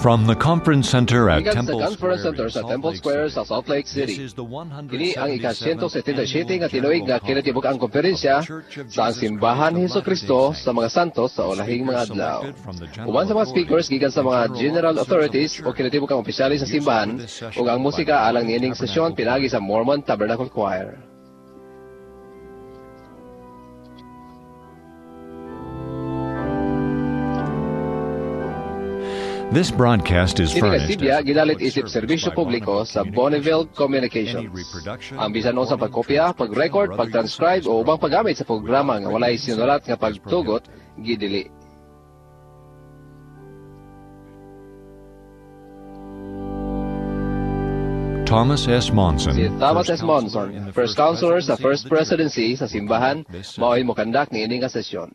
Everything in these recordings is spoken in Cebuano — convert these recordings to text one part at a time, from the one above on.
From the Conference Center at Gikan sa Temple Conference Square Center in sa Salt Temple Lake Square City. Sa Salt Lake This City. is the Kini ang 177th ika-177 nga Annual tinuig nga General kinatibuk-ang Conference of konferensya the Church of sa Jesus Simbahan Christ of ni Jesucristo Latter-day sa mga Saints. Santos sa ulahing mga Speakers adlaw. selected from the general Uban sa mga speakers authorities gikan sa and mga general general officers of the authorities o church. kinatibuk-ang opisyales sa Music simbahan for this session ug ang by the musika alang Mormon niining sesyon Tabernacle pinaagi Choir. Sa Mormon Tabernacle Choir. This broadcast is Kini nga furnished sibya as a gidalit public isip service serbisyo by publiko Bonneville sa Bonneville Communications. Any Communications. reproduction, Ang bisan unsa recording, pagkopya, transcription, pag-record, or other use of pag-transcribe this o ubang program paggamit sa programa without nga walay written sinulat nga consent is pagtugot prohibited. Gidili. Thomas S. Monson, Si Thomas First S. Counselor Monson, in the First First Counselor sa Presidency of First the Church, Presidency sa will simbahan, conduct this mao'y session. mokandak niini nga sesyon.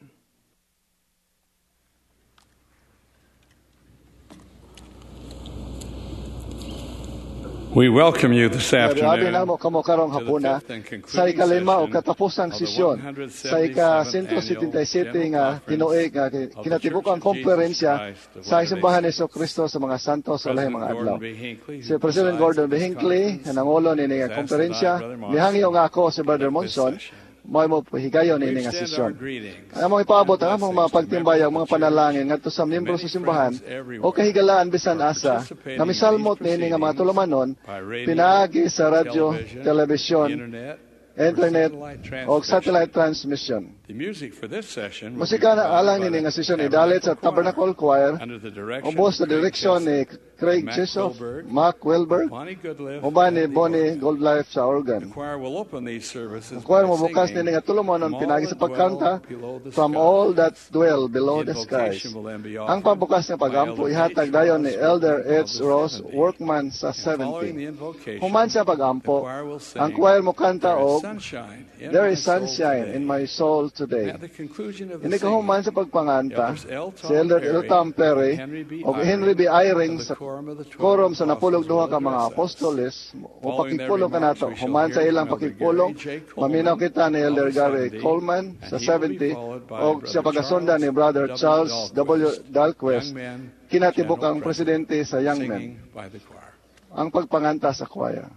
We welcome you this Grabe afternoon namo kamo karong to the hapuna fifth and sa concluding ikalima o session katapusang of the sesyon sa 177th ika-177 Annual nga General tinuig nga Conference of the Church kinatibuk-ang of Jesus konferensya Christ of sa Latter-day Simbahan ni Saints. Kristo sa mga Santos sa lahing President mga adlaw. Gordon B. Hinckley, Si who President presides Gordon B. this Hinckley, conference, nga nangulo niini has nga asked that I, konferensya, Brother mihangyo Monson, nga ako si Brother conduct this Monson, session. mao mo higayon We niini nga extend our sesyon. greetings Ang among ipaabot and ang among mga blessings to pagtimbay members ang of mga the church panalangin ngadto sa and miyembro many sa simbahan friends o everywhere kahigalaan who bisan are asa nga participating in these misalmot niini nga mga proceedings tulumanon by radio, pinaagi sa radyo, television, the telebisyon, internet, or internet satellite o transmission. Satellite transmission. The music for this session will be Musika na provided alang by nini the nga sesyon idalit sa Tabernacle Tabernacle Choir Choir under the direction ubos of sa Craig direksyon ni Jessup, Craig Mac Chishoff, Wilberg, Mark Wilberg, Bonnie Goodliff, uban ni and the Bonnie organ. Goldlife sa The organ. choir will open these services Ang choir by mobukas singing nini nga tulumanon From All pinaagi sa That Dwell pagkanta Below the "From All That Skies." Dwell Below The the Skies. invocation will then be Ang offered pambukas nga by pagampo Elder ihatag H. dayon ni Ross Elder Workman of H. the Ross 70. Workman sa And following 70. the invocation, Human sa the pagampo, choir will ang sing choir mokanta There Is og Sunshine in "There My Is Soul Sunshine Today." in My Soul Today." At the conclusion of the Ini kahuman singing, sa pagpanganta, Elders L. si Tom Elder Perry L. Tom Perry and Henry B. ug Henry B. Eyring Eyring of the sa Quorum of the Twelve quorum sa Apostles napulog duha will ka mga address us. apostoles o Following their pakigpulong remarks, kanato. we shall Human sa hear ilang from Elder pakigpulong, Gary J. maminaw Coleman kita ni of Elder the Gary 70, Coleman and sa he will be 70 followed by og sa Brother pagasundan ni Charles Brother W. Charles W. Dahlquist, Dahlquist, Young Men kinatibuk General ang President, presidente sa Young Men. singing by the choir. Ang pagpanganta sa choir.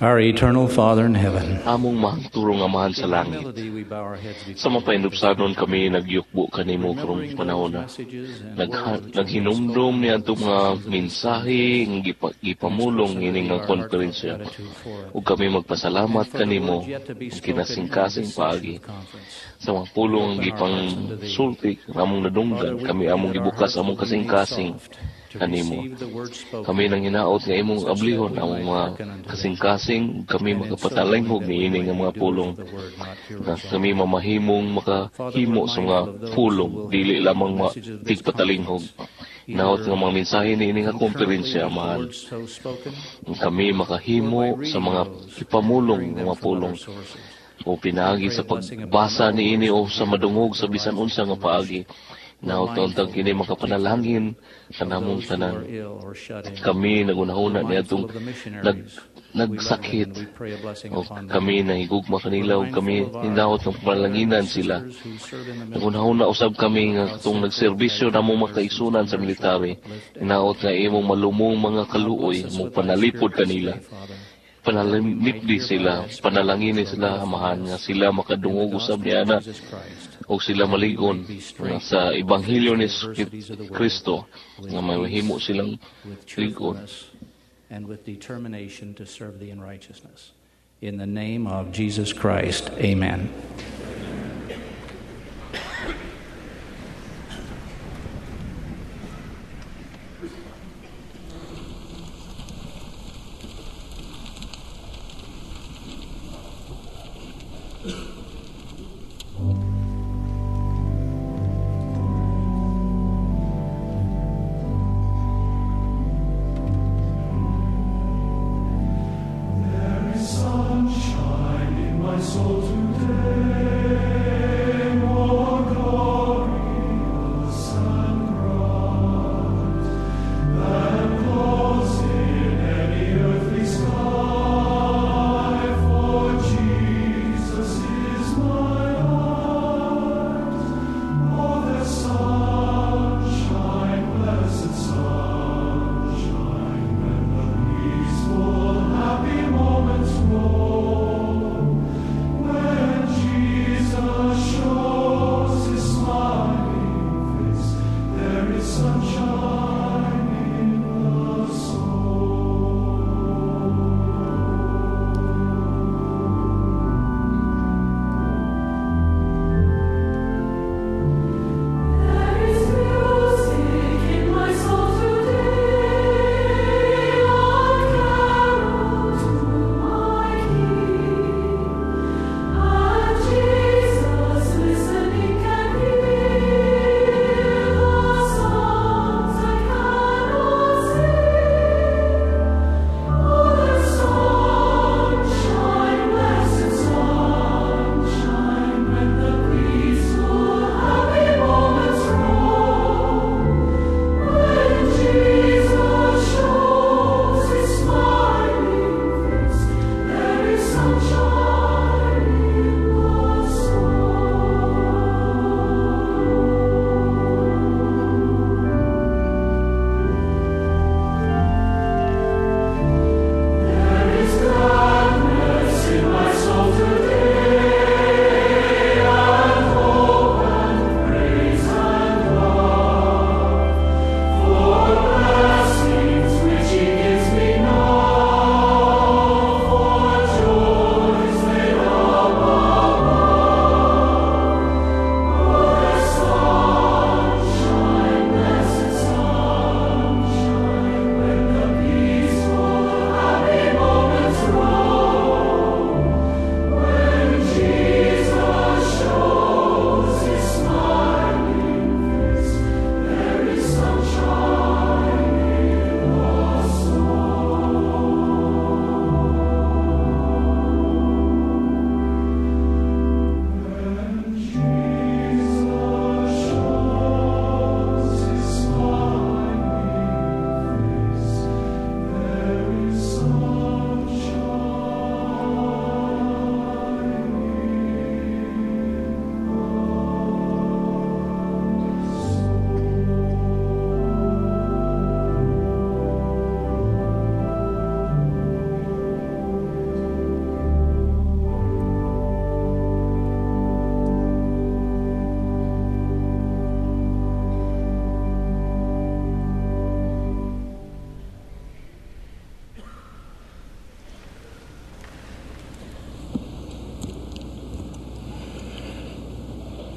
Our eternal Father in heaven, Among mahangturong Amahan sa in langit, humility we bow our heads sa before you. mapainupsanon kami nagyukbo kanimo karong Remembering panahon those na. messages and words which have been Naghinumdum spoken ni in atong the mga sessions of this mensahe nga gipamulong express ini our nga heartfelt konferensya gratitude for it. ug kami And magpasalamat for the kanimo words yet to be ug spoken in kinasingkasing this session paagi of conference. sa mga pulong Open ang our hearts unto thee. gipangsulti among Father, nadunggan we kami pray among that our gibukas hearts among will be made kasingkasing soft to kanimo. receive the word spoken, Kami nang hinaot nga imong such that ablihon we among might mga hearken unto them. kasingkasing ug kami And in so doing makapatalinghog that we niini might nga be mga doers pulong of the word, not nga hearers kami only. mamahimong Father, makahimo we're sa mga mindful of those who pulong will dili hear lamang the messages of this tigpatalinghog. conference, Hinaot either nga mga mensahe niini nga concurrently konferensya with the Amahan. words so spoken, Kami or by makahimo sa reading mga those and ipamulong hearing nga them mga from pulong other sources. o pinaagi We pray sa a blessing upon pagbasa all niini those o who sa hear madungog the sa bisan rising unsa nga information. paagi. We're Hinaot mindful untang kini in particular makapanalangin of kanamong those who tanan. are ill or shut in. Kami We're nagunahuna mindful niadtong of the missionaries. We love them nagsakit and we pray a blessing o upon them. kami nahigugma We're kanila ug kami mindful of our hinaot nga brethren and panalanginan sila. sisters who serve in the military. Nagunahuna usab kami nga How katong sinful nagserbisyo they namo are, nurses makaigsunan and sa nurses military. uplift and Hinaot nga imong malumong mga Now kaluoy bless us mo with thy panalipod Spirit this kanila. day, Father, that we might Panalimipdi hereby sila, thy Spirit panalangini shall sila edify Amahan nga us sila in the makadungog usab gospel of niana Jesus Christ, og sila that we maligon might be nga strengthened sa to ebanghelyo face ni the adversities of the world Kristo with nga mahimo peace, silang with ligon. cheerfulness, and with determination to serve thee in righteousness. In the name of Jesus Christ, amen. There is sunshine in my soul today.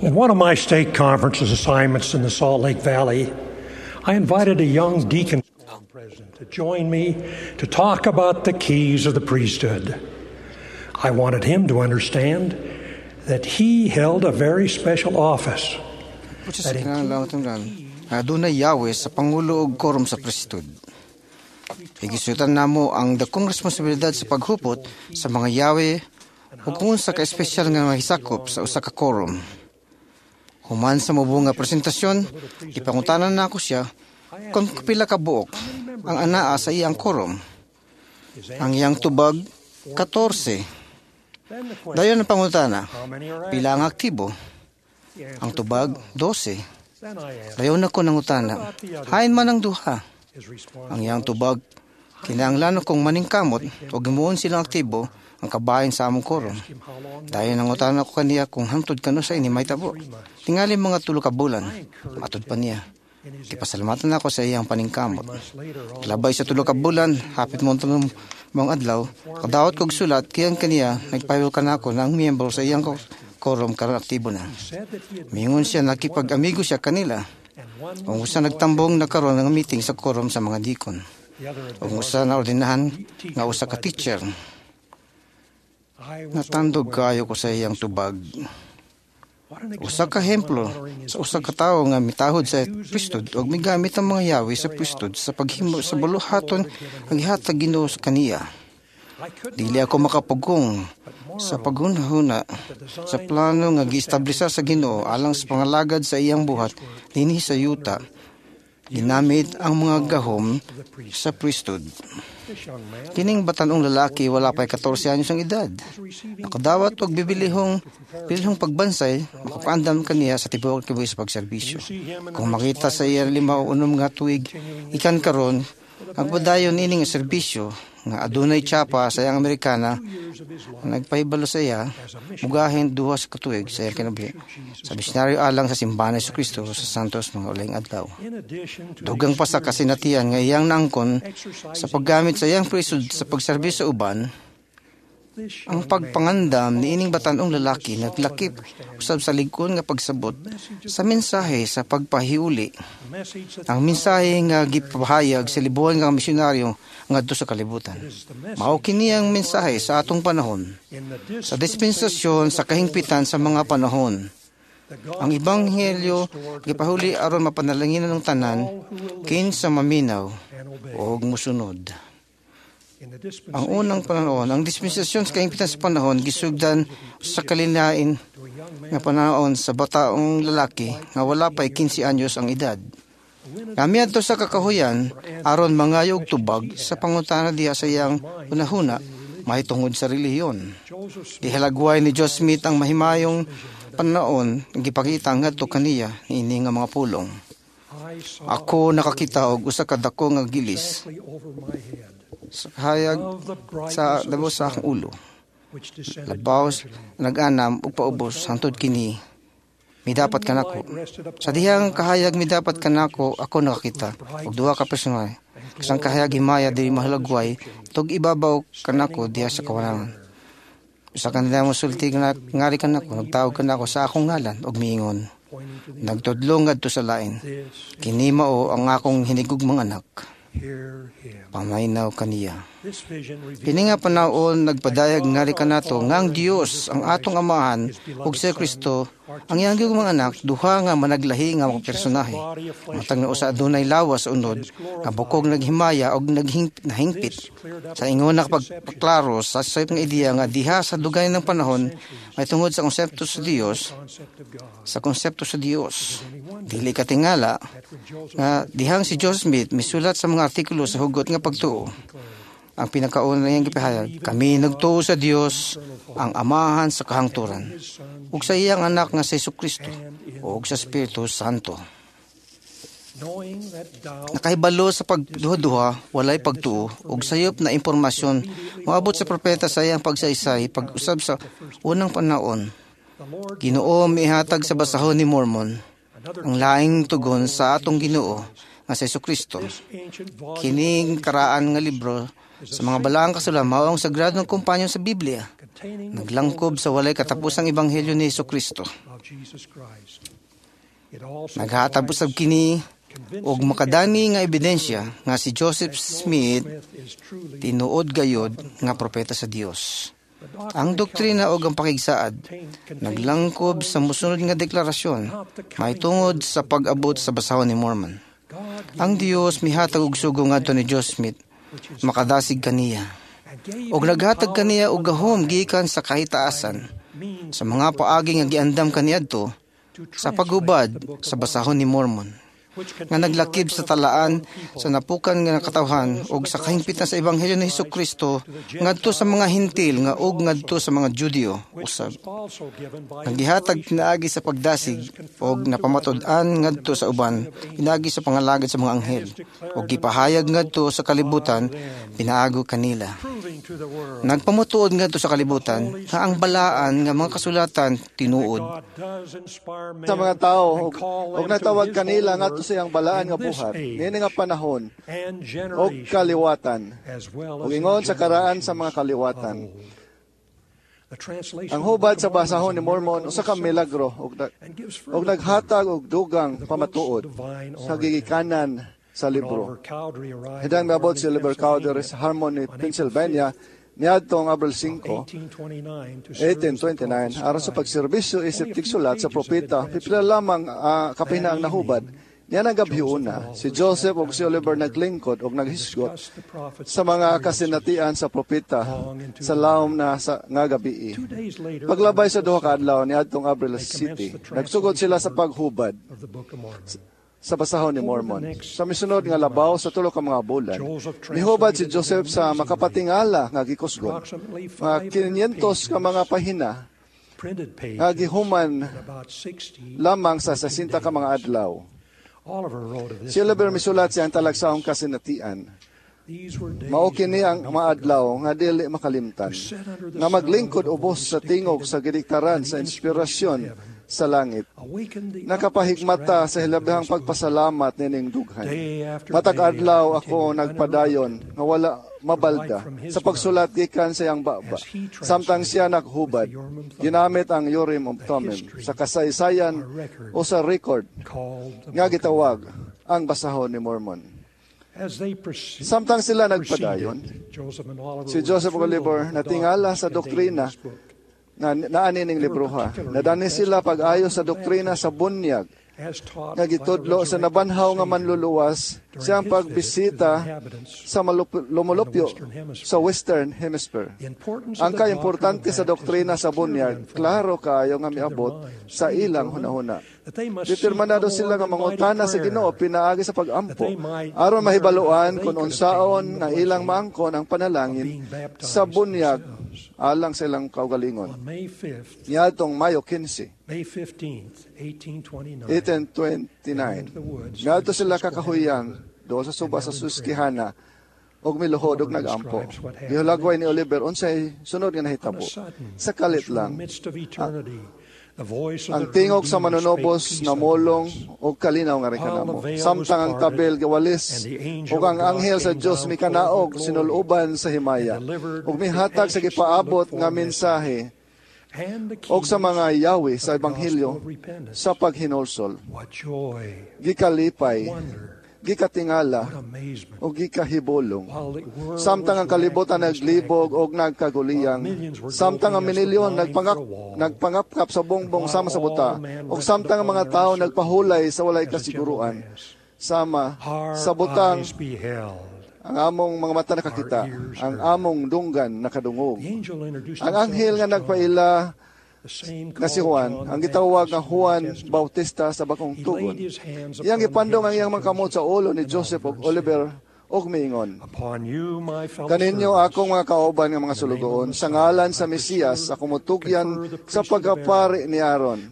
In one of my stake conferences assignments in the Salt Lake Valley, I invited a young deacon president to join me to talk about the keys of the priesthood. I wanted him to understand that he held a very special office. Pusa sa kinahanglan matungdan, adunay yawe sa pangulo og quorum sa priesthood. Higisutan namo ang dakong responsibilidad sa paghupot sa mga yawe ug kung unsa ka espesyal nga mahisakop sa usa ka quorum. Human sa mubo nga presentasyon, gipangutanan nako siya kung pila ka buok ang anaa sa iyang quorum. Ang iyang tubag, 14. Dayon ang pangutana, pila ang aktibo? Ang tubag, 12. Dayon ako nangutana, hain man ang duha? Ang iyang tubag, kinahanglan kong maningkamot o gimuon silang aktibo ang kabahin sa among quorum. Dayon nangutana ko kaniya kung hangtod kanusay ini mahitabo. Tingali mga 3 ka bulan, matud pa niya. Gipasalamatan ako sa iyang paningkamot. Labay sa 3 ka bulan, hapit mo mga adlaw, kadawat kog sulat kiyang kaniya nagpahiwal kanako na ang miyembro sa iyang quorum karon aktibo na. Mingon siya nakipag-amigo siya kanila. Ug usa nagtambong na karon ang meeting sa quorum sa mga deacon. Ug usa na ordinahan nga usa ka teacher. Natandog kayo ko sa iyang tubag. Usa ka ehemplo sa usa ka tawo nga mitahod sa priesthood ug migamit ang mga yawi sa priesthood sa paghimo sa buluhaton ang gihatag Ginoo sa kaniya. Dili ako makapugong sa paghunahuna sa plano nga giestablishar sa Ginoo alang sa pangalagad sa iyang buhat dinhi sa yuta. Ginamit ang mga gahom sa priesthood. Kining batanong lalaki wala pa'y 14 anyos ang edad. Nakadawat og bibilihong bilihong pagbansay, makapaandam kaniya sa tibuok kinabuhi sa pagserbisyo. Kung makita sa iya 5 o 6 nga tuig, ikan karon ang padayon ini nga serbisyo nga adunay tsapa sa iyang Amerikana nagpahibalo sa iya mugahin 2 sa katuig sa iyang kinabuhi sa misyonaryo alang sa simbahan ni Jesucristo sa Santos mga uling adlaw. Dugang pa sa kasinatian nga iyang nangkon sa paggamit sa iyang priesthood sa pagserbisyo sa uban, ang pagpangandam ni ining batanong lalaki naglakip usab sa lig-on nga pagsabot sa mensahe sa pagpahiuli. Ang mensahe nga gipahayag sa libuan nga misyonaryo ngadto sa kalibutan. Mao kini ang mensahe sa atong panahon, sa dispensasyon sa kahingpitan sa mga panahon. Ang ebanghelyo gipahuli aron mapanalanginan ng tanan kinsa maminaw og musunod. Ang unang panahon, ang dispensasyon sa kahimpitan sa panahon, gisugdan sa kalinain nga panahon sa bataong lalaki nga wala pa'y 15 anyos ang edad. Kami adto sa kakahuyan, aron mangayo og tubag sa pangutana diha sa iyang hunahuna, mahitungod sa relihiyon. Gihalagway ni Joseph Smith ang mahimayong panahon, gipakita ngadto kaniya niini nga mga pulong. Ako nakakita og usa ka dako nga gilis sa kahayag sa labaw sa akong ulo. Labaw nag-anam ug paubos hangtod kini midapat kanako. Sa dihang kahayag midapat kanako, ako nakakita og duha ka personahe. Kasang kahayag himaya dili mahalagway tug ibabaw kanako diha sa kawanangan. Usa kanila mosulti ngari kanako, nagtawag kanako sa akong ngalan ug miingon. Nagtudlo ngadto sa lain. Kini mao ang akong hinigugmang anak. Pamaynaw kaniya. Kini nga panahon nagpadayag ngari kanato nga ang Dios ang atong amahan ug si Kristo ang iyang mga anak duha nga managlahi nga mga personahe. Matag na usa adunay lawas sa unod nga bukog naghimaya og nahingpit. Sa ingon nakapagpaklaro sa sayop nga ideya nga diha sa dugay ng panahon may tungod sa konsepto sa Dios, sa konsepto sa Dios. Dili katingala nga dihang si Joseph Smith misulat sa mga artikulo sa hugot nga pagtuo. Ang pinakauna niyang gipahayag, kami nagtuo sa Dios ang amahan sa kahangturan, ug sa iyang anak nga si Jesucristo, ug sa Espiritu Santo. Nakahibalo sa pagduha-duha, walay pagtuo, ug sayop na impormasyon moabot sa propeta sa iyang pagsaysay pag-usab sa unang panahon. Ginoo mihatag sa basahon ni Mormon ang laing tugon sa atong Ginoo nga si Hesukristo. Kining karaan nga libro sa mga balaang kasulatan mao ang sagradong kumpanyon sa Biblia. Naglangkob sa walay katapusang ebanghelyo ni Hesukristo. Naghatag usab kini og makadani nga ebidensya nga si Joseph Smith tinuod gayod nga propeta sa Dios. Ang doktrina og ang pakigsaad naglangkob sa mosunod nga deklarasyon mahitungod sa pag-abot sa basahon ni Mormon. Ang Dios mihatag og sugo ngadto ni Joseph Smith makadasig kaniya og naghatag kaniya og gahom gikan sa kahitaasan sa mga paagi nga giandam kaniadto sa paghubad sa basahon ni Mormon nga naglakib sa talaan sa napukan nga katawhan og sa kahimpitan sa ebanghelyo ni Hesukristo ngadto sa mga Hentil nga og ngadto sa mga Judio usab. Ang gihatag pinaagi sa pagdasig og napamatud-an ngadto sa uban pinaagi sa pangalagad sa mga anghel og gipahayag ngadto sa kalibutan pinaago kanila. Nagpamutuod ngadto sa kalibutan nga ang balaan nga mga kasulatan tinuod. Sa mga tao og nagtawag kanila ngadto sa iyang balaan nga buhat niini nga panahon og kaliwatan ug ingon sa karaan sa mga kaliwatan. Ang hubad sa basahon ni Mormon usa ka milagro og naghatag og dugang pamatuod sa gigikanan sa libro. Hidang miabot si Oliver Cowdery sa Harmony, Pennsylvania niadtong Abril 5, 1829, aron sa pagserbisyo isip tigsulat sa propeta, pipila lamang kapina ang nahubad. Niya nagabhiuna, si Joseph ug si Oliver naglingkod ug naghisgot sa mga kasinatian sa propeta sa lawom na sa nga gabii. Paglabay sa duha ka adlaw niadtong Abril City, nagsugod sila sa paghubad sa basahon ni Mormon. Sa misunod nga labaw sa tulo ka mga bulan, mihubad si Joseph sa makapatingala nga gikusgon. Mga 500 ka mga pahina nga gihuman lamang sa 60 ka mga adlaw. Si Oliver misulat siyang talagsaong kasinatian. Mao kini ang mga adlaw nga dili makalimtan, nga maglingkod ubos sa tingog sa gidiktaran sa inspirasyon sa langit. Nakapahigmata sa hilabihang pagpasalamat nining dughan. Matag adlaw ako nagpadayon nga wala mabalda sa pagsulat gikan sa iyang baba. Samtang siya naghubad, ginamit ang Urim ug Thummim sa kasaysayan o sa record nga gitawag ang basahon ni Mormon. Samtang sila nagpadayon, si Joseph Oliver natingala sa doktrina na naani ning libroha. Nadani sila pag-ayo sa doktrina sa bunyag nga gitudlo sa nabanhaw nga manluluwas siyang pagbisita sa lumulupyo sa Western Hemisphere. Ang kaimportante sa doktrina sa bunyag, klaro kaayo nga miabot sa ilang hunahuna. Determinado sila nga mangutana sa Ginoo pinaagi sa pag-ampo aron mahibaluan kung unsaon nga ilang maangkon ang panalangin sa bunyag alang sa ilang kaugalingon. Niadtong Mayo 15, 1829, ngadto sila kakahuyang doon sa suba sa Susquehanna og miluhod og nagampo. Gihulagway ni Oliver unsay sunod nga nahitabo. Sa kalit lang, ang tingog sa manunobos namulong og kalinaw nga rekanamo. Samtang ang tabel giwalis ug ang anghel sa Dios mikanaog sinuluban sa himaya ug mihatag sa gipaabot nga mensahe og sa mga yawi sa ebanghelyo sa paghinulsol. Gikalipay, gikatingala o gikahibulong. Samtang ang kalibutan naglibog og nagkaguliyang, samtang ang minilyon nagpangapkap sa bongbong sama sa buta, ug samtang ang mga tao nagpahulay sa walay kasiguruan, sama sa butang ang among mga mata nakakita, ang among dunggan nakadungog. Ang anghel nga nagpaila nga si Juan, ang gitawag nga Juan Bautista sa bakong tugon. Iyang gipandong ang iyang mga kamot sa ulo ni Joseph ug Oliver Og miingon, "Kaninyo akong mga kauban nga mga sulugoon, sa ngalan sa Mesiyas, ako mutugyan sa pagkapari ni Aaron,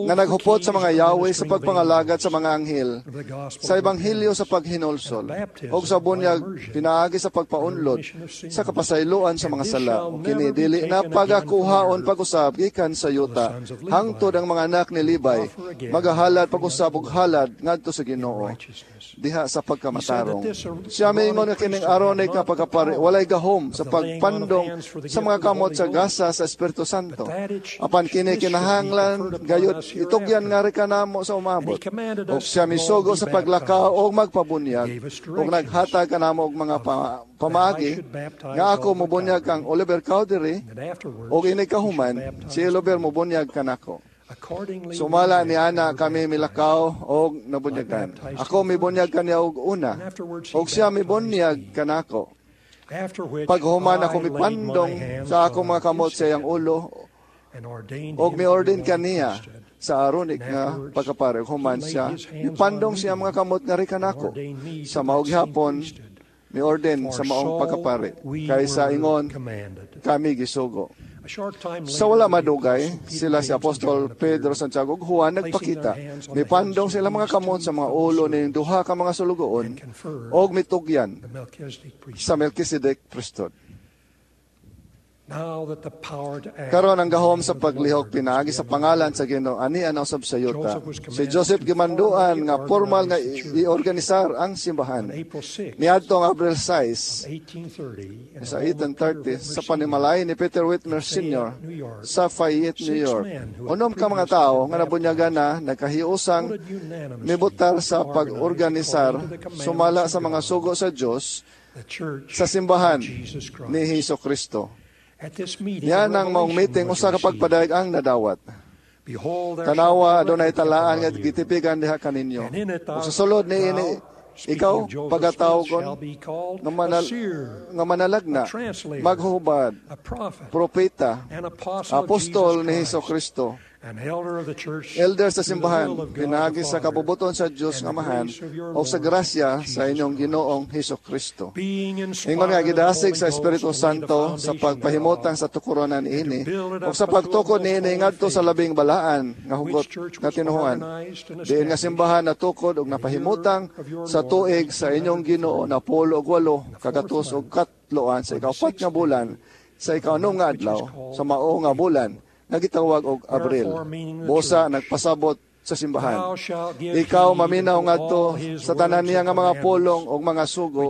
nga naghupot sa mga yawi sa pagpangalagad sa mga anghel, sa ebanghelyo sa paghinulsol, og sa bunyag pinaagi sa pagpaunlod sa kapasayloan sa mga sala. Ug kini dili na pagakuhaon pag-usab gikan sa yuta, hangtod ang mga anak ni Levi magahalad pag-usab og halad ngadto sa Ginoo diha sa pagkamatarong." Siya miingon nga kining Aaronic nga pagkapari walay gahom sa pagpandong sa mga kamot sa gasa sa Espiritu Santo. Apan kini kinahanglan gayud itugyan ngari kanamo sa umabot. Og siya misugo sa paglakaw og magpabunyag og naghatag kanamo og mga pamaagi nga ako mobunyag kang Oliver Cowdery og inig kahuman si Oliver mobunyag kanako. Sumala ni ana kami milakaw og nabunyagan. Ako mibunyag kaniya og una, og siya mibunyag kanako. Paghuman ako mipandong sa akong mga kamot sa iyang ulo, og miordain kaniya sa Aaronic nga pagkapari. Human siya mipandong siya mga kamot nga kanako. Sa mao gihapon miordain sa maong pagkapari. Kay sa ingon kami gisugo. Sa wala madugay, sila si Apostol Pedro, Santiago ug Juan nagpakita. Mipandong sila mga kamot sa mga ulo ning duha ka mga sulugoon og mitugyan sa Melchizedek priesthood. Karon ang gahom sa paglihok pinaagi sa pangalan sa Ginoo ani na usab sa yuta. Si Joseph gimanduan nga formal nga iorganisar ang simbahan. Niadto ang Abril 6 sa 1830 sa panimalay ni Peter Whitmer Sr. sa Fayette, New York. 6 ka mga tawo nga nabunyagan na nagkahiusang mibutar sa pag-organisar sumala sa mga sugo sa Dios sa simbahan ni Hesus Kristo. Yan ang maong meeting usa ka pagpadayag ang nadawat. "Tanawa, adunay talaan nga gitipikan diha kaninyo. Ug sa sulod niini ikaw pagatawgon nga manalagna, maghubad, propeta, apostol ni Hesus Kristo, elder sa simbahan, pinaagi sa kabubuton sa Dios nga Amahan o sa grasya sa inyong Ginoong Hesus Kristo." Ingon nga gidasig sa Espiritu Santo sa pagpahimutang sa tukuronan niini o sa pagtukod niini ngadto sa labing balaan nga hugot nga tinuhuan. Diin nga simbahan natukod og napahimutang sa tuig sa inyong Ginoo na 1883 sa 4 nga bulan sa 6 nga adlaw sa mao nga bulan nga gitawag og Abril. Busa nagpasabot sa simbahan. Ikaw maminaw ngadto sa tanan niya nga mga pulong og mga sugo,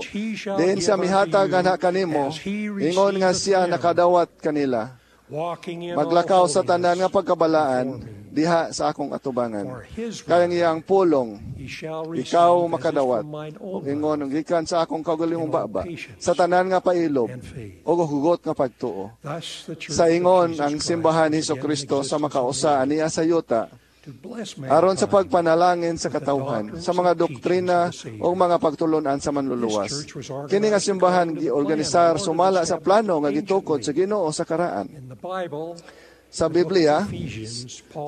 diin siya mihatag ana kanimo, ingon nga siya nakadawat kanila. Maglakaw sa tanan nga pagkabalaan diha sa akong atubangan. Kay ang iyang pulong ikaw makadawat, ug ingon og gikan sa akong kaugalingong baba sa tanan nga pailob ug hugot nga pagtuo. Sa ingon ang simbahan ni Hesus Kristo sa makausa aniya sa yuta, aron sa pagpanalangin sa katawhan, sa mga doktrina o mga pagtulunan sa manluluwas. Kini nga simbahan giorganisar sumala sa plano nga gitukod sa Ginoo sa karaan. Sa Biblia,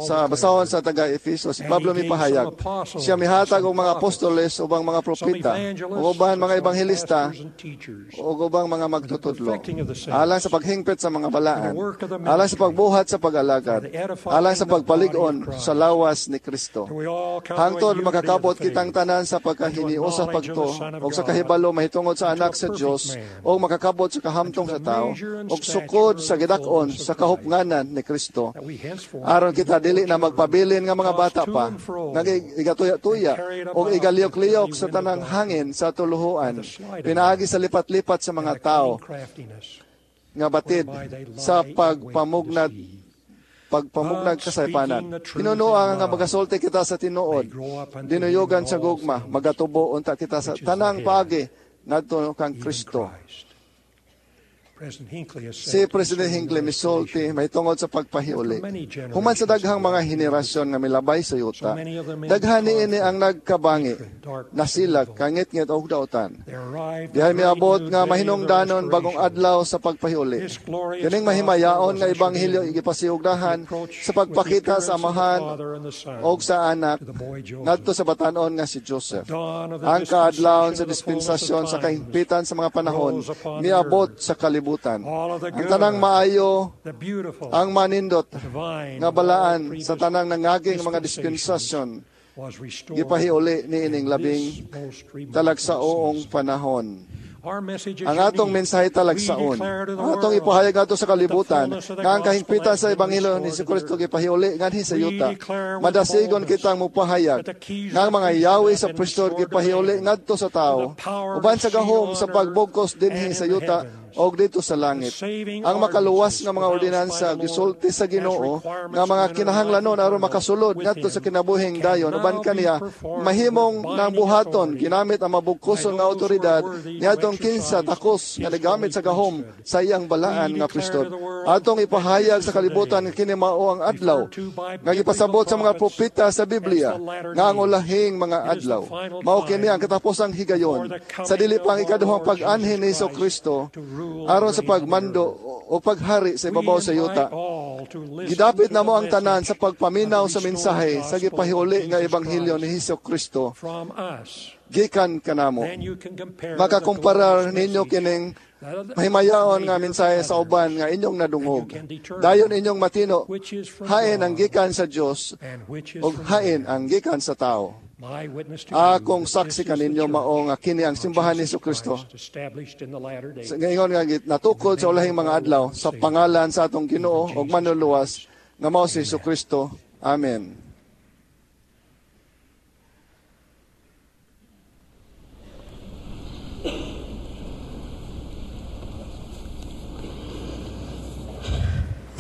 sa basahon sa taga-Efeso, si Pablo mipahayag, siya mihatag og mga apostoles ubang mga propeta, ug uban mga ebanghelista, ug ubang mga magtutudlo, alang sa paghingpit sa mga balaan, alang sa pagbuhat sa pag-alagad, alang sa pagpalig-on sa lawas ni Kristo. Hangtod makakabot kitang tanan sa pagkahiniusa sa pagtuo, ug sa kahibalo mahitungod sa anak sa Dios, ug makakabot sa kahamtong sa tao, ug sukod sa gidak-on sa kahupnganan ni Kristo. Aron kita dili na magpabilin nga mga bata pa, nga igatuya-tuya o igaliyok-liyok sa tanang hangin sa tuluhuan, pinaagi sa lipat-lipat sa mga tao nga batid sa pagpamugnag kasaypanan. Hinunoa nga magasulti kita sa tinuod, dinuyugan sa gugma, magatubo unta kita sa tanang paagi ngadto kang Kristo. Si President Hinckley misulti mahitungod sa pagpahiuli. Human sa daghang mga henerasyon nga milabay sa yuta, daghan niini ang nagkabangi, nasilag, kangitngit og dautan. Dihay miabot nga mahinungdanon bagong adlaw sa pagpahiuli. Kining mahimayaon nga ebanghelyo gipasiugdahan sa pagpakita sa Amahan og sa Anak ngadto sa batan-on nga si Joseph. Ang kaadlawon sa dispensasyon sa kahigpitan sa mga panahon miabot sa kalibutan. Ang tanang maayo, ang manindot nga balaan sa tanang nangaging mga dispensasyon gipahiuli niining labing talagsaoong panahon. Ang atong mensahe talagsaon, ang atong ipahayag ato sa kalibutan, nga ang kahigpitan sa Ebanghelyo ni Jesucristo gipahiuli nganhi sa yuta. Madasigon kitang mopahayag nga ang mga yawi sa priesthood gipahiuli ngadto sa tawo, uban sa gahom sa pagbugkos dinhi sa yuta og dito sa langit. Ang makaluwas nga mga ordinansa gisulti sa Ginoo nga mga kinahanglanon aron makasulod ngadto sa kinabuhing dayon uban kaniya mahimong nang buhaton ginamit ang mabugkoson nga awtoridad niadtong kinsa takos nga nagamit sa gahom sa iyang balaan nga priesthood. Atong ipahayag sa kalibutan nga kini mao ang adlaw nga gipasabot sa mga propeta sa Biblia nga ang ulahing mga adlaw. Mao kini ang katapusang higayon sa dili pang ikaduhang pag-anhin ni Jesucristo aron sa pagmando o paghari sa ibabaw sa yuta. Gidapit na mo ang tanan sa pagpaminaw sa mensahe sa gipahiuli nga ebanghelyo ni Jesucristo gikan kanamo. Makakumparar ninyo kining mahimayaon nga mensahe sa uban nga inyong nadungog. Dayon inyong matino, hain ang gikan sa Dios ug hain ang gikan sa tao. Akong saksi kaninyo mao nga kini ang simbahan ni Jesucristo sa ngayon nga natukod sa ulahing mga adlaw sa pangalan sa atong Ginoo ug Manluluwas nga mao si Jesucristo. Amen.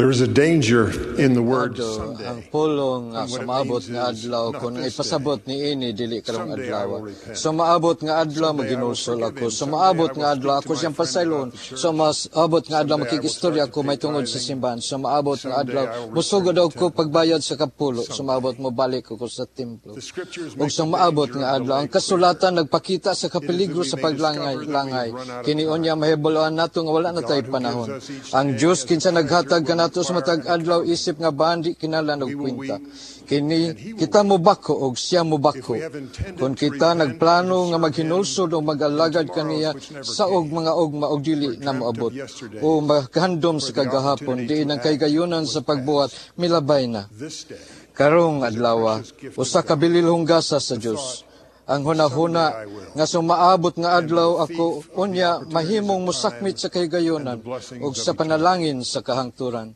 There is a danger in the word someday. Ang pulong nga sumaabot nga adlaw kung ipasabot ni ini dili karong adlaw. Sumaabot nga adlaw maginulsol ako. Sumaabot nga adlaw ako siyang pasaylon. Sumaabot nga adlaw makikistorya ako may tungod sa simbahan. Sumaabot nga adlaw musugod ako pagbayad sa kapulo. Sumaabot mo balik ako sa templo. Ug sumaabot nga adlaw ang kasulatan nagpakita sa kapeligro sa paglangay-langay. Kini unya mahibaloan nato nga wala na tay panahon. Ang Dios kinsa naghatag kanato sa matag adlaw isip nga bandi kinahanglan og kwenta. Kini kita mobako og siya mobako. Kun kita nagplano nga maghinulsod o mag-alagad kaniya sa og mga ugma og dili na moabot o makahandom sa kagahapon diin ang kaygayunan sa pagbuhat milabay na. Karong adlaw usa ka bililhong gasa sa Dios. Ang hunahuna nga sumaabot nga adlaw ako unya mahimong mosakmit sa kahigayonan ug sa panalangin sa kahangturan.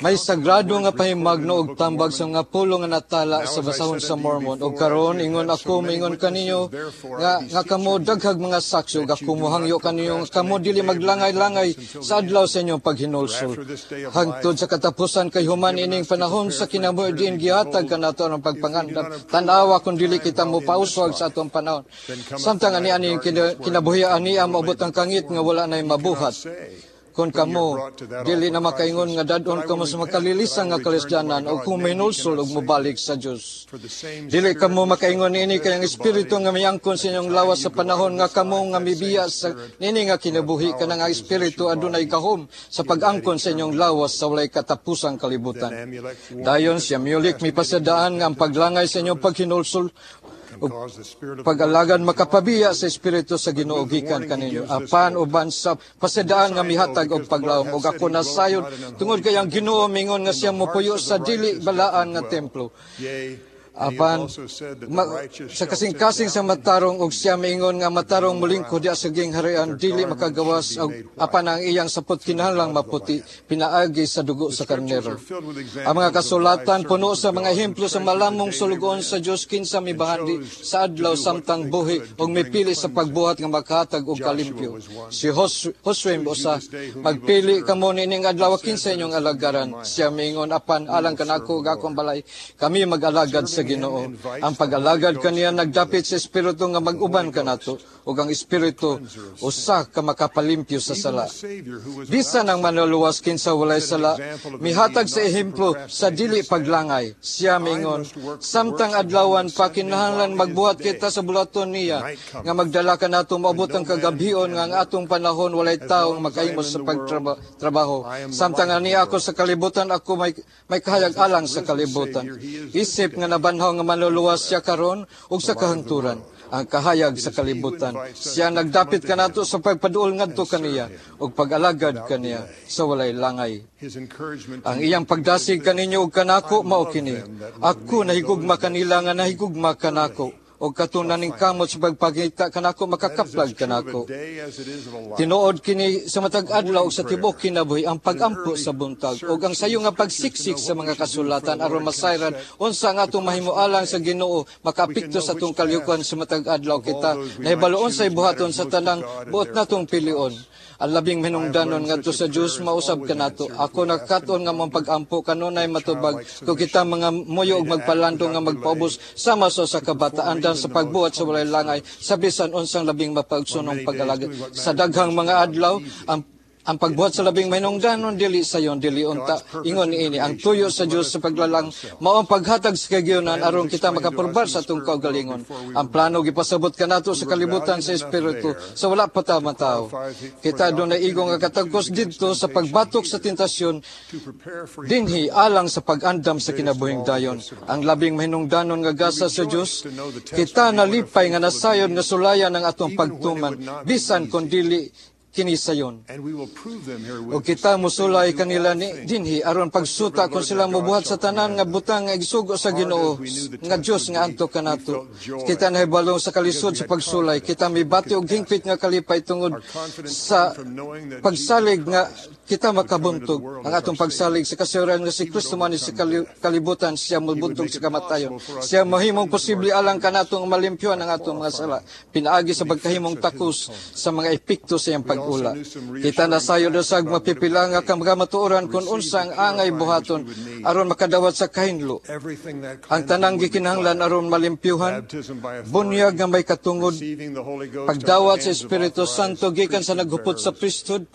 May sagrado nga pahimagno og tambag sa mga pulo nga natala sa basahon sa Mormon. Og karon ingon ako maingon kaninyo nga kamo daghag mga saksi ug ako mohangyo kaninyo nga kamo dili maglangay-langay sa adlaw sa inyong paghinulsol. Hangtod sa katapusan kay human ining panahon sa kinabuhi diin gihatag kanato ang pagpangandam. Tan-awa kung dili kita mopauswag sa atong panahon. Samtang ani-ani kinabuhi ani moabot ang kangit nga wala nay mabuhat. Kung kamo, dili na makaingon nga dadon kamo sa makalilisan nga kalisdanan o kung minulsol og mobalik sa Dios. Dili kamo makaingon niini kay ang espiritu nga miangkon sa inyong lawas sa panahon nga kamo nga mibiya sa niini nga kinabuhi kanang ang espiritu adunay gahom sa pag-angkon sa inyong lawas sa walay katapusang kalibutan. Dayon siya Mulik mipasadaan nga ang paglangay sa inyong paghinulsol pag-alagad makapabiya sa espiritu sa Ginoo gikan kaninyo apan uban sa pasadaan nga mihatag og paglawom og ako nasayod tungod kay ang Ginoo mingon nga siya mopuyo sa dili balaan nga templo. Apan sa kasing-kasing sa matarong og siya miingon nga matarong molingkod diha sa gingharian dili makagawas og apan ang iyang sapot kinahanglang maputi pinaagi sa dugo sa karnero. Ang mga kasulatan puno sa mga ehemplo sa malamong sulugoon sa Dios kinsa mibahandi sa adlaw samtang buhi og mipili sa pagbuhat nga makahatag og kalimpyo. Si Josue usa magpili kamo niining adlaw kinsa inyong alagaran. Siya miingon apan alang kanako ug akong balay kami mag-alagad sa Ginoo. Ang pag-alagad kaniya nagdapit sa espiritu nga mag-uban kanato. ug ang Espiritu usa ka makapalimpyo sa sala. Bisan ang manluluwas kinsa walay sala, mihatag sa ehemplo sa dili paglangay. Siya mingon, samtang adlawan pa kinahanglan magbuhat kita sa bulaton niya nga magdala kanato moabot ang kagabhion nga ang atong panahon walay tawo nga makahimo sa pagtrabaho. Samtang ani ako sa kalibutan, ako may kahayag alang sa kalibutan. Isip nga nabanhaw nga manluluwas siya karon ug sa kahangturan, ang kahayag sa kalibutan. Siya nagdapit kanato sa pagpaduol ngadto kaniya ug pag-alagad kaniya sa walay langay. Ang iyang pagdasig kaninyo ug kanako mao kini. Ako nahigugma kanila nga nahigugma kanako, og katong naningkamot sa pagpakita kanako makakaplag kanako. Tinuod kini sa matag adlaw ug sa tibuok kinabuhi ang pagampo sa buntag ug ang sayo nga pagsiksik sa mga kasulatan aron masayran unsa ang atong mahimo alang sa Ginoo makaapekto sa atong kalyukan sa matag adlaw. Kita nahibalo unsay buhaton sa tanang buot natong pilion. Ang labing hinungdanon ngadto sa Dios mausab kanato. Ako nagkat-on nga mong pagampo kanunay matubag kung kita mga muyo og magpalando nga magpaubos sama sa usa ka bataan dan sa pagbuhat sa walay langay sa bisan unsang labing mapaigsoonong pag-alagad. Sa daghang mga adlaw ang pagbuhat sa labing mahinungdanon dili sayon, dili unta. Ingon niini ang tuyo sa Dios sa paglalang mao ang paghatag sa kagiyonan aron kita makapurbar sa atong kaugalingon. Ang plano gipasabot kanato sa kalibutan sa espiritu sa wala pa ta matawo. Kita dunay igo nga katagkos didto sa pagbatok sa tentasyon dinhi alang sa pag-andam sa kinabuhing dayon. Ang labing mahinungdanon nga gasa sa Dios, kita nalipay nga nasayod nga sulayan ang atong pagtuman bisan kon dili kini sayon. O kita musulay kanila ni dinhi aron pagsuta kung sila mobuhat sa tanan nga butang nga igsugo sa Ginoo nga Dios nga anto kanato. Kita nahibalo sa kalisod sa pagsulay. Kita mibati og hingpit nga kalipay tungod sa pagsalig nga kita makabuntog. Ang atong pagsalig sa kasayuran nga si Kristo man sa kalibutan, siya mobuntog sa kamatayon. Siya mahimong posible alang kanato nga malimpyuhan ang atong mga sala pinaagi sa pagkahimong takos sa mga epekto sa iyang pag-ula. Kita nasayod usag mapipila nga kamatuoran kung unsa ang angay buhaton aron makadawat sa kahinlo. Ang tanang gikinahanglan aron malimpyuhan, bunyag nga may katungod, pagdawat sa Espiritu Santo gikan sa naghupot sa priesthood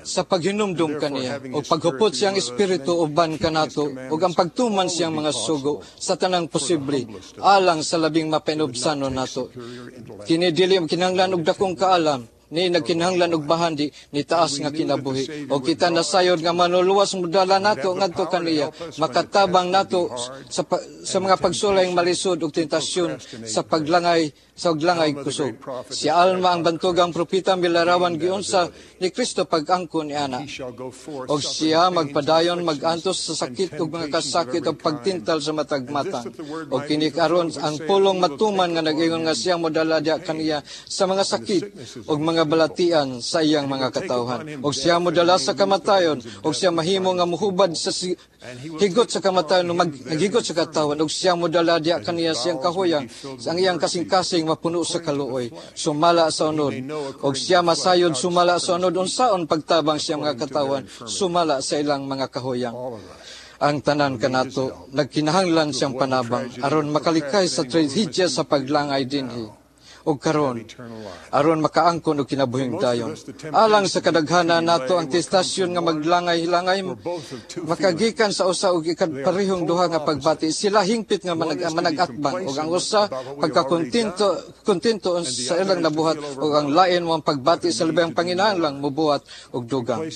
sa paghinumdum kaniya, o paghupot siyang Espiritu uban kanato, ug ang pagtuman siyang mga sugo sa tanang posible alang sa labing mapainubsanon nato. Kini dili kinahanglan og dakong kaalam, ni nagkinahanglan og bahandi ni taas nga kinabuhi. O kita nasayod nga manluluwas modala nato ngadto kaniya, makatabang nato sa mga pagsulay malisod ug tentasyon sa paglangay sa uglangay kusog. Si Alma ang bantugang propeta milarawan giunsa ni Kristo pag-angkon ni ana. Og siya magpadayon magantos sa sakit ug mga kasakit ug pagtintal sa matag matang. Og kini karon ang pulong matuman nga nag-ingon nga siya modala diha kaniya sa mga sakit ug mga balatian sa iyang mga katawhan. Og siya modala sa kamatayon, og siya mahimo nga mohubad sa higot sa kamatayon, naghigot sa katawan, og siya modala diha kaniya siyang kahuyang, ang iyang kasing-kasing mapuno sa kaluoy, sumala sa unod. Og siya masayod sumala sa unod, unsaon pagtabang siya mga katawan, sumala sa ilang mga kahuyang. Ang tanan kanato, nagkinahanglan siyang panabang, aron makalikay sa trahedya sa paglangay dinhi. Og karon aron makaangkon og kinabuhing dayon. Alang sa kadaghanan nato ang testasyon nga maglangay-langay makagikan sa usa og ikaparehong duha nga pagbati. Sila hingpit nga manag-atbang og ang usa pagkakontento kontento sa ilang nabuhat ug ang lain mo ang pagbati sa labing panginahanglang mobuhat og dugang.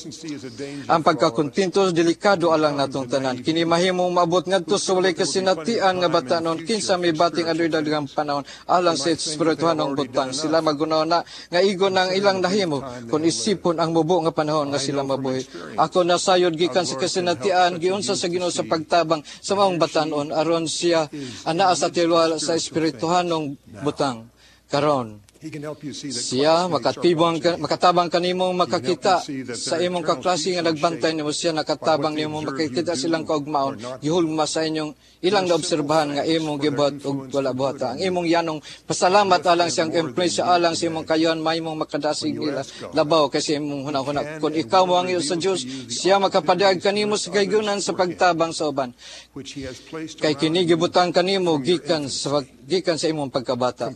Ang pagkakontento delikado alang natong tanan. Kini mahimong maabot ngadto sa walay kasinatian nga batanon kinsa may bating adtoy daghang panahon alang sa espirituhanong butang. Sila magunaw na nga igo ng ilang nahimo kung isipon ang mubo nga panahon nga sila mabuhi. Ako nasayod gikan sa kasinatian giunsa sa Ginoo sa pagtabang sa maong batanon aron siya anaa sa tiwala sa espirituhanong butang karon. Siya makatabang kanimo makakita sa imong kaklase nga nagbantay nimo. Siya nakatabang nimo makakita silang kaugmaon gihulma sa inyong ilang naobserbahan nga imong gibuhat og wala buhata. Ang imong yanong pasalamat alang siyang impluwensya alang sa imong kayon mahimong makadasig nila labaw kasi imong hunahuna. Kung ikaw moangyo sa Dios, siya makapadayag kanimo sa kahigayunan sa pagtabang sa uban. Kay kini gibutang kanimo gikan sa imong pagkabata.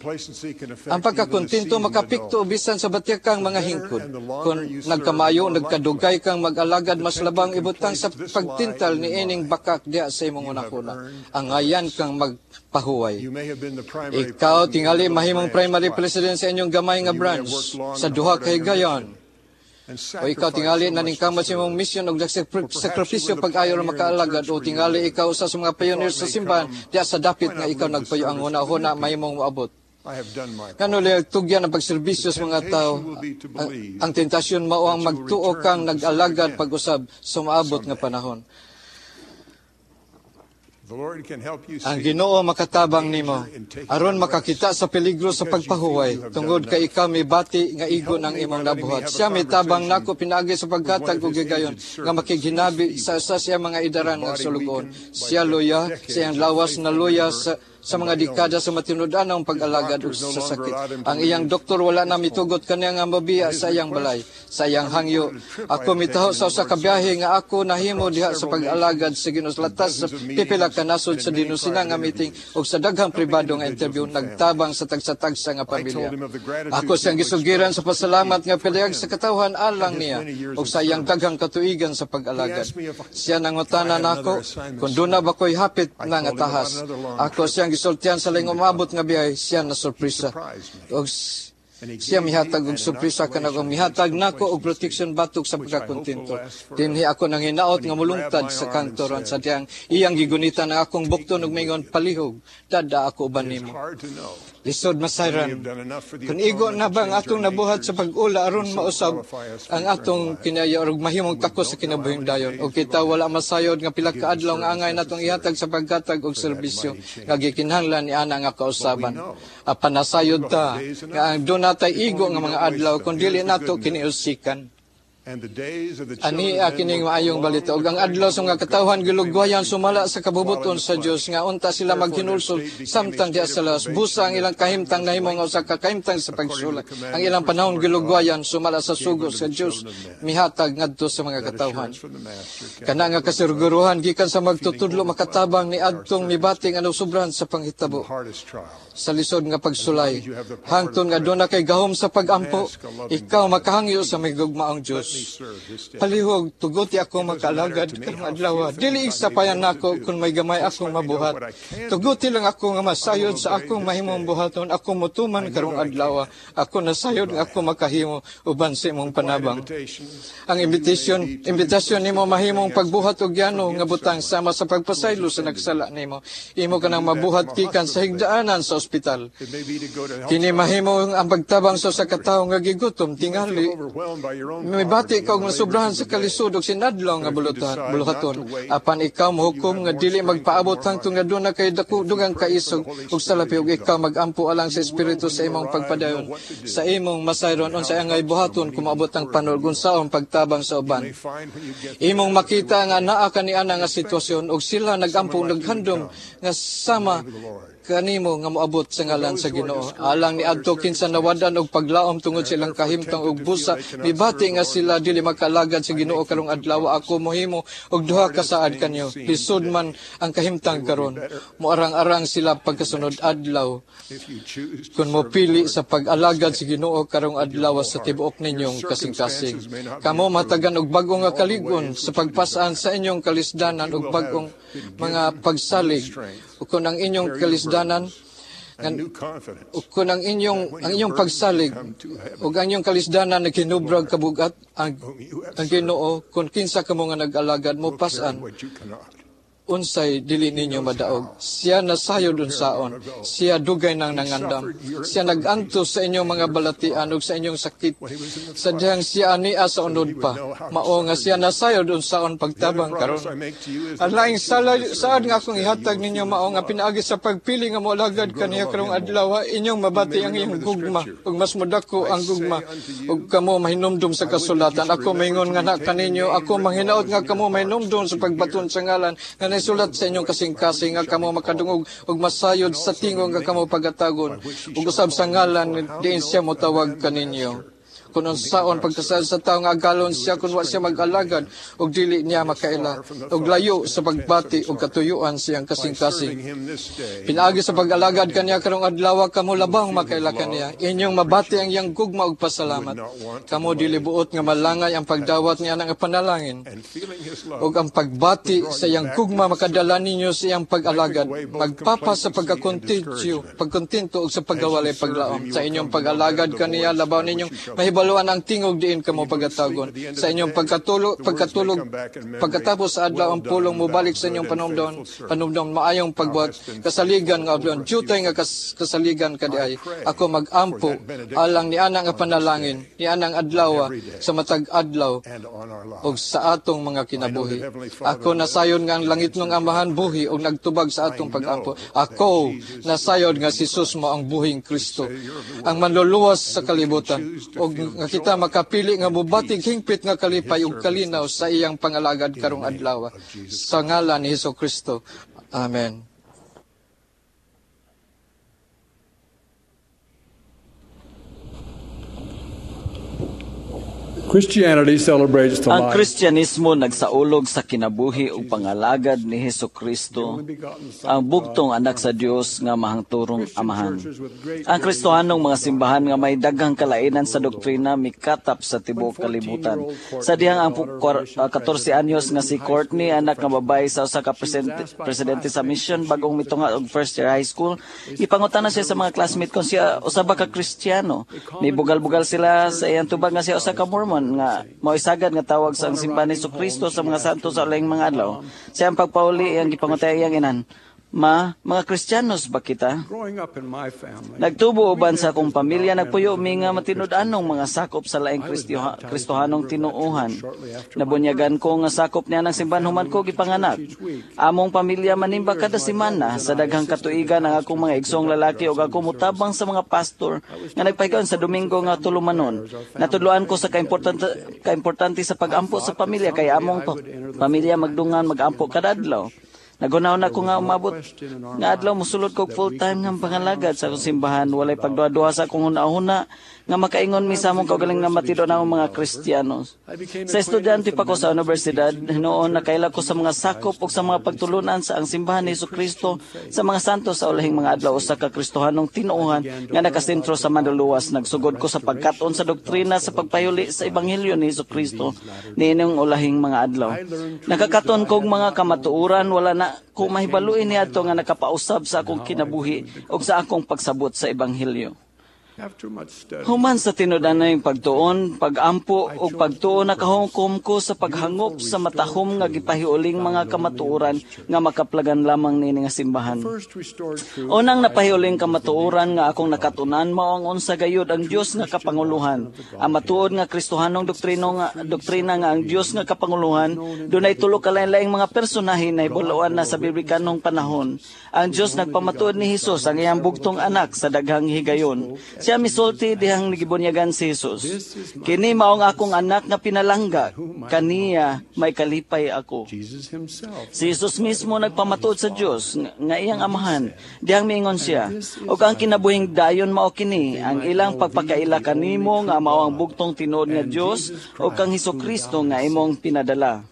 Ang pagkakontento pagkontento makapikto bisan sa batyakang mga hingkod. Kung nagkamayo, nagkadugay kang mag-alagad, mas labang ibutang sa pagtintal ni ining bakak diha sa imong hunahuna. Angayan kang magpahuway. Ikaw tingali mahimong primary president sa inyong gamay nga branch sa duha ka higayon. O ikaw tingali naningkamot sa imong mission og nagsakripisyo pag-ayo ra makaalagad, o tingali ikaw usa sa mga pioneer sa simbahan diha sa dapit nga ikaw nagpayo, ang huna-huna mahimong moabot. Ngano lay tugyan ang pagserbisyo sa mga tao? Ang tentasyon mao ang magtuo kang nag-alagad pag-usab sa maabot nga panahon. Ang Ginoo makatabang nimo aron makakita sa peligro sa pagpahuway tungod kay ikaw mibati nga igo ng imong nabuhat. Siya mitabang nako pinaagi sa paghatag og higayon nga makighinabi sa usa sa iyang mga idaran nga sulugoon. Siya luya, sa iyang lawas na luya sa mga dekada sa matinud-anong pag-alagad ug sa sakit. Ang iyang doktor wala na mitugot kaniya nga mabiya sa iyang balay. Sa iyang hangyo, ako mitaho sa usa ka biyahe nga ako nahimo diha sa pag-alagad sa Ginoo latas sa pipila ka nasod sa dinusina nga meeting ug sa daghang pribado nga interview, nagtabang sa tagsa-tagsa nga pamilya. Ako siyang gisugiran sa pasalamat nga pilayag sa katawhan alang niya ug sa iyang daghang katuigan sa pag-alagad. Siya nangutana nako kung duna ba ko'y hapit na nga tahas. Ako siyang gisultihan sa laing umabot nga biyahe, siya na sorpresa. Og siya mihatag og sorpresa kanako, mihatag nako og protection batok sa pagkakontento. Dinhi ako nang hinaot nga mulungtad sa kantoron sa diyang iyang gigunitan ang akong bukton og mingon, "Palihog, dada ako uban nimo." Lisod masayran kung igo na ba ang atong nabuhat sa pag-ula aron mausab ang atong kinaya og mahimong takos sa kinabuhing dayon. O kita wala masayod nga pila ka adlaw nga angay natong ihatag sa paghatag og serbisyo nga gikinahanglan ni ana nga kausaban. Apan nasayod ta nga ang doon natay igo nga mga adlaw kung dili nato kiniusikan. Ani kining maayong balita, ug ang adlaw sa mga katawhan gilugwayan sumala sa kabubuton sa Dios nga unta sila maghinulsol samtang diha sa lawas. Busa ang ilang kahimtang nahimo nga usa ka kahimtang sa pagsulak. Ang ilang panahon gilugwayan sumala sa sugo sa Dios mihatag ngadto sa mga katawhan. Kana nga kasiguruhan gikan sa magtutudlo makatabang ni adtong mibati nga sobrahan sa panghitabo sa lisod nga pagsulay. Hangtod nga doon na kay gahom sa pagampo, ikaw makahangyo sa may gugmaong Dios. "Palihog, tuguti ako makaalagad karong adlaw. Dili igsapayan nako kung may gamay akong mabuhat. Tuguti lang ako nga masayod sa akong mahimong buhaton. Ako motuman karong adlaw. Ako nasayod nga ako makahimo uban sa imong panabang." Ang invitation nimo mahimong pagbuhat og yano nga butang sama sa pagpasaylo sa nagsala nimo. Imo kanang mabuhat gikan sa higdaanan sa ospital. Kini mahimo ang pagtabang sa usa ka tawo nga gigutom tingali. Mibati ka og nasubrahan sa kalisod og sinadlaw nga buluhaton. Apan ikaw mohukom nga dili magpaabot hangtod nga duna kay dako dugang kaisog ug salapi, ug ikaw magampo alang sa Espiritu sa imong pagpadayon. Sa imong masayron unsay angay buhaton kung maabot ang panahon unsaon pagtabang sa uban. Imong makita nga naa ka niana nga sitwasyon ug sila nagampo, naghandom nga sama kanimo nga moabot sa ngalan sa Ginoo. Alang ni adto kinsa nawadan og paglaom tungod sa ilang kahimtang og busa mibati nga sila dili makaalagad sa Ginoo karong adlaw, ako mohimo og duha ka saad kanyo. Lisod man ang kahimtang karon, moarang-arang sila pagkasunod adlaw. Kung mopili sa pag-alagad sa Ginoo karong adlaw sa tibuok ninyong kasing-kasing, kamo matagan og bag-o nga kalig-on sa pagpasaan sa inyong kalisdanan og bag-ong mga pagsalig. Ug kung ang inyong kalisdanan ug kung ang inyong pagsalig ug ang inyong kalisdanan naghinubrag kabugat ang Ginoo, kung kinsa kamo nga nag-alagad, mo pasan unsay dili ninyo madaog. Siya nasayod unsaon. Siya dugay nang nangandam. Siya nag-antos sa inyong mga balatian ug sa inyong sakit. Sa dihang siya ania sa unod pa. Mao nga siya nasayod unsaon pagtabang karon. Ang laing saad nga akong ihatag ninyo mao nga pinaagi sa pagpili nga moalagad kaniya karong adlaw, inyong mabati ang iyong gugma ug mas modako ang gugma ug kamo mahinumdum sa kasulatan. Ako maingon nga na kaninyo, ako manghinaot nga kamo mahinumdum sa pagbaton sa ngalan nga naisulat sa inyong kasing-kasing, nga kamo makadungog ug masayod sa tingog nga kamo pagatagon ug usab sa ngalan diin siya motawag kaninyo. Kung unsaon pagkasaad sa tawo nga agalon siya kung wa siya mag-alagad ug dili niya makaila ug layo sa pagbati ug katuyuan siyang kasing-kasing. Pinaagi sa pag-alagad kaniya karong adlaw kamo labang makaila kaniya. Inyong mabati ang iyang gugma ug pasalamat. Kamo dili buot nga malangay ang pagdawat niya ng panalangin ug ang pagbati sa iyang gugma makadala ninyo sa iyang pag-alagad. Magpapa sa pagkontento ug sa pagkawalay paglaom. Sa inyong pag-alagad kaniya labaw ninyong mahibaluan ang tingog diin kamo pagatagon. Sa inyong pagkatulog pagkatapos sa adlaw ang pulong mobalik sa inyong panumdom maayong pagbuhat kasaligan nga abyon jutay nga kasaligan kadiay. Ako magampo alang ni ana nga panalangin ni anang adlaw sa matag adlaw ug sa atong mga kinabuhi. Ako nasayon nga ang langit ng Amahan buhi ug nagtubag sa atong pagampo. Ako nasayod nga si Jesus mo ang buhing Kristo, ang manluluwas sa kalibutan, ug nga kita makapili nga mobatig hingpit nga kalipay ug kalinaw sa iyang pangalagad karong adlaw. Sa ngalan ni Hesus Kristo. Amen. Christianity celebrates the Ang life Kristyanismo nagsaulog sa kinabuhi ug pangalagad ni Hesukristo, ang bugtong anak sa Dios nga mahangturong Amahan. Ang Kristohanong mga simbahan nga may daghang kalainan sa doktrina mikatap sa tibuok kalibutan. Sa dihang ang 14 anyos nga si Courtney, anak nga babae sa usa ka presidente sa mission bagong mitunga og first year high school, gipangutana siya sa mga classmate kung siya usa ba ka Kristiyano. Mibugal-bugal sila sa iyang tubag nga siya usa ka Mormon nga mao'y sagad nga tawag sa ang simbahan ni Kristo sa mga santo sa ulahing mga adlaw. Sa iyang pagpauli, iyang gipangutay iyang inan, Ma, mga Kristiyanos ba kita? Growing up in my family, Nagtubo uban sa akong pamilya, nagpuyo mi nga matinud-anong mga sakop sa laing Kristohanong tinuohan. Nabunyagan ko nga sakop niya ng simbahan human ko gipanganak. Among pamilya manimba kada semana sa daghang katuigan ang akong mga igsoong lalaki ug ako mutabang sa mga pastor nga nagpahigayon sa Domingo nga tulumanon. Natudloan ko sa kaimportante sa pag-ampo sa pamilya kay among pamilya magdungan mag-ampo kada adlaw. Nagunaw na ko nga umabot nga adlaw mosulod kog full time nga pangalagad sa akong simbahan. Walay pagduha-duha sa akong hunahuna nga makaingon mi sa among kaugaling nga matido na among mga Kristiyano. Sa estudyante pa ko sa universidad, noon nakaila ko sa mga sakop ug sa mga pagtulunan sa ang simbahan ni Hesukristo sa mga santo sa ulahing mga adlaw, usa ka Kristohanong tinuohan nga nakasentro sa manluluwas. Nagsugod ko sa pagkat-on sa doktrina sa pagpayuli sa ebanghelyo ni Hesukristo niining ulahing mga adlaw. Nakakaton kog mga kamatuoran, wala na ko mahibaluin niadto nga nakapausab sa akong kinabuhi ug sa akong pagsabot sa ebanghelyo. Human sa tinud-anay pagtuon, pagampo ug pagtuo, nakahukom ko sa paghangop sa matahom nga gipahiuling mga kamatuoran nga makaplagan lamang niini nga simbahan. Unang napahiuling kamatuoran nga akong nakatunan mao ang unsa gayud ang Dios nga kapanguluhan. Ang matuod nga Kristohanong doktrina nga ang Dios nga kapanguluhan dunay tulo ka lain-laing mga personahe na hibaluan na sa biblikanong panahon. Ang Dios nagpamatuod ni Hesus ang iyang bugtong anak sa daghang higayon. Siya misulti dihang nagibunyagan si Jesus. Kini maong akong anak nga pinalangga, kaniya may kalipay ako. Si Jesus mismo nagpamatuod sa Dios nga iyang amahan. Dihang miingon siya, ug ang kinabuhing dayon mao kini, ang ilang pagpakaila kanimo nga mao ang bugtong tinuod nga Dios ug kang Hesukristo nga imong pinadala.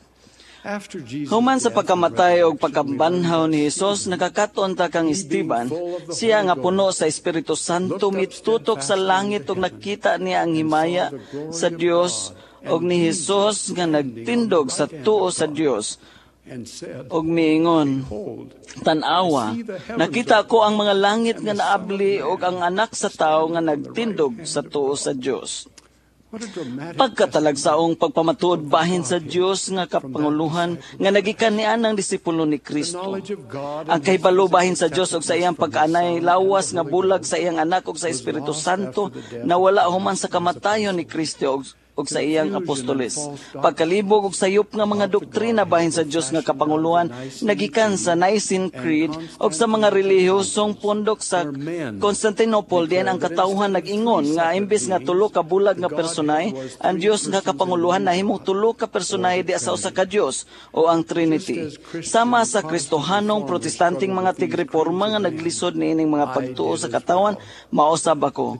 Human sa pagkamatay o pagkabanhaw ni Hesus, nakakaton ta kang Esteban, siya nga puno sa Espiritu Santo, mitutok sa langit ug nakita niya ang himaya sa Dios ug ni Hesus nga nagtindog sa tuo sa Dios ug miingon, tan-awa, nakita ko ang mga langit nga naabli ug ang anak sa tawo nga nagtindog sa tuo sa Dios. Pagkatalagsaong pagpamatuod bahin sa Dios nga kapanguluhan nga nagikan nian ang disipulo ni Kristo. Ang kahibalo bahin sa Dios ug sa iyang pagkaanay lawas nga bulag sa iyang anak ug sa Espiritu Santo nawala human sa kamatayon ni Kristo ug sa iyang apostoles. Pagkalibog og sayop nga mga doktrina bahin sa Dios nga kapanguluhan nagikan sa Nicene Creed ug sa mga relihiyosong pundok sa Constantinople, diyan ang katawhan nag-ingon nga imbes nga tulo ka bulag nga personahe, ang Dios nga kapanguluhan nahimong tulo ka personahe diha sa usa ka Dios o ang Trinity. Sama sa Kristohanong Protestanteng mga tigreporma nga naglisod niining mga pagtuo sa katawan, mausab ako.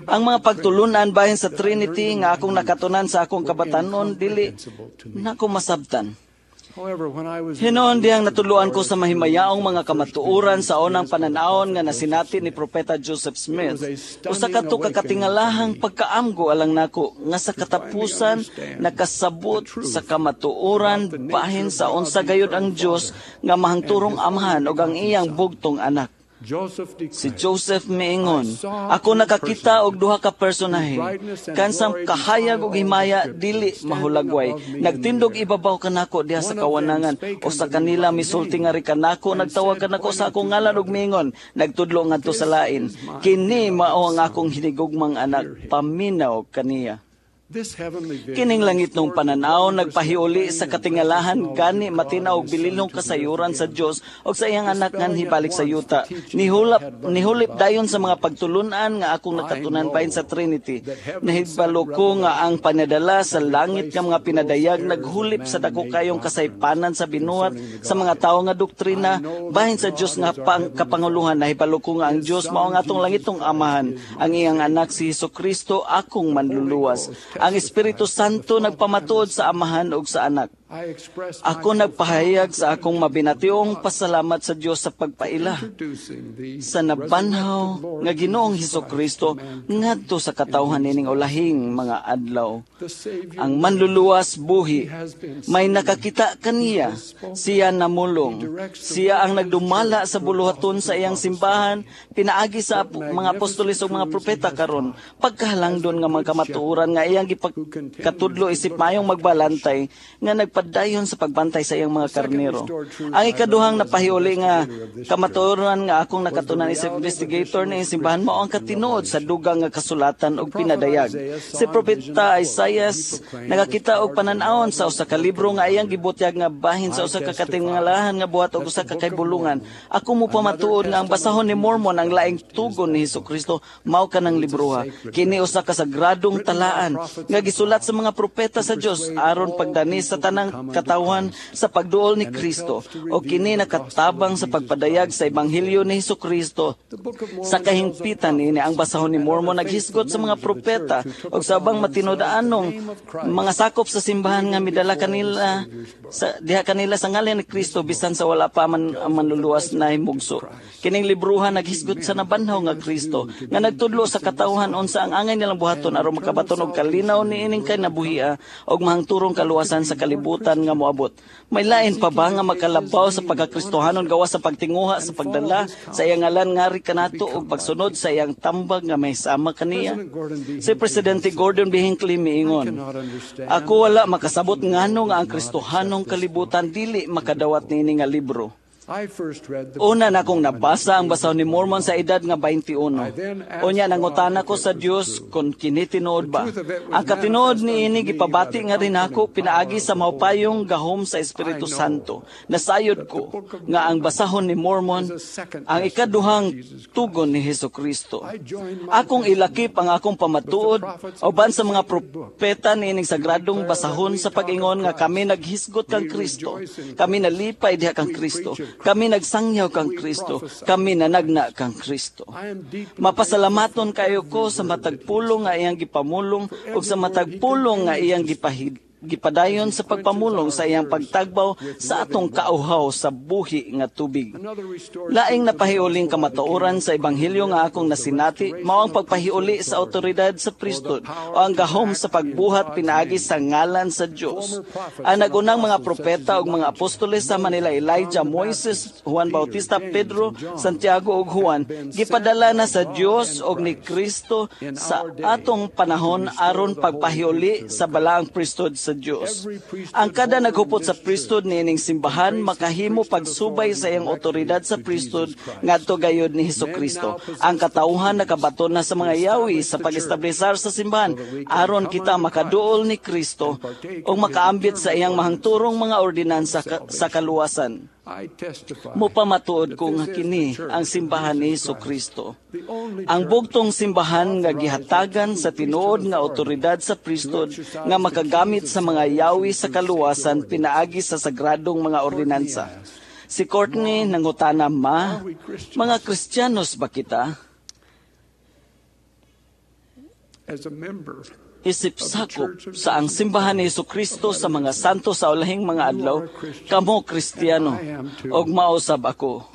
Ang mga pagtulunan bahin sa Trinity nga akong nakatunan sa akong kabatanon, dili nako masabtan. Hinuon dihang natudloan ko sa mahimayaong mga kamatuoran sa unang pananawon nga nasinati ni Propeta Joseph Smith, usa kadto ka katingalahang pagkaamgo alang nako nga sa katapusan nakasabot sa kamatuoran bahin sa unsa gayud ang Dios nga mahangturong Amahan ug ang iyang bugtong Anak. Si Joseph miingon, "Ako nakakita og duha ka personahe, kansang kahayag og himaya dili mahulagway. Nagtindog ibabaw kanako diha sa kawanangan. Usa kanila misulti ngari kanako, nagtawag kanako sa akong ngalan ug miingon, nagtudlo ngadto sa lain, 'Kini mao ang akong hinigugmang anak, paminaw kaniya.'" Kining langitnong pananaw nagpahiuli sa katingalahan gani matina og bilinong kasayuran sa Dios og sa iyang anak nganhi balik sa yuta. Nihulip dayon sa mga pagtulunan nga akong nakatunan bahin sa Trinity. Nahibalo ko nga ang panadala sa langit nga mga pinadayag naghulip sa dako kayong kasaypanan sa binuhat sa mga tawo nga doktrina bahin sa Dios nga kapanguluhan. Nahibalo ko nga ang Dios mao ang atong langitong Amahan, ang iyang anak si Hesus Kristo akong manluluwas. Ang Espiritu Santo nagpamatuod sa Amahan ug sa Anak. Ako nagpahayag sa akong mabinationg pasalamat sa Dios sa pagpaila sa nabanhaw nga Ginoong Hesus Kristo ngadto sa katawhan nining ulahing mga adlaw. Ang manluluwas buhi, may nakakita kaniya, siya namulong. Siya ang nagdumala sa buluhaton sa iyang simbahan, pinaagi sa mga apostoles ug mga propeta karon. Pagkahalangdon nga mga kamatuoran nga iyang gipakatudlo isip mayong magbalantay nga nagpadayon sa pagbantay sa iyang mga karnero. Ang ikaduhang napahiuli nga kamatuoran nga akong nakatunan isip investigator ni simbahan mao ang katinuod sa dugang nga kasulatan og pinadayag. Si Propeta Isaias nakakita og panan-awon sa usa ka libro nga iyang gibutyag nga bahin sa usa ka katingalahan nga buhat og usa ka kaybulungan. Ako mo pamatuod nga ang basahon ni Mormon ang laing tugon ni Hesukristo mao kanang libroha. Kini usa ka sagradong talaan nga gisulat sa mga propeta sa Dios aron pagdani sa tanang katawhan sa pagduol ni Kristo, o kini nakatabang sa pagpadayag sa ebanghelyo ni Hesukristo. Sa kahingpitan niini ang basahon ni Mormon naghisgot sa mga propeta og sa ubang matinud-anong mga sakop sa simbahan nga midala kanila sa diha kanila sa ngalan ni Kristo bisan sa wala pa man ang manluluwas na himugso. Kining libruha naghisgot sa nabanhaw nga Kristo nga nagtudlo sa katawhan unsa ang angay nilang buhaton aron makabaton og kalinaw niining kinabuhia og mahangturong kaluwasan sa kalibutan nga moabot. May lain pa ba nga makalabaw sa pagkakristohanon gawas sa pagtinguha sa pagdala sa iyang ngalan ngari kanato og pagsunod sa iyang tambag nga may sama kaniya? Si Presidente Gordon B. Hinckley miingon, "Ako wala makasabot ngano nga ang Kristohanong kalibutan dili makadawat niini nga libro. Una na akong nabasa ang basahon ni Mormon sa edad nga 21. Unya nangutana ko sa Dios kung kini tinuod ba. Ang katinuod niini gipabati nga rin ako pinaagi sa maupayong gahom sa Espiritu Santo. Nasayod ko nga ang basahon ni Mormon ang ikaduhang tugon ni Hesukristo. Akong ilakip ang akong pamatuod uban sa mga propeta niining sagradong basahon sa pag-ingon nga kami naghisgot kang Kristo, kami nalipay diha kang Kristo, kami nagsangyaw kang Kristo, kami nanagna kang Kristo. Mapasalamaton kayo ko sa matag pulong nga iyang gipamulong ug sa matag pulong nga iyang gipadayon sa pagpamulong sa iyang pagtagbaw sa atong kauhaw sa buhi nga tubig. Laing napahiuling kamatuoran sa ebanghelyo nga akong nasinati mao ang pagpahiuli sa awtoridad sa priesthood o ang gahom sa pagbuhat pinaagi sa ngalan sa Dios. Ang nagunang mga propeta ug mga apostoles sama nila Elijah, Moises, Juan Bautista, Pedro, Santiago ug Juan gipadala na sa Dios og ni Kristo sa atong panahon aron pagpahiuli sa balaang priesthood sa Dios. Ang kada naghupot sa priesthood niining simbahan makahimo pagsubay sa iyang otoridad sa priesthood ngadto gayod ni Hesukristo. Ang katawhan nakabaton na sa mga yawi sa pag-establisar sa simbahan aron kita makaduol ni Kristo ug makaambit sa iyang mahangturong mga ordinansa sa kaluwasan. Mupamatuod ko nga kini ang simbahan ni Hesukristo. Ang bugtong simbahan nga gihatagan sa tinuod nga otoridad sa priesthood nga makagamit sa mga yawi sa kaluwasan pinaagi sa sagradong mga ordinansa. Si Courtney nangutana, "Ma, mga Kristiyanos ba kita?" Isip sakop sa ang simbahan ni Hesukristo sa mga santo sa ulahing mga adlaw, kamo Kristiyano, og mausab ako.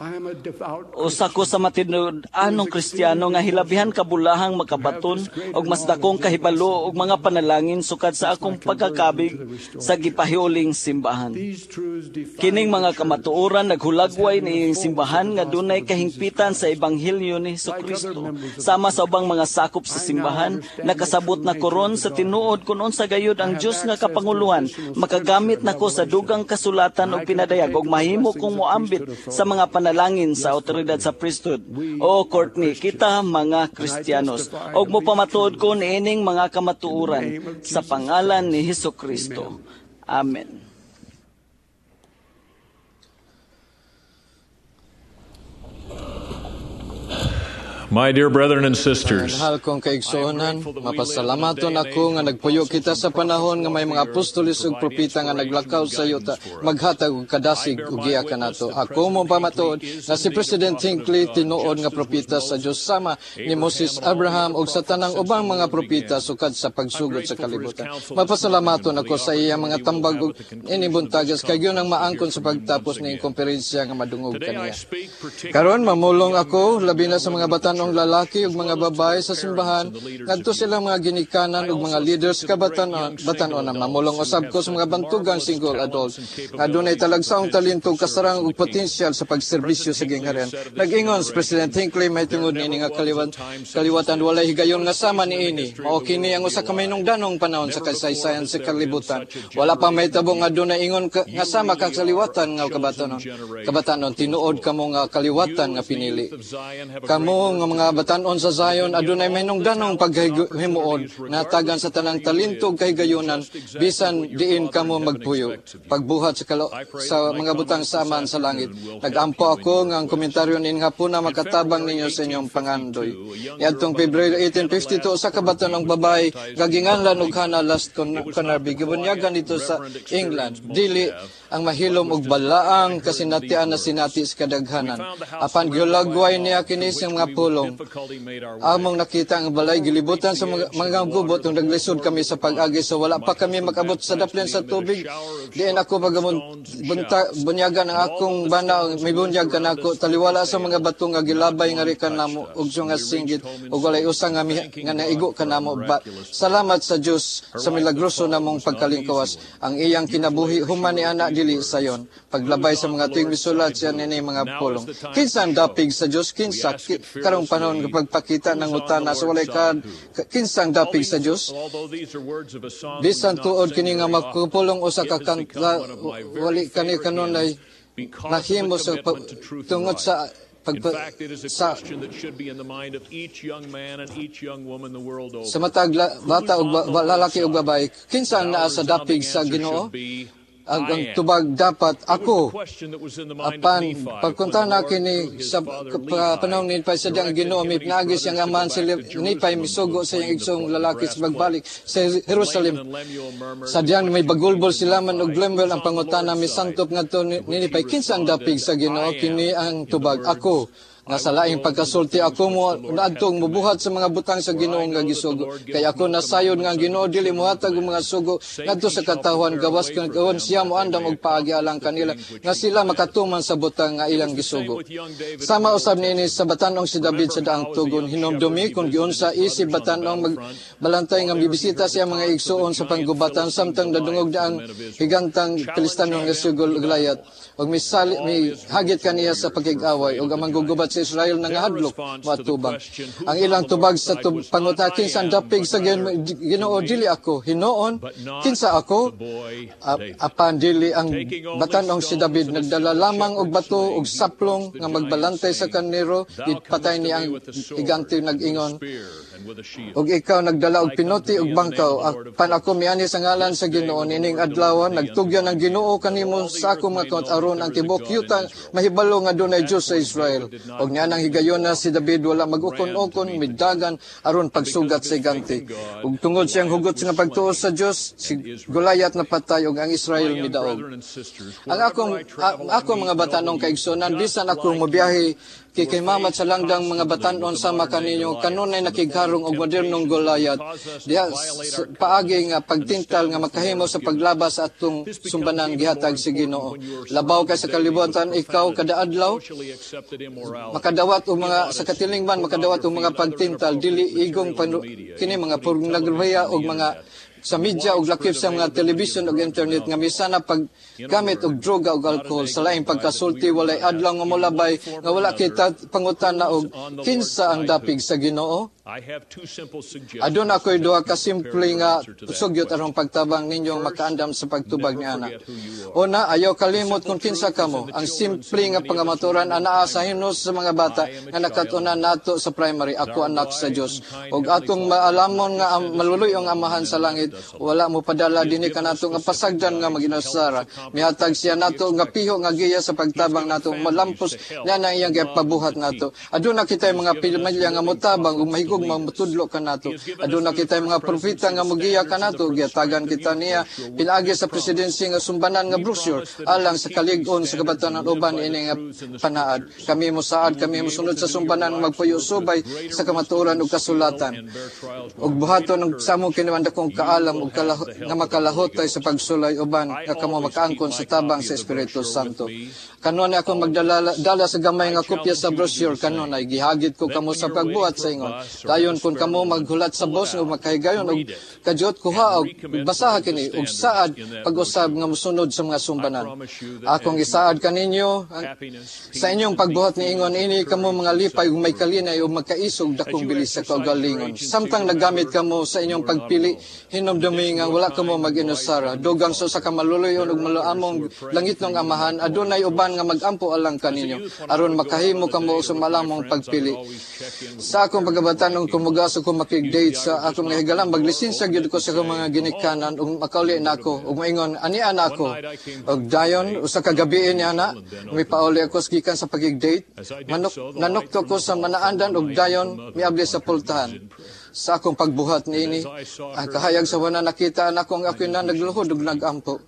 Usa ko sa matinud-anong Kristiyano nga hilabihan kabulahang makabaton og mas dakong kahibalo og mga panalangin sukad sa akong pagkakabig sa gipahiuling simbahan. Kining mga kamatuoran naghulagway niining simbahan nga dunay kahingpitan sa ebanghelyo ni Hesukristo. Sama sa ubang mga sakop sa simbahan, nakasabot na koron sa tinuod kun unsa gayud ang Dios nga kapanguluhan, makagamit nako sa dugang kasulatan og pinadayag og mahimo kong moambit sa mga panalangin sa otoridad sa priesthood. O Courtney, kita mga Kristiyanos, og mopamatuod ko niining mga kamatuoran sa pangalan ni Hesukristo. Amen. My dear brethren and sisters, mahal kong kaigsuonan, mapasalamaton ako nga nagpuyo kita sa panahon nga may mga apostoles ug propeta nga naglakaw sa yuta, maghatag og kadasig ug giya kanato. Ako mo pamatuod nga si President Hinckley tinuod nga propeta sa Dios sama ni Moses, Abraham ug sa tanang ubang mga propeta sukad sa pagsugod sa kalibutan. Mapasalamaton ako sa iya mga tambag ug inibuntagas kay gyud ang maangkon sa pagtapos ning komperensiya nga madungog kaniya. Karon mamulong ako labi na sa mga batan ang lalaki ug mga babae sa simbahan ngadto silang mga ginikanan ug mga leaders kabatan-on. Mamulong usab ko sa mga bantugang single adult nga dunay talagsaong talento, kasarang ug potensyal sa pagserbisyo sa gingharian. Nag-ingon si President Hinckley mahitungod niini nga kaliwatan walay higayon nga sama niini. Mao kini ang usa ka mahinungdanong panahon sa kasaysayan sa kalibutan. Wala pa mahitabo nga dunay ingon nga sama ka kaliwatan nga kabatanon. Kabatanon tinuod kamo nga kaliwatan nga pinili. Kamo nga mga batan-on sa Zion adunay mahinungdanong paghimuon natagan sa tanang talento ug kahigayunan bisan diin kamo magpuyo pagbuhat sa mga butang sa Amahan sa langit. Nagampo ako nga ang komentaryo nin hapuna makatabang ninyo sa inyong pangandoy. Niadtong Pebrero 1852 usa ka batan-ong babae nga ginganlan og Hannah Last Conarby gibunyagan dito sa England. Dili ang mahilom og balaang kasinatian na sinati sa kadaghanan. Apan gihulagway niya kini sa mga pulong. Among nakita ang balay gilibutan sa mga gubot ug naglisod kami sa pag-agi so wala pa kami makabot sa daplin sa tubig. Diin ako bunyagan ang akong bana, may bunyag kanako taliwala sa mga bato nga gilabay nga rikan namo ug nga singgit ug walay usa nga naigo kanamo. Salamat sa Dios sa milagroso namong pagkalingkawas. Ang iyang kinabuhi human ni ana dili sayon. Paglabay sa mga tuig misulat siya nini mga pulong. Kinsa ang dapig sa Dios? Kinsa karong panahon nga pagpakita ng utana sa walay kinsang dapig sa Dios? Bisan tuod kini nga makupulong usa ka kanta wali kani kanunay nahimo sa tungod sa sa matag bata ug lalaki ug babae, kinsa ang naa sa dapig sa Ginoo? Ang tubag dapat ako. Apan pagkuntana kini sa panahon ni Nipay sa diyang Ginoo mipnaagi siyang amahan si Nipay misugo sa iyang igsoong lalaki sa pagbalik sa Jerusalem. Sa diyang may bagulbol sila man og Lemuel ang pangutana misantop ngadto ni Nipay, kinsa ang dapig sa Ginoo? Kini ang tubag ako. Nga sa laing pagkasulti ako mo naadtong mubuhat sa mga butang sa Ginoo nga gisugo. Kay ako nasayod nga ang Ginoo dili mohatag og mga sugo ngadto sa katawhan gawas kaon siya moandam og paagi alang kanila nga sila makatuman sa butang nga ilang gisugo. Sama usab niini sa batan-ong si David sa daang tugon, hinumdumi kung giunsa isip batan-ong magbalantay nga mibisita siya mga igsuon sa panggubatan samtang nadungog na ang higantang Pilistano nga si Goliath ug misali mi hagit kaniya sa pakig-away ug ang manggugubat sa Israel nangahadlok moatubang. Ang ilang tubag sa pangutana kinsa ang dapig sa Ginoo, dili ako hinuon, kinsa ako? Apan dili ang batan-ong si David, nagdala lamang og bato og saplong nga magbalantay sa karnero, gipatay ni ang higante nag-ingon, "Og ikaw nagdala og pinoti og bangkaw, apan ako miani sa ngalan sa Ginoo. Niining adlaw nagtugyan ang Ginoo kanimo sa akong mga kamot aron ang tibuok yuta mahibalo nga dunay Dios sa Israel." Og nianang higayona si David wala mag-ukon-ukon, midagan aron pagsugat sa higante. Ug tungod siyang hugot nga pagtuo sa Dios, si Goliath napatay ug ang Israel midaog. Ang akong mga batanong kaigsunan, bisan ako mobiyahe kay mamat sa langdang mga batanon sama kaninyo, kanunay nakigharong og modernong Goliath diha paagi nga pagtintal nga makahimo sa paglabas sa atong sumbanan gihatag sa Ginoo. Labaw kay sa kalibutan, ikaw kada adlaw makadawat og mga sa katilingban, makadawat og mga pagtintal dili igong kini mga pornografiya og mga sa media og lakip sa mga television ug internet nga misana paggamit og droga ug alcohol sa laing pagkasulti. Walay adlaw nga molabay nga wala kita pangutana og kinsa ang dapig sa Ginoo. Aduna ako'y duha ka simple nga sugyot aron pagtabang ninyong makaandam sa pagtubag ni ana. Una, ayaw kalimot kung kinsa kamo. Ang simple nga pangamaturan anaa sa hinos sa mga bata nga nakatunan nato sa primary, "Ako anak sa Dios." Og atong maalamon nga ang maluluy-ong Amahan sa langit wala mo padala dinhi kanato nga pasagdan nga maginusara. Mihatag siya nato nga piho nga giya sa pagtabang nato malampos niya na iyang gipabuhat nato. Aduna kitay mga pamilya nga motabang ug mahigog mamutudlo kanato. Aduna kitay mga propeta nga mogiya kanato. Gihatagan kita niya pinaagi sa presidency nga sumbanan nga brochure alang sa kalig-on sa kabatanon uban ini nga panaad. Kami mosaad, kami mosunod sa sumbanan, magpuyo subay sa kamatuoran ug kasulatan. Ug buhaton og sa among kiniman dakong kaalam ug nga makalahotay sa pagsulay uban nga kamo makaangkon sa tabang sa Espiritu Santo. Kanunay ako magdala dala sa gamay nga kopya sa brochure kanunay gihagit ko kamo sa pagbuhat sa ingon. Dayon kung kamo maghulat sa bus ug makahigayon og kadyot, kuha og basaha kini ug saad pag-usab nga mosunod sa mga sumbanan. Akong isaad kaninyo sa inyong pagbuhat ni ingon ini kamo mga lipay ug may kalinay ug magkaisog dakong bilis sa kaugalingon. Samtang naggamit kamo sa inyong pagpili, hinumdumi nga wala kamo mag-inusara. Dugang sa usa ka maluluyon ug maluamong langitnong Amahan, adunay uban nga magampo alang kaninyo aron makahimo kamo sa malamong pagpili. Sa akong pagkabatanong kumugaso ko makig-date sa akong mga higalan, maglisensya gyud ko sa akong mga ginikanan ug makauli na ako ug maingon, "Ania na ako." Ug dayon usa ka gabii niya na mipauli ako gikan sa pagig-date, nanukto ko sa manaandan ug dayon miabli sa pultahan. Sa akong pagbuhat niini, ang kahayag sa wana nakita nako ang ako'y na nagluhod ug nagampo.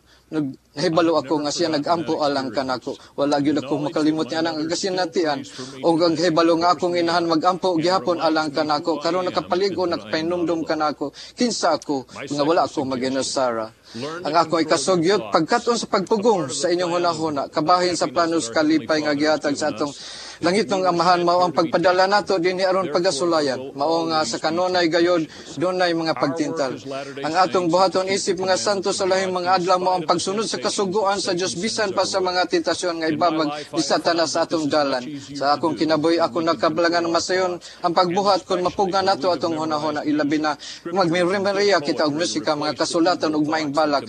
Nahibalo ako nga siya nagampo alang kanako. Wala gyud ako makalimot niya ang kasinatian og ang hibalo nga akong inahan magampo gihapon alang kanako. Karon nakapalig-on, nakapahinumdum kanako kinsa ako nga wala ako mag-inusara. Ang ako ay kasugyot, pagkat-on sa pagpugong sa inyong hunahuna, kabahin sa planos kalipay nga gihatag sa atong langitnong Amahan mao ang pagpadala nato dinhi aron pagasulayan. Mao nga sa kanunay gayod dunay mga pagtintal. Ang atong buhaton isip mga santo sa lahing mga adlaw mao ang pagsunod sa kasuguan sa Dios bisan pa sa mga tentasyon nga ibabag ni Satanas sa atong dalan. Sa akong kinabuhi, ako nakabalangan masayon ang pagbuhat kon mapugngan nato atong hunahuna, ilabi na magmemorya kita og musika, mga kasulatan ug maayong balak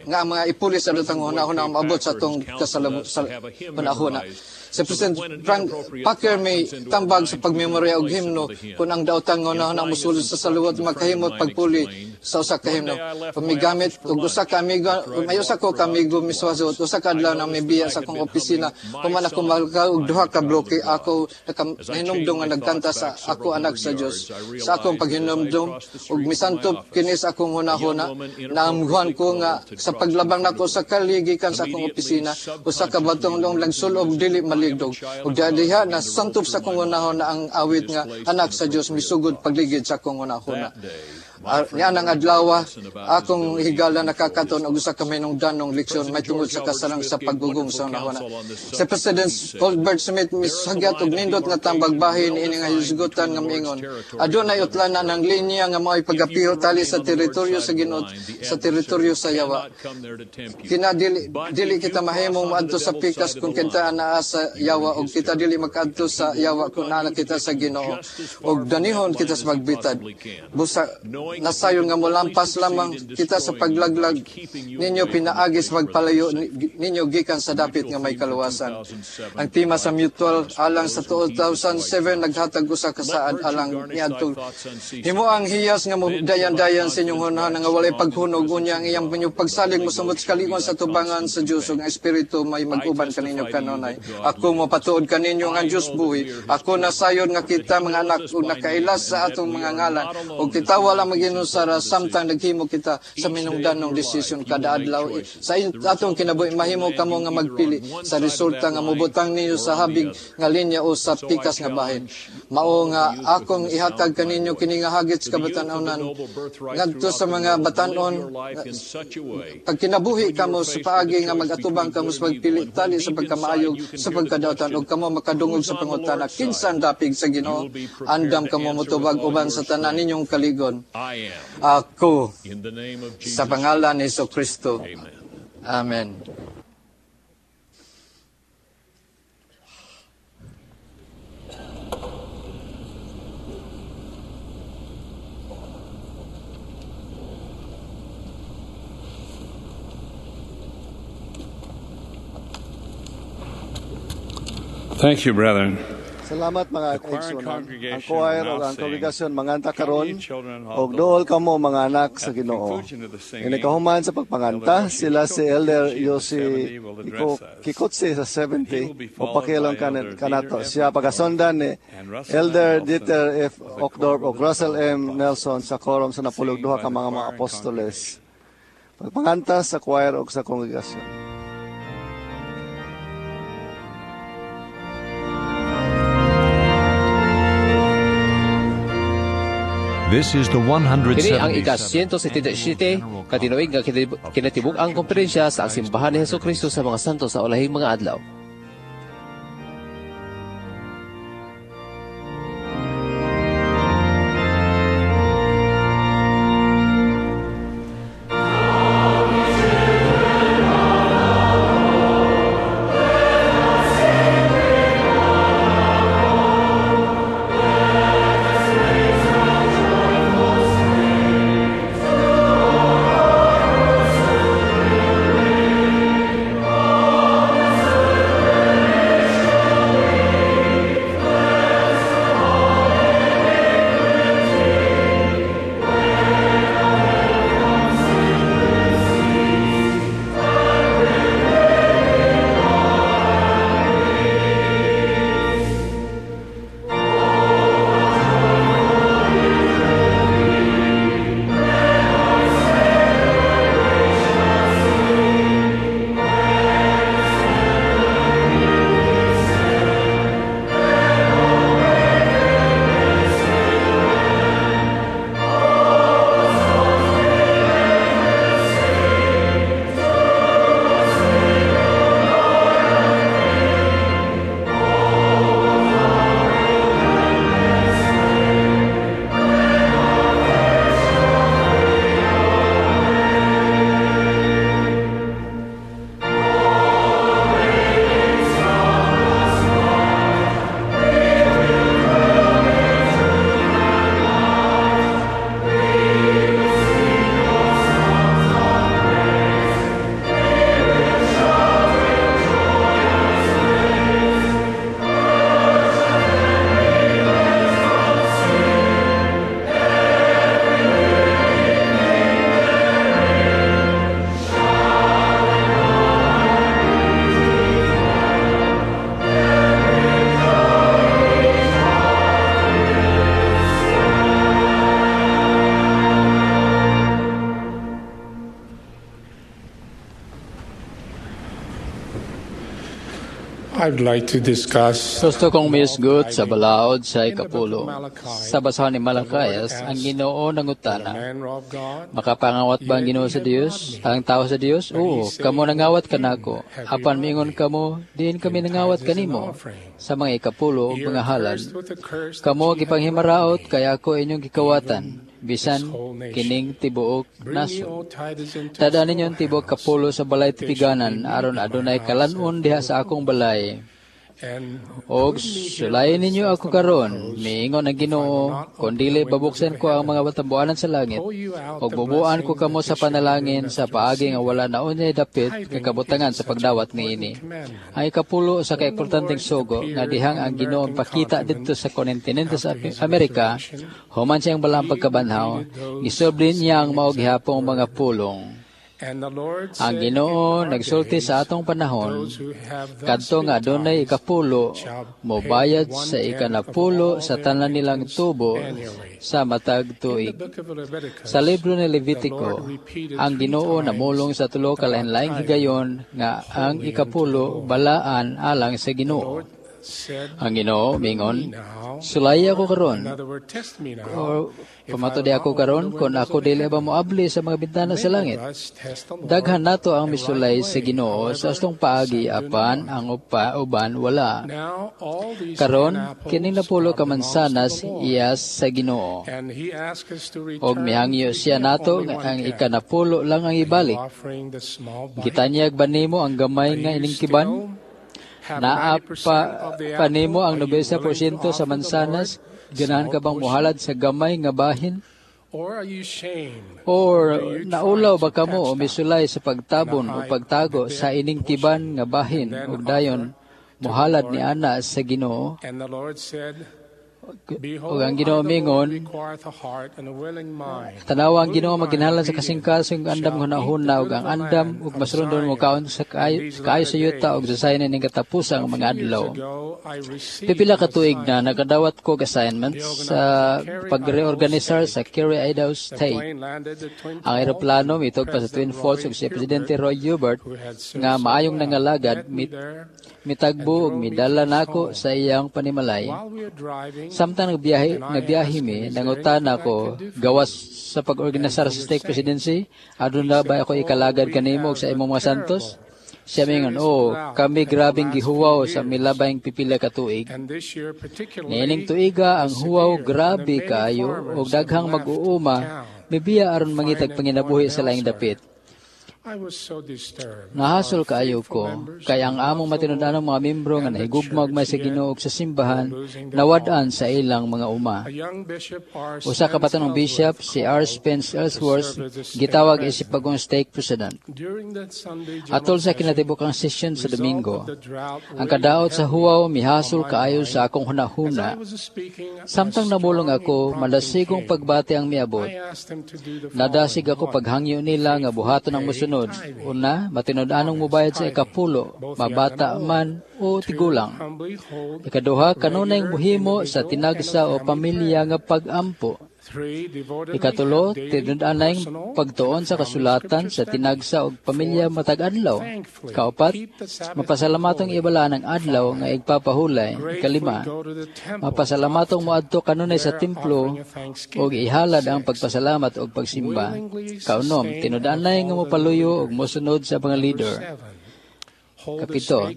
nga ang mga ipulis sa atong hunahuna maabot sa atong sa hunahuna. Si President Frank Packer may tambag sa pagmemorya og himno kung ang daotang hunahuna mosulod sa saluwat makahimot pagpuli sa usa ka himno. Pamigamit og usa ka amigo, may usa ko ka amigo miswasot usa ka adlaw na mibiya sa akong opisina, human ako malka og duha ka bloke, ako nahinumdum nga nagkanta sa "Ako Anak sa Dios." Sa akong paghinumdum og misantop kini sa akong hunahuna, naamguhan ko nga sa paglabang nako sa kalye gikan sa akong opisina, usa ka batong long nagsulob dili maligdog. Ug diha nasantop sa akong hunahuna ang awit nga "Anak sa Dios" misugod pagligid sa akong hunahuna. Nianang adlaw, akong higala nakakaton og usa ka mahinungdanong leksyon may tungod sa kasarang sa paggugong sa hunahuna. Si President Colbert Smith misagyat og nindot nga tambag bahin ini nga hisgutan nga miingon. Adunay utlanan ang linya nga mao'y pagapiho tali sa teritoryo sa Ginoo sa teritoryo sa yawa. Kina dili kita mahimong moadto sa pikas kung kita anaa sa yawa og kita dili makaadto sa yawa kung naa kita sa Ginoo. Og danihon kita sa pagbitad. Busa nasayon nga molampas lamang kita sa paglaglag ninyo pinaagi sa pagpalayo ninyo gikan sa dapit nga may kaluwasan. Ang tema sa mutual alang sa 2007 naghatag usa ka saad alang niadtong himo ang hiyas nga modayan-dayan sa inyong hunahuna nga walay paghunog unya ang iyang inyong pagsalig mosumot sa kalingon sa tubangan sa Dios ug ang Espiritu may mag-uban kaninyo kanunay. Ako mopatuod kaninyo nga ang Dios buhi. Ako nasayon nga kita mga anak ug nakailas sa atong mga ngalan ug kita wala maginusara samtang naghimo kita sa minungdanong desisyon kada adlaw sa atong kinabuhi. Mahimo kamo nga magpili sa resulta nga mobutang ninyo sa habig nga linya o sa pikas nga bahin. Mao nga akong ihatag kaninyo kini nga hagit sa kabatan-onan ngadto sa mga batan-on. Pag kinabuhi kamo sa paagi nga mag-atubang kamo sa pagpili tali sa pagkamaayog sa pagkadautan ug kamo makadungog sa pangutana kinsa ang dapig sa Ginoo, andam kamo motubag uban sa tanan ninyong kaligon. Ako, sa pangalan ni Jesucristo. Amen. Thank you, brethren. Salamat mga kaigsunan. Ang choir o ang kongregasyon manganta karon og dool kamo mga anak sa Ginoo. Inikahuman sa pagpanganta sila si Elder Yoshi Kikutsi sa 70 o pakilong kanato. Siya pagasundan ni Elder Dieter F. Uchtdorf o Russell M. Nelson sa quorum sa napulog duha ka mga apostoles. Pagpanganta sa choir og sa kongregasyon. This is the 177th Kini ang ika-177 katinuig nga kinatibuk-ang komperensya sa ang Simbahan ni Hesukristo sa mga santo sa ulahing mga adlaw. I'd like to discuss Gusto kong miusgot sa balaod sa ikapulo. Sa basahan ni Malakias, ang Ginoo nangutana, "Makapangawat ba ang Ginoo sa Dios? Ang tao sa Dios? Oo, kamo nangawat kanako. Apan miingon kamo, diin kami nangawat kanimo? Sa mga ikapulo ug mga halad. Kamo gipanghimaraot kay ako inyong gikawatan, bisan kining tibuok nasod. Tada ninyo ang tibuok kapulo sa balay tipiganan, aron adunay kalanon diha sa akong balay. Og sulayin ninyo ako karon, miingon ang Ginoo, kon dili babuksan ko ang mga batambuanan sa langit, og bubuan ko kamo sa panalangin sa paagi nga wala na unyay dapit nga kabutangan sa pagdawat niini." Ang ikapulo sa kaimportanteng sugo nga dihang ang Ginoo pakita didto sa kontinente sa Amerika, human siyang balaang pagkabanhaw, gisulbli niya ang mao gihapong mga pulong. Ang Ginoo nagsulti sa atong panahon, kadto nga adunay ikapulo, mobayad sa ikanapulo sa tanan nilang tubo sa matag tuig. Sa libro ni Levitico, ang Ginoo namulong sa tulo ka lain-laing higayon nga ang ikapulo balaan alang sa Ginoo. Ang Ginoo mingon, "Sulay ako karon, or pamatudi ako karon kung ako dili ba moabli sa mga bintana sa langit." Daghan nato ang misulay sa Ginoo sa astong paagi, apan ang uban wala. Karon kining napulo ka mansanas iyas sa Ginoo. Og mihangyo siya nato nga ang ikanapulo lang ang ibalik. Gitanyag ba nimo ang gamay nga ining tiban? Naa pa nimo ang 90% sa mansanas? Ganahan ka bang muhalad sa gamay nga bahin? Or naulaw ba kamo o misulay sa pagtabon o pagtago sa ining tiban nga bahin ug dayon muhalad ni ana sa Ginoo? Ug ang Ginoo mingon, "Tanawa, ang Ginoo maginhalan sa kasing-kasing andam nga hunahuna ug ang andam ug masurundon mo kaon sa kaayo sa yuta ug sasayin ining katapusang mga adlaw." Pipila ka tuig na nakadawat ko assignment sa pag-reorganisar sa Kerry, Idaho State. Ang eroplano mitog pa sa Twin Falls ug si Presidente Roy Hubert nga maayong nangalagad mitagbo ug midala nako sa iyang panimalay. Samtang nagbiyahe mi, nangutana ko, "Gawas sa pag-organisar sa stake presidency, aduna ba ako ikalagad kanimo ug sa imong mga santos?" Siya mingon, "Oo, kami grabing gihuwaw sa milabayng pipila ka tuig. Niining tuiga ang huwaw grabe kaayo ug daghang mag-uuma mibiya aron mangitag panginabuhi sa laing dapit. Nahasol kaayo ko, kay ang among matinud-anong mga membro nga nahigugma ug may sa Ginoo ug sa simbahan, nawad-an sa ilang mga uma." Usa ka batanong bishop, si R. Spence Ellsworth, gitawag isip bagong stake president. Atol sa kinatibukang session sa Domingo, ang kadaot sa huwaw mihasol kaayo sa akong hunahuna. Samtang namulong ako, madasigong pagbati ang miabot. Nadasig ako paghangyo nila nga buhaton ang mosunod. Una, matinud-anong mubayad sa ikapulo, mabata man o tigulang. Ikaduha, kanunay muhimo sa tinagsa o pamilya nga pag-ampo. Ikatulo, tinud-anay pagtuon sa kasulatan sa tinagsa o pamilya matag adlaw. Kaupat, mapasalamatong ibalaan ang adlaw nga igpapahulay. Ikalima, mapasalamatong moadto kanunay sa templo og ihalad ang pagpasalamat og pagsimba. Kaunom, tinud-anay nga mopaluyo og mosunod sa mga leader. Kapito,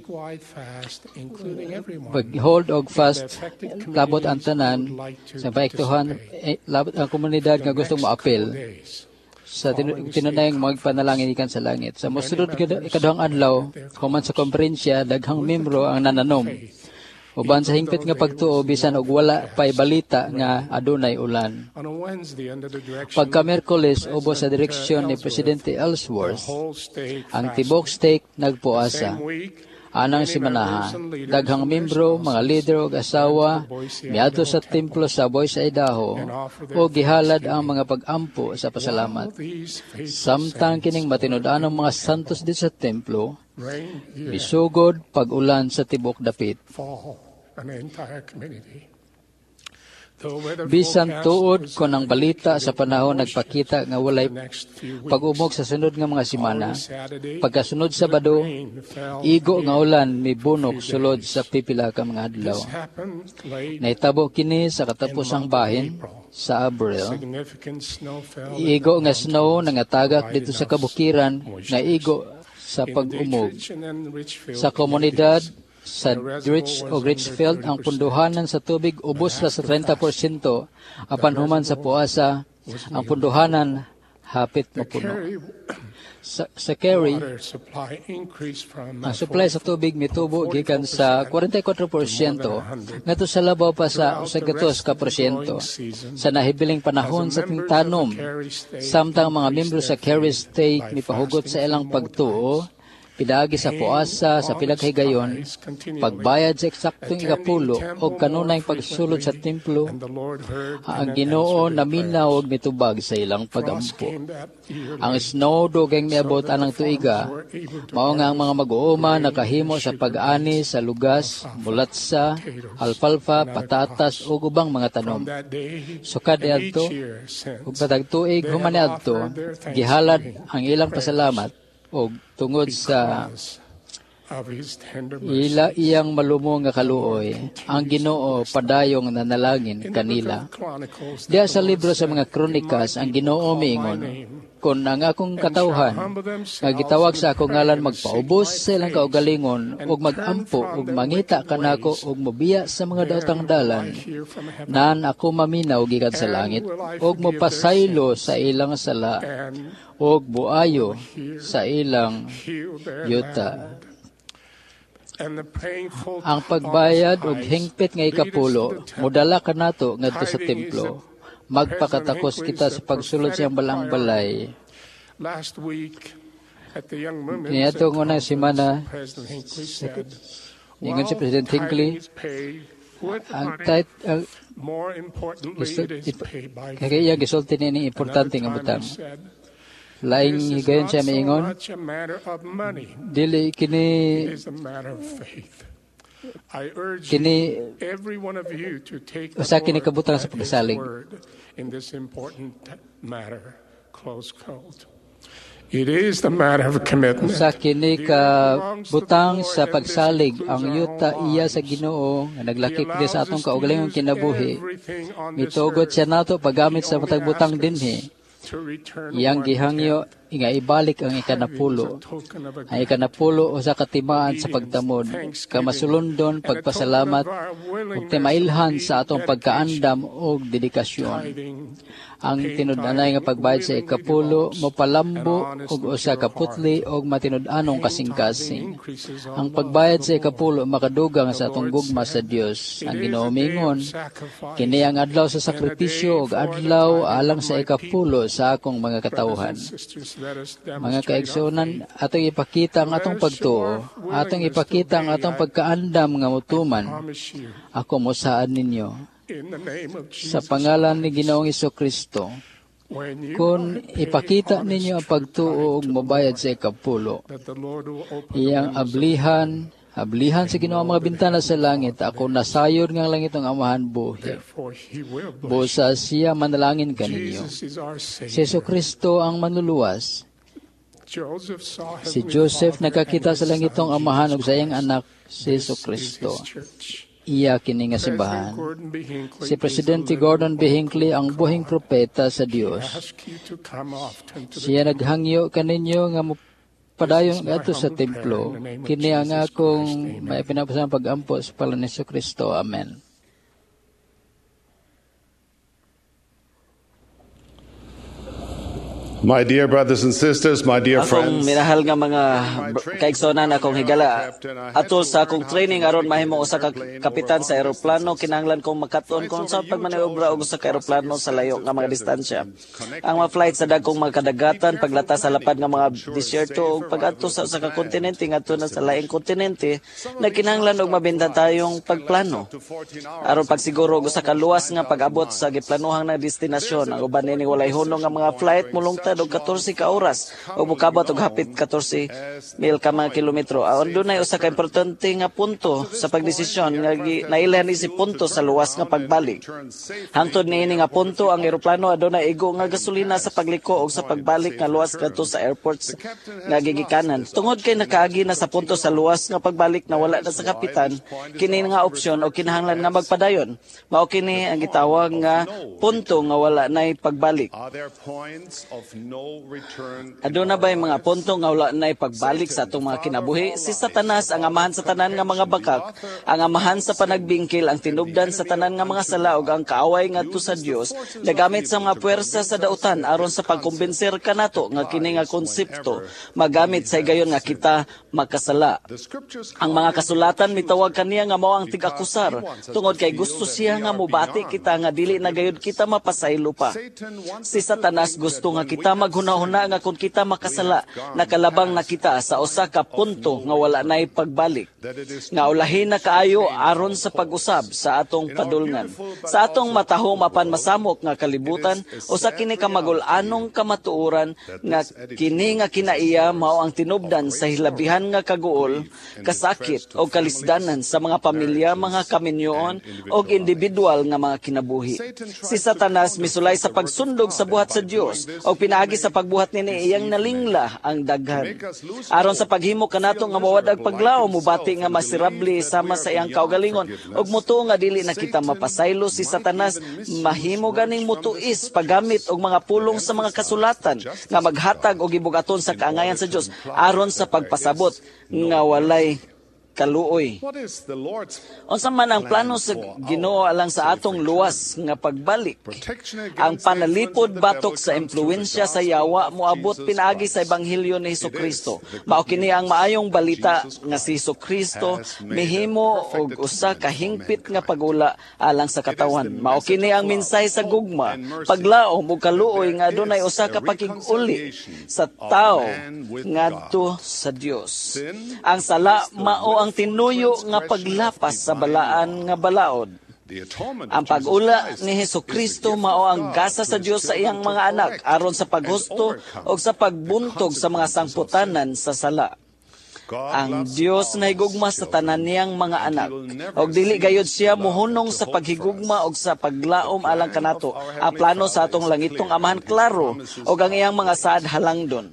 pag-hold og fast labot ang tanan sa paiktuhan, labot ang komunidad nga gustong moapil sa tinunayang magpanalangin ikan sa langit. Sa mosunod ikaduhang adlaw, human sa konferensya, daghang membro ang nananom uban sa hingpit nga pagtuo bisan og wala pay balita nga adunay ulan. Pagka Miyerkules, ubos sa direksyon ni Presidente Ellsworth, ang tibok stake nagpuasa. Anang simanaha, daghang membro, mga leader ug asawa miadto sa templo sa Boise, Idaho o gihalad ang mga pag-ampo sa pasalamat. Samtang kining matinud-anong mga santos dito sa templo, misugod pag-ulan sa tibok dapit. Bisan tuod kon ang balita sa panahon nagpakita nga walay pag-umog sa sunod nga mga semana, pagkasunod Sabado, igo nga ulan mibunok sulod sa pipila ka mga adlaw. Nahitabo kini sa katapusang bahin sa Abril. Igo nga snow nangatagak dito sa kabukiran nga igo sa pag-umog. Sa komunidad sa Rich o Richfield, ang punduhanan sa tubig ubos ra sa 30%, apan human sa puasa, ang punduhanan hapit mapuno. Sa Kerry, ang supply sa tubig mitubo gikan sa 44% ngadto sa labaw pa sa 100%. Sa nahibiling panahon sa tingtanom, samtang mga miyembro sa Kerry State mipahugot sa ilang pagtuo, pinaagi sa puasa sa pila ka higayon, pagbayad sa eksaktong ikapulo o kanunay pagsulod sa templo, ang Ginoo naminaw og mitubag sa ilang pagampo. Ang snow dugay miabot anang tuiga, mao nga ang mga mag-uuma nakahimo sa pag-ani sa lugas, mulatsa, alfalfa, patatas ug ubang mga tanom. Sukad niadto ug matag tuig human niadto, gihalad ang ilang pasalamat og tungod sa ila iyang malumo nga kaluoy, ang Ginoo padayong nanalangin kanila. Diya sa libro sa mga Kronikas, ang Ginoo miingon, kon ang akong katawhan nga gitawag sa akong ngalan magpaubos sa ilang kaugalingon ug magampo ug mangita kanako ug mobiya sa mga daotang dalan, nan ako maminaw gikan sa langit ug mopasaylo sa ilang sala ug buayo sa ilang yuta. Ang pagbayad og hingpit nga ikapulo modala kanato ngadto sa templo. Magpakatakos kita sa pagsulod sa iyang balang balay. Niadtong unang semana, ningon si President Hinckley, ang kay iya gisulti niini importante nga butang. Laing higayon siya miingon, dili kini kini usa kini kabutang sa pagsalig. Usa kini ka butang sa pagsalig ang yuta iya sa Ginoo nga naglakip ni sa atong kaugalingong kinabuhi. Mitugot siya nato paggamit sa matag butang dinhi. Iyang gihangyo nga ibalik ang ikanapulo. Ang ikanapulo usa ka timaan sa pagtamod, kamasulundon, pagpasalamat ug timailhan sa atong pagkaandam ug dedikasyon. Ang tinud-anay nga pagbayad sa ikapulo mopalambo og usa ka putli og matinud-anong kasing-kasing. Ang pagbayad sa ikapulo makadugang sa atong gugma sa Dios. Ang Ginoo miingon, kini ang adlaw sa sakripisyo ug adlaw alang sa ikapulo sa akong mga katawhan. Mga kaigsuonan, atong ipakita ang atong pagtuo, atong ipakita ang atong pagkaandam nga motuman. Ako mosaad ninyo sa pangalan ni Ginoong Jesucristo, kung ipakita ninyo ang pagtuo ug mobayad sa ikapulo, iyang ablihan, ablihan sa Ginoo ang mga bintana sa langit, ako nasayod nga langit ang amahan buhi. Busa siya manalangin kaninyo. Si Jesucristo ang manluluwas. Si Joseph nakakita sa langitong amahan ug sa iyang anak, si Jesucristo. Iya kini nga simbahan. Si Presidente Gordon B. Hinckley ang buhing propeta sa Dios. Siya naghangyo kaninyo nga padayon ngadto sa templo. Kini ang akong may pinapasang pag-ampo sa pangalan ni Jesucristo. Amen. My dear brothers and sisters, my dear akong friends. Minahal nga mga kaigsonan, akong higala. Atol sa akong training aron mahimo usa ka kapitan sa eroplano, kinahanglan kong makat-on kung sa pagmaniobra og usa ka eroplano sa layo nga mga distansya. Ang mga flight sa dagkong mga kadagatan, paglata sa lapad nga mga disyerto ug pag-adto sa usa ka kontinente ngadto na sa laing kontinente, nagkinahanglan og mabintatayong pagplano. Aron pagsiguro og usa ka luwas nga pag-abot sa giplanuhang na destinasyon, ang uban niini walay hunong nga mga flight mulungtad matad og 14 ka oras ug mokabot og hapit 14 mil ka mga kilometro. Adunay usa ka importante nga punto sa pagdesisyon nga nailhan ni si punto sa luwas nga pagbalik. Hangtod niini nga punto, ang eroplano adunay igo nga gasolina sa pagliko og sa pagbalik nga luwas kadto sa airports nga gigikanan. Tungod kay nakaagi na sa punto sa luwas nga pagbalik, nawala na sa kapitan kini nga opsyon o kinahanglan nga magpadayon. Mao kini ang gitawag nga punto nga wala nay pagbalik. Aduna ba'y mga punto nga wala nay pagbalik sa atong mga kinabuhi? Si Satanas, ang amahan sa tanan nga mga bakak, ang amahan sa panagbingkil, ang tinubdan sa tanan nga mga sala ug ang kaaway ngadto sa Dios, nagamit sa mga puwersa sa dautan aron sa pagkumbinser kanato nga kini nga konsepto magamit sa higayon nga kita makasala. Ang mga kasulatan mitawag kaniya nga mao ang tig-akusar tungod kay gusto siya nga mobati kita nga dili na gayud kita mapasaylo pa. Si Satanas gusto nga kita maghunahuna nga kung kita makasala, nakalabang na kita sa usa ka punto nga wala nay pagbalik, nga ulahin na kaayo aron sa pag-usab sa atong padulngan. Sa atong matahom apan masamok nga kalibutan, usa kini ka magul-anong kamatuoran nga kini nga kinaiya mao ang tinubdan sa hilabihan nga kaguol, kasakit o kalisdanan sa mga pamilya, mga kaminyoon o individual nga mga kinabuhi. Si Satanas misulay sa pagsundog sa buhat sa Dios o pinaagi sa pagbuhat nini iyang nalingla ang daghan. Aron sa paghimo kanato nga mawad-ag paglaom, mubati nga masirable sama sa iyang kaugalingon ug mutuo nga dili na kita mapasaylo, si Satanas mahimo ganing mutuis paggamit og mga pulong sa mga kasulatan nga maghatag og gibugaton sa kaangayan sa Dios aron sa pagpasabot nga walay kaluoy. Unsa man ang plano sa Ginoo alang sa atong luwas nga pagbalik? Ang panalipod batok sa impluwensya sa yawa moabot pinaagi sa ebanghelyo ni Hesukristo. Mao kini ang maayong balita nga si Hesukristo mihimo og usa ka hingpit nga pagula alang sa katawan. Mao kini ang mensahe sa gugma, paglaom ug kaluoy nga adunay usa ka pakig-uli sa tawo ngadto sa Dios. Ang sala mao ang tinuyo nga paglapas sa balaan nga balaod. Ang pag-ula ni Hesukristo mao ang gasa sa Dios sa iyang mga anak aron sa paghusto o sa pagbuntog sa mga sangputanan sa sala. Ang Dios nahigugma sa tanan niyang mga anak, og dili gayud siya mohunong sa paghigugma og sa paglaom alang kanato. Ang plano sa atong langitong Amahan klaro, og ang iyang mga saad halangdon.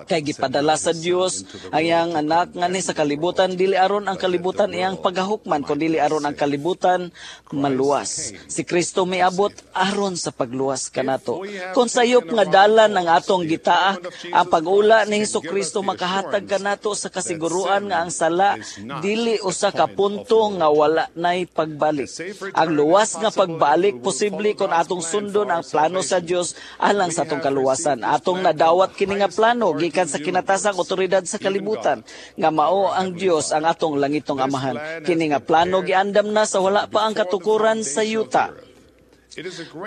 Kay gipadala sa Dios ang iyang anak nganhi sa kalibutan, dili aron ang kalibutan iyang pagahukman, kun dili aron ang kalibutan maluwas. Si Kristo miabot aron sa pagluwas kanato. Kung sayop nga dalan ang atong gitaak, ang pag-ula ni Hesukristo makahatag kanato sa kasiguruan nga ang sala dili usa ka punto nga wala nay pagbalik. Ang luwas nga pagbalik posible kon atong sundon ang plano sa Dios alang sa atong kaluwasan. Atong nadawat kini nga plano gikan sa kinatasang otoridad sa kalibutan nga mao ang Dios ang atong langitong Amahan. Kini nga plano giandam na sa wala pa ang katukuran sa yuta.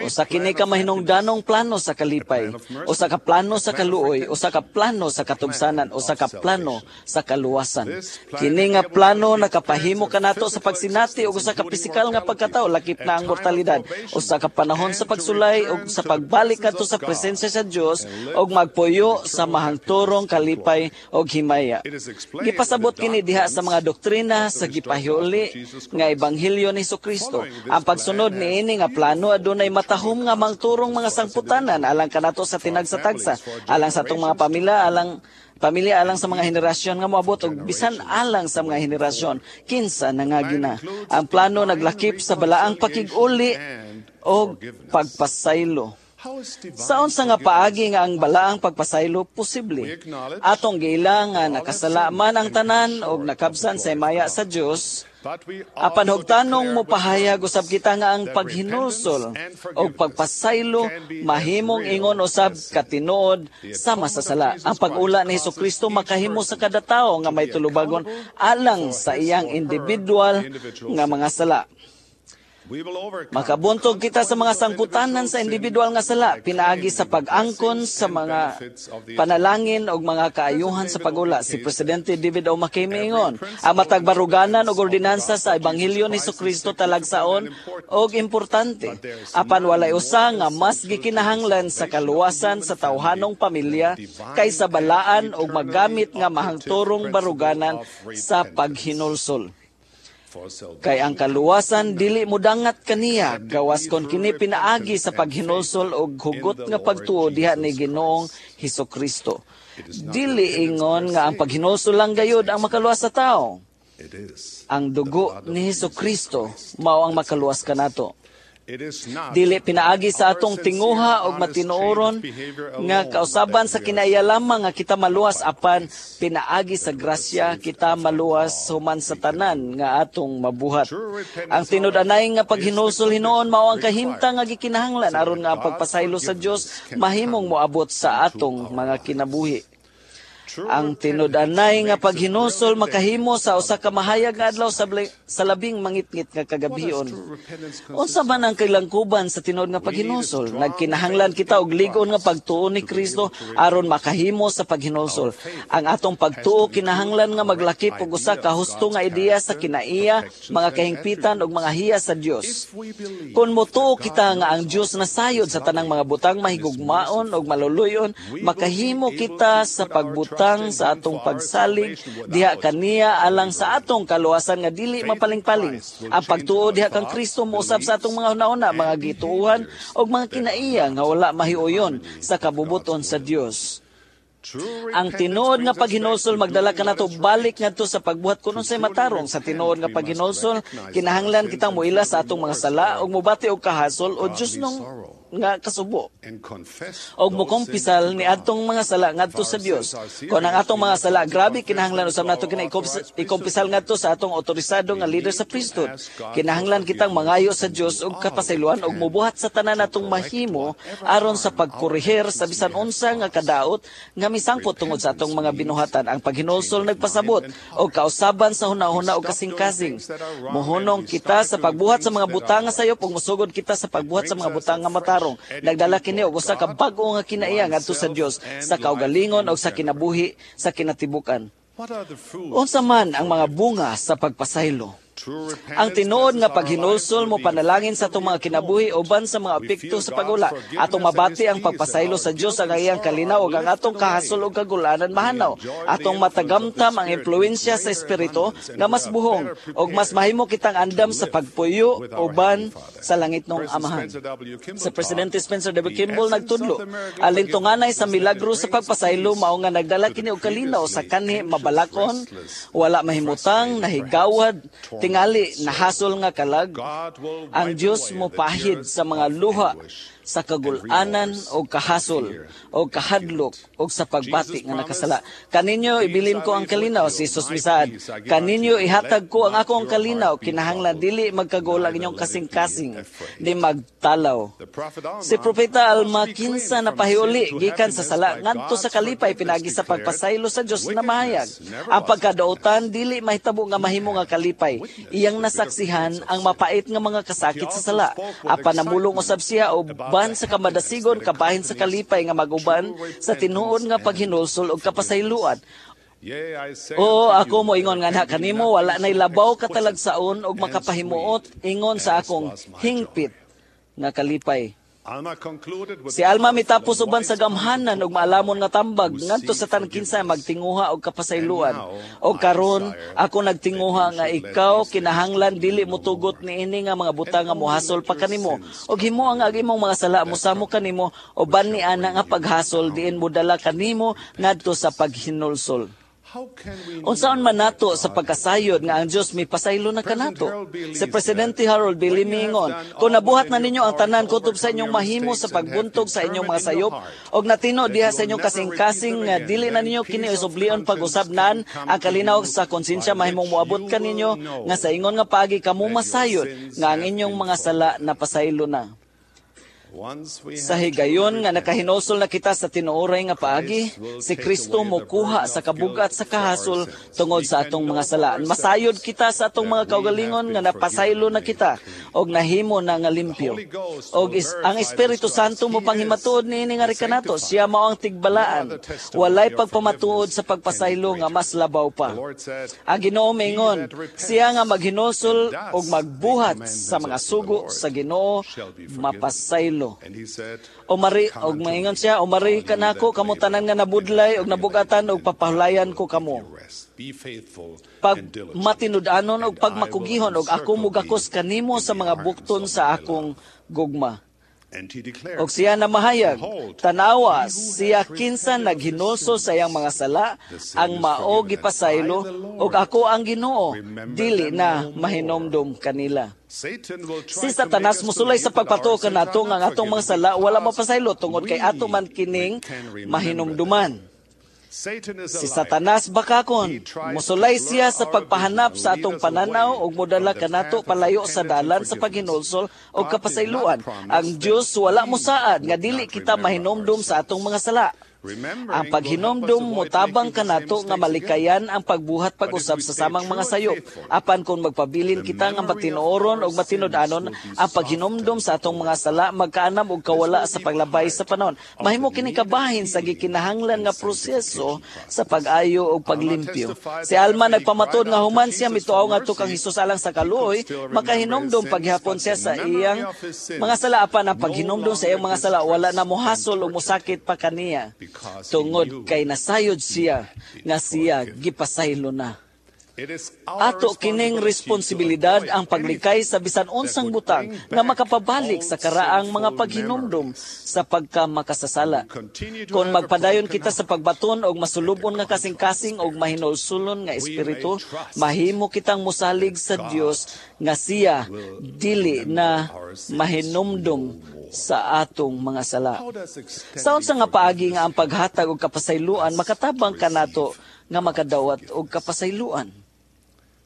Usa kini ka mahinungdanong plano sa kalipay, usa ka plano sa kaluoy, usa ka plano sa katugsanan, usa ka plano sa kaluwasan. Kini nga plano nakapahimo kanato sa pagsinati ug usa ka pisikal nga pagkatao lakip na ang mortalidad, usa ka panahon sa pagsulay ug sa pagbalik kadto sa presensya sa Dios ug magpuyo sa mahangturong kalipay ug himaya. Gipasabot kini diha sa mga doktrina sa gipahiuli nga ebanghelyo ni Hesukristo. Ang pagsunod niini nga plano adunay matahom nga mangturong mga sangputanan alang kanato sa tinagsa-tagsa, alang sa atong mga pamilya, alang sa mga henerasyon nga moabot ug bisan alang sa mga henerasyon kinsa nangagina. Ang plano naglakip sa balaang pakig-uli og pagpasaylo. Sa unsa nga paagi nga ang balaang pagpasaylo posible? Atong giila nga nakasala man ang tanan og nakabsan sa himaya sa Dios, apan hugtanong mopahayag usab kita nga ang paghinulsol o pagpasaylo mahimong ingon usab katinuod sama sa sala. Ang pag-ula ni Hesukristo makahimo sa kada tawo nga may tulubagon alang sa iyang individual nga mga sala. Makabuntog kita sa mga sangputanan sa individual nga sala pinaagi sa pag-angkon sa mga panalangin og mga kaayuhan sa pagula. Si Presidente David O. McKay miingon, ang matag baruganan og ordinansa sa Ebanghelyo ni Kristo talagsaon og importante. Apan walay usa nga mas gikinahanglan sa kaluwasan sa tawhanong pamilya kaysa balaan og magamit nga mahangturong baruganan sa paghinulsol. Kay ang kaluwasan dili modangat kaniya, gawas kon kini pinaagi sa paghinulsol og hugot nga pagtuo diha ni Ginoong Hesukristo. Dili ingon nga ang paghinulsol lang gayud ang makaluwas sa tao. Ang dugo ni Hesukristo mao ang makaluwas kanato. Dili pinaagi sa atong tinguha og matinuoron nga kausaban sa kinaiya lamang nga kita maluwas, apan pinaagi sa grasya kita maluwas human sa tanan nga atong mabuhat. Ang tinud-anay nga paghinulsol hinuon mao ang kahimtang nga gikinahanglan aron nga ang pagpasaylo sa Dios mahimong moabot sa atong mga kinabuhi. Ang tinud-anay nga paghinulsol makahimo sa usa ka mahayag nga adlaw sa labing mangitngit nga kagabhion. Unsa man ang kailangkuban sa tinuod nga paghinulsol? Nagkinahanglan kita og lig-on nga pagtuo ni Kristo aron makahimo sa paghinulsol. Ang atong pagtuo kinahanglan nga maglakip og usa ka husto nga ideya sa kinaiya, mga kahingpitan ug mga hiya sa Dios. Kon motuo kita nga ang Dios nasayod sa tanang mga butang mahigugmaon ug maluluyon, makahimo kita sa pagbutang sa atong pagsalig diha kaniya alang sa atong kaluwasan nga dili mapalingpaling. Ang pagtuo diha kang Kristo mousab sa atong mga hunahuna, mga gituohan ug mga kinaiya nga wala mahiuyon sa kabubuton sa Dios. Ang tinuod nga paghinulsol magdala kanato balik ngadto sa pagbuhat kun unsay matarong. Sa tinuod nga paghinulsol kinahanglan kitang moila sa atong mga sala ug mobati og kahasol o Dios nong nga kasubo og mokumpisal ni atong mga sala ngadto sa Dios. Kon ang atong mga sala grabe, kinahanglan usab nato kini ikumpisal ngadto sa atong otorisado nga leader sa priesthood. Kinahanglan kitang mangayo sa Dios og kapasayloan og mobuhat sa tanan natong mahimo aron sa pagkorehir sa bisan unsa nga kadaot nga misangpot tungod sa atong mga binuhatan. Ang paghinulsol nagpasabot og kausaban sa hunahuna og kasing-kasing. Mohunong kita sa pagbuhat sa mga butang nga sayop ug mosugod kita sa pagbuhat sa mga butang nga matarong. Nagdala kini og usa ka bag-o nga kinaiya ngadto sa Dios sa kaugalingon og sa kinabuhi sa kinatibukan. Unsa man ang mga bunga sa pagpasaylo? Ang tinuod nga paghinulsol mo panalangin sa atong mga kinabuhi uban sa mga epekto sa pagula. Atong mabati ang pagpasaylo sa Dios ang iyang kalinaw ug ang atong kahasol ug kagulanan mahanaw. Atong matagamtam ang impluwensya sa Espiritu nga mas buhong ug mas mahimo kitang andam sa pagpuyo uban sa langitnong Amahan. Sa Presidente Spencer W. Kimball nagtudlo, alintunganay sa milagro sa pagpasaylo mao nga nagdala kini og kalinaw sa kanhi mabalakon, wala mahimutang, nahigawad, tingali nahasol nga kalag. Ang Dios mopahid sa mga luha sa kagulanan o kahasol o kahadlok o sa pagbati nga nakasala. Kaninyo ibilin ko ang kalinaw, si Jesus misaad. Kaninyo ihatag ko ang akong kalinaw, kinahanglan dili magkagul ang inyong kasing-kasing, di magtalaw. Si Propeta Alma kinsa na pahiuli gikan sa sala ngadto sa kalipay pinagi sa pagpasaylo sa Dios na mahayag. Ang pagkadautan dili mahitabo nga mahimo nga kalipay. Iyang nasaksihan ang mapait nga mga kasakit sa sala. Apan namulong usab siya og ban sa kamadasigon kabahin sa kalipay nga maguban sa tinuod nga paghinulsol og kapasayloan. Oo, ako mo ingon nga kanimo wala nay labaw katalagsaon og makapahimuot ingon sa akong hingpit nga kalipay. Si Alma mitapos uban sa gamhanan og maalamon nga tambag ngadto sa tanan kinsa magtinguha og kapasayloan. Og karon ako nagtinguha nga ikaw kinahanglan dili motugot niini nga mga butang nga mohasol pa kanimo og himo ang imong mga sala mosamo kanimo uban ni ana nga paghasol diin modala kanimo ngadto sa paghinulsol. Unsaon man nato sa pagkasayod nga ang Dios mipasaylo na kanato? Si Presidente Harold B. Lee miingon, kung nabuhat na ninyo ang tanan kutob sa inyong mahimo sa pagbuntog sa inyong mga sayop og natino diha sa inyong kasing-kasing nga dili na ninyo kini usublion pag-usabnan ang kalinaw sa konsensya mahimong moabot kaninyo nga sa ingon nga paagi kamo masayod nga ang inyong mga sala napasaylo na. Sa higayon nga nakahinulsol na kita sa tinuoray nga paagi, si Kristo mokuha sa kabugat sa kahasol tungod sa atong mga sala. Masayod kita sa atong mga kaugalingon nga napasaylo na kita og nahimo na nga limpyo. Og ang Espiritu Santo mo panghimatuod niini nga kanato, siya mao ang tigbalaan. Walay pagpamatuod sa pagpasaylo nga mas labaw pa. Ang Ginoo miingon, siya nga maghinulsol og magbuhat sa mga sugo sa Ginoo mapasaylo. O mari og maingon siya, o mari kanako kamo tanan nga nabudlay og nabugatan og papahulayan ko kamo. Pag matinud-anon og pagmakugihon og ako mugakos kanimo sa mga bukton sa akong gugma. Og siya na mahayag, tanawa siya kinsa naghinulsol sa iyang mga sala, ang mao gipasaylo, og ako ang Ginoo, dili na mahinomdom kanila. Si Satanas musulay sa pagpatuo kanato nga ang atong mga sala wala mapasaylo tungod kay ato man kining mahinumduman. Si Satanas bakakon, musulay siya sa pagpahanap sa atong pananaw ug modala kanato palayo sa dalan sa paghinulsol og kapasayloan. Ang Dios wala mosaad nga dili kita mahinumdum sa atong mga sala. Ang paghinomdom motabang kanato nga malikayan ang pagbuhat pag-usab sa samang mga sayop. Apan kung magpabilin kita nga matinuoron og matinud-anon, ang paghinomdom sa atong mga sala magkaanam og kawala sa paglabay sa panahon. Mahimo kini kabahin sa gikinahanglan nga proseso sa pag-ayo og paglimpyo. Si Alma nagpamatuod nga human siya mituaw ngadto kang Hesus alang sa kaluoy, makahinomdom paghihapon siya sa iyang mga sala, apan ang paghinomdom sa iyang mga sala wala na mohasol o mosakit pa kaniya, tungod kay nasayod siya nga siya gipasaylo na. Ato kining responsibilidad ang paglikay sa bisan unsang butang nga makapabalik sa karaang mga paghinumdum sa pagkamakasasala. Kung magpadayon kita sa pagbaton og masulubon nga kasing-kasing og mahinulsulon nga espiritu, mahimo kitang mosalig sa Dios nga siya dili na mahinumdum sa atong mga sala. Sa unsa nga paagi nga ang paghatag og kapasayloan makatabang kanato nga makadawat og kapasayloan?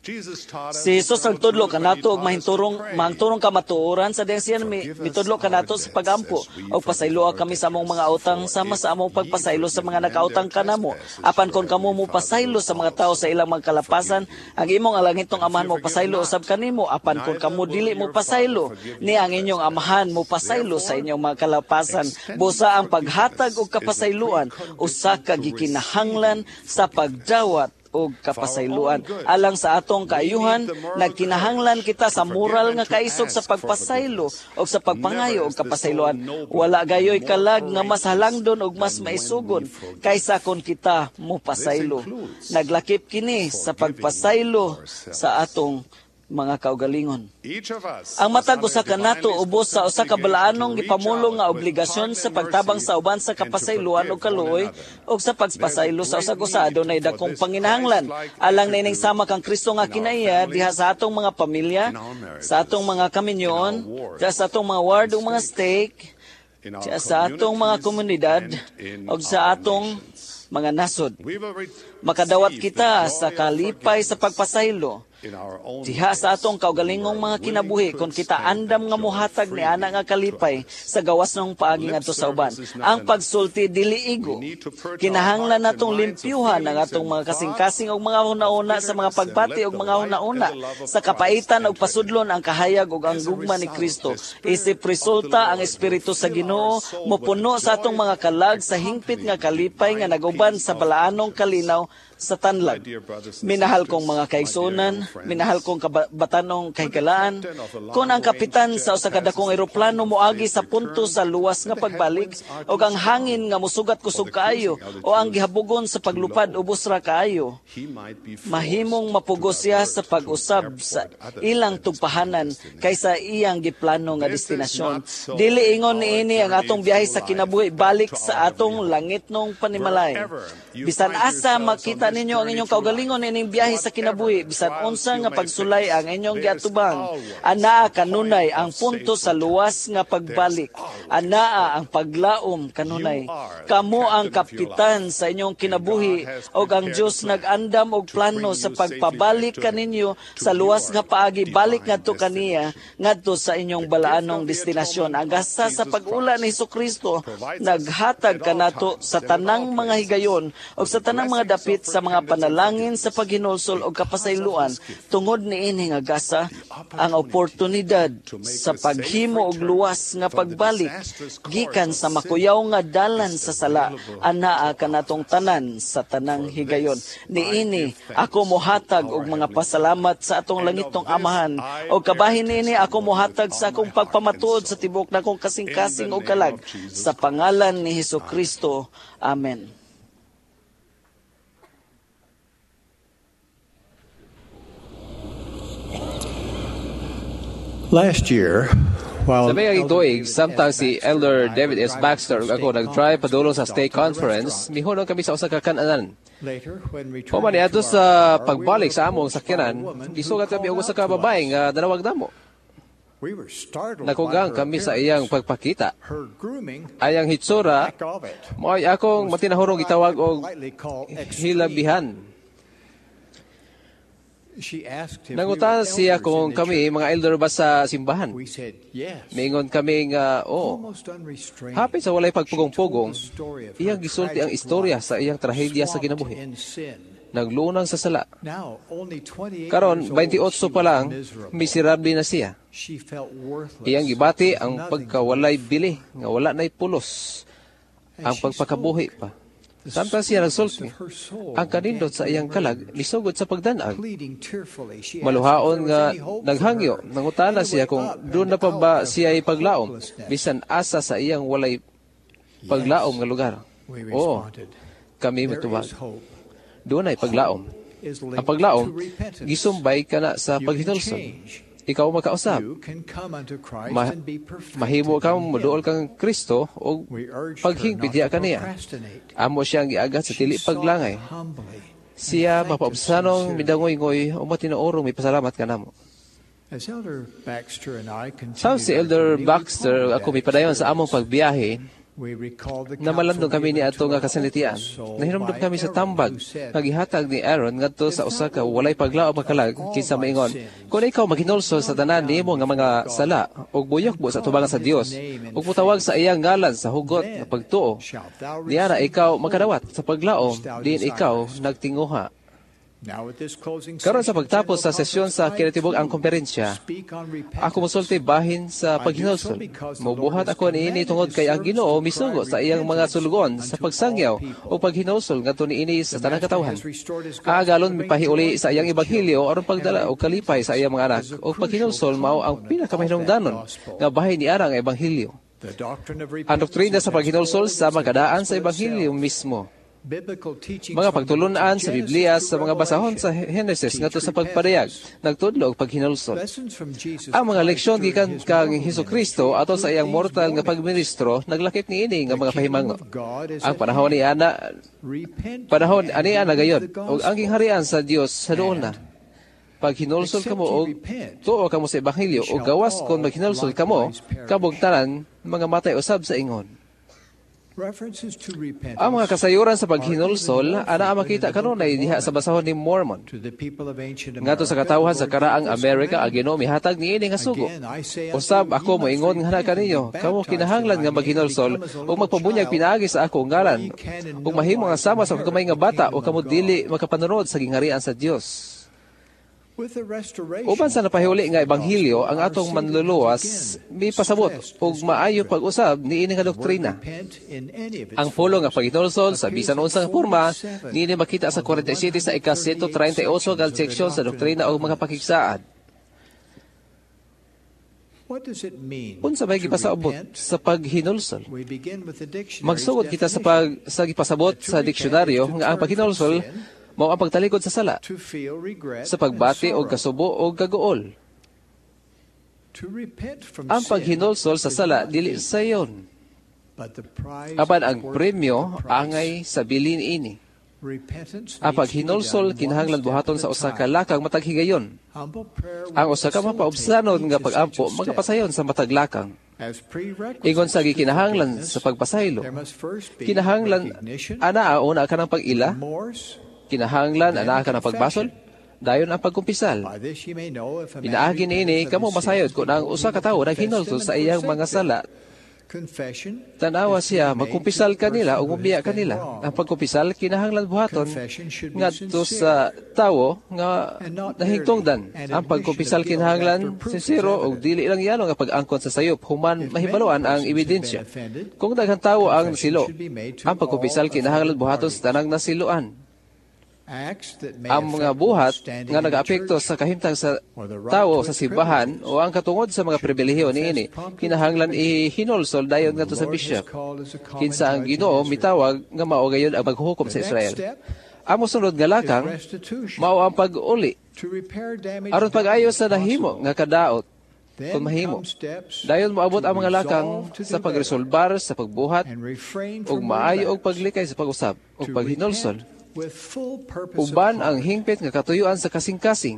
Si Jesus nagtudlo kanato og mahingturong kamatuoran sa diyang siya mitudlo kanato sa pagampo og pasayloa kami sa among mga utang sama sa among pagpasaylo sa mga nakautang kanamo. Apan kon kamo mo pasaylo sa mga tawo sa ilang mga kalapasan, ang imong alangitong amahan mo pasaylo usab kanimo. Apan kon kamo dili mo pasaylo, ni ang inyong amahan mo pasaylo sa inyong mga kalapasan. Busa ang paghatag og kapasayloan usa ka gikinahanglan sa pagdawat og kapasayloan. Alang sa atong kaayuhan, nagkinahanglan kita sa moral nga kaisog sa pagpasaylo og sa pagpangayo og kapasayloan. Wala gayoy kalag nga mas halangdon og mas maisugon kaysa kon kita mopasaylo. Naglakip kini sa pagpasaylo sa atong mga kaugalingon. Ang matag usa kanato ubos sa usa ka balaanong gipamulong nga obligasyon sa pagtabang sa uban sa kapasayloan og kaluoy og sa pagpasaylo sa usag usa. Adunay dakong panginahanglan alang niining sama kang Kristo nga kinaiya diha sa atong mga pamilya, sa atong mga kaminyoon, diha sa atong mga ward ug mga stake, diha sa atong mga komunidad ug sa atong mga nasod. Makadawat kita sa kalipay sa pagpasaylo diha sa atong kaugalingong mga kinabuhi kung kita andam nga mohatag ni ana nga kalipay sa gawas ng paagi ngadto sa uban. Ang pagsulti dili igo. Kinahanglan natong limpyuhan ang atong mga kasing-kasing og mga hunahuna sa mga pagbati og mga hunahuna sa kapaitan og pasudlon ang kahayag ug ang gugma ni Kristo. Isip resulta ang Espiritu sa Ginoo mopuno sa atong mga kalag sa hingpit nga kalipay nga naguban sa balaanong kalinaw sa tanlag. Minahal kong mga kaigsuonan, minahal kong kabatanong kahigalaan, kung ang kapitan sa usa ka dakong eroplano moagi sa punto sa luwas nga pagbalik o ang hangin nga musugat kusog kaayo o ang gihabugon sa paglupad ubos ra kaayo, mahimong mapugos siya sa pag-usab sa ilang tugpahanan kaysa iyang giplano nga destinasyon. Dili ingon niini ang atong biyahe sa kinabuhi balik sa atong langitnong panimalay. Bisan asa makita ninyo ang inyong kaugalingon ining biyahe sa kinabuhi, bisan unsa nga pagsulay ang inyong giatubang. Anaa kanunay ang punto sa luwas nga pagbalik. Anaa ang paglaom kanunay. Kamo ang kapitan sa inyong kinabuhi og ang Dios nag-andam og plano sa pagpabalik kaninyo sa luwas nga paagi balik ngadto kaniya ngadto sa inyong balaanong destinasyon. Ang gasa sa pag-ula ni Hesukristo naghatag kanato sa tanang mga higayon og sa tanang mga dapit sa mga panalangin sa paghinulsol og kapasayloan. Tungod niini nga gasa, ang oportunidad sa paghimo og luwas nga pagbalik gikan sa makuyaw nga dalan sa sala anaa kanatong tanan sa tanang higayon. Niini ako mohatag og mga pasalamat sa atong langitong Amahan, og kabahin niini ako mohatag sa akong pagpamatuod sa tibuok nakong kasing-kasing og kalag sa pangalan ni Hesukristo. Amen. Last year, while sa may tuig, samtang si Elder David S. Baxter ug ako nag-drive padulong sa stake conference, mihunong kami sa usa ka kan-anan. Human niadto sa pagbalik sa among sakyanan, gisugat kami og usa ka babae nga nanawag namo. Nakugang kami sa iyang pagpakita. Ayang hitsura, mao'y akong matinahurong gitawag og hilabihan. Nangutan siya kung kami mga elder ba sa simbahan. Mingon kami nga oo. Hapit sa walay pagpugong-pugong, iyang gisulti ang istorya sa iyang trahedya sa kinabuhi. Naglunang sa sala. Karon 28 pa lang, miserable na siya. Iyang gibati ang pagkawalay bili, nga wala na'y pulos, ang pagpakabuhi pa. Samtang siya nagsulti, ang kanindot sa iyang kalag misugod sa pagdanag. Maluhaon nga naghangyo, nangutana siya kung doon na pa ba siya paglaom, bisan asa sa iyang walay paglaom nga lugar. Oo, kami mitubag. Doon ay paglaom. Ang paglaom, gisumbay ka na sa paghinulsol. Ikaw makausap. Mahimo kang moduol kang Kristo o paghingpit diya kaniya. Amo siyang giagat sa dili paglangay. Siya mapaubsanong midangoy-ngoy o matinoorong may pasalamat kanamo. Sa si Elder Baxter ako mipadayon sa among pagbiyahe, namalandong kami ni ato nga kasanitian. Nahinumdum kami sa tambag nga gihatag ni Aaron ngadto sa usa ka walay paglaom makalag kinsa maingon, kung ikaw maghinulsol sa tanan nimo nga mga sala ug buyokbo sa tubangan sa Dios ug motawag sa iyang ngalan sa hugot nga pagtuo, niana ikaw makadawat sa paglaom diin ikaw nagtinguha. Karon sa pagtapos sa sesyon sa kinatibuk ang komperensya, ako mosulti bahin sa paghinulsol. Mobuhat ako niini tungod kay ang Ginoo misugo sa iyang mga sulugoon sa pagsangyaw o paghinulsol ngadto niini sa tanang katawhan. Ang agalon mipahiuli sa iyang ebanghelyo aron pagdala og kalipay sa iyang mga anak, ug paghinulsol mao ang pinakamahinungdanon nga bahin niara ang ebanghelyo. Ang doktrina sa paghinulsol sa magadaan sa ebanghelyo mismo. Mga pagtulunan sa Biblia sa mga basahon sa Henesis ngadto sa pagpadayag, nagtudlo og paghinulsol. Ang mga leksyon gikan kang Hesukristo ato sa iyang mortal nga pagministro naglakip niini nga mga pahimango. Ang panahon ni ana, panahon ani ana gayon ug ang gingharian sa Dios sa duol na. Paghinulsol kamo og tuo kamo sa ebanghelyo ug gawas kon maghinulsol kamo, kabog tanan mga matay usab sa ingon. Ang mga kasayuran sa paghinulsol, ana makita kanunay diha sa basahon ni Mormon. Ngadto sa katawhan sa karaang Amerika, ang Ginoo mihatag niini nga sugo. Usab ako moingon nga kaninyo, kamo kinahanglan nga maghinulsol ug magpabunyag pinaagi sa ako ngalan, ug mahimo nga sama sa gamay nga bata o kamo dili makapanunod sa gingharian sa Dios. Uban sa napahiuli nga ebanghelyo, ang atong manluluwas mipasabot og maayo pag-usab niini nga doktrina. Ang pulong nga paghinulsol sa bisan unsang porma niini makita sa 47 sa ika-138 nga seksyon sa doktrina og mga pakigsaad. Unsa may gipasabot sa paghinulsol? Magsugod kita sa sa gipasabot sa diksyonaryo nga ang paghinulsol mao ang pagtalikod sa sala, sa pagbati og kasubo og kaguol. Ang paghinulsol sa sala dili sayon, apan ang premyo angay sa bilin ini. Ang paghinulsol kinahanglan buhaton sa usa ka lakang matag higayon. Ang usa ka mapaubsanon nga pag-ampo magapasayon sa matag lakang. Ingon sa gikinahanglan sa pagpasaylo, kinahanglan anaa una ka ng pag-ila, kinahanglan anaa ka ng pagbasol, dayon ang pagkumpisal. Pinaagi niini kamo masayod kung ang usa ka tawo naghinulsol sa iyang mga sala. Tanawa siya, magkumpisal kanila o mubiya kanila. Ang pagkumpisal, kinahanglan buhaton ngadto sa tawo nga nahigtungdan. Ang pagkumpisal kinahanglan sinsero og dili lang yano nga pag-angkon sa sayop human mahibaluan ang ebidensya. Kung daghang tawo ang nasilo, ang pagkumpisal kinahanglan buhaton sa tanang nasiloan. Ang mga buhat nga nagaapekto sa kahimtang sa tawo sa simbahan o ang katungod sa mga pribilehiyo niini kinahanglan ihinulsol dayon ngadto sa bishop, kinsa ang Ginoo mitawag nga mao gayon ang maghukom sa Israel. Ang mosunod nga lakang mao ang pag-uli aron pag-ayo sa nahimo nga kadaot kung mahimo. Dayon moabot ang mga lakang sa pagresolbar sa pagbuhat ug maayo og paglikay sa pag-usab ug paghinulsol uban ang hingpit nga katuyuan sa kasing-kasing.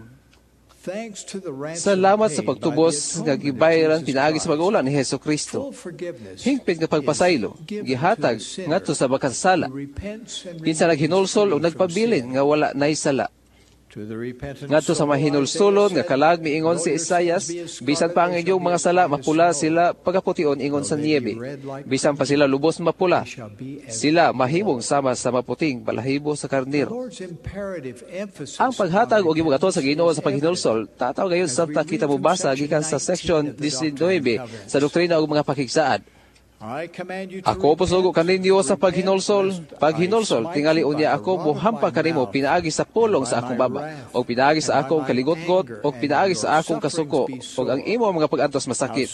Salamat sa pagtubos nga gibayaran pinaagi sa pag-ulan ni Hesus Kristo. Hingpit nga pagpasaylo gihatag ngadto sa makasasala, kinsa naghinulsol o nagpabilin nga wala nay sala. Ngadto sa mahinulsulon nga kalag miingon si Isayas, bisan pa ang inyong mga sala mapula sila pagapution ingon sa niebe. Bisan pa sila lubos mapula, sila mahimong sama sa maputing balahibo sa karnero. Ang paghatag og gibugaton sa Ginoo sa paghinulsol, tataw gayon samtang kita mobasa gikan sa section 19 sa doktrina og mga pakigsaad. Ako posugo kaninyo sa paghinulsol, paghinulsol, tingali unya ako mohampa kanimo pinaagi sa pulong sa akong baba, o pinaagi sa akong kaligotgot, o pinaagi sa akong kasuko, o ang imo mga pag-antos masakit.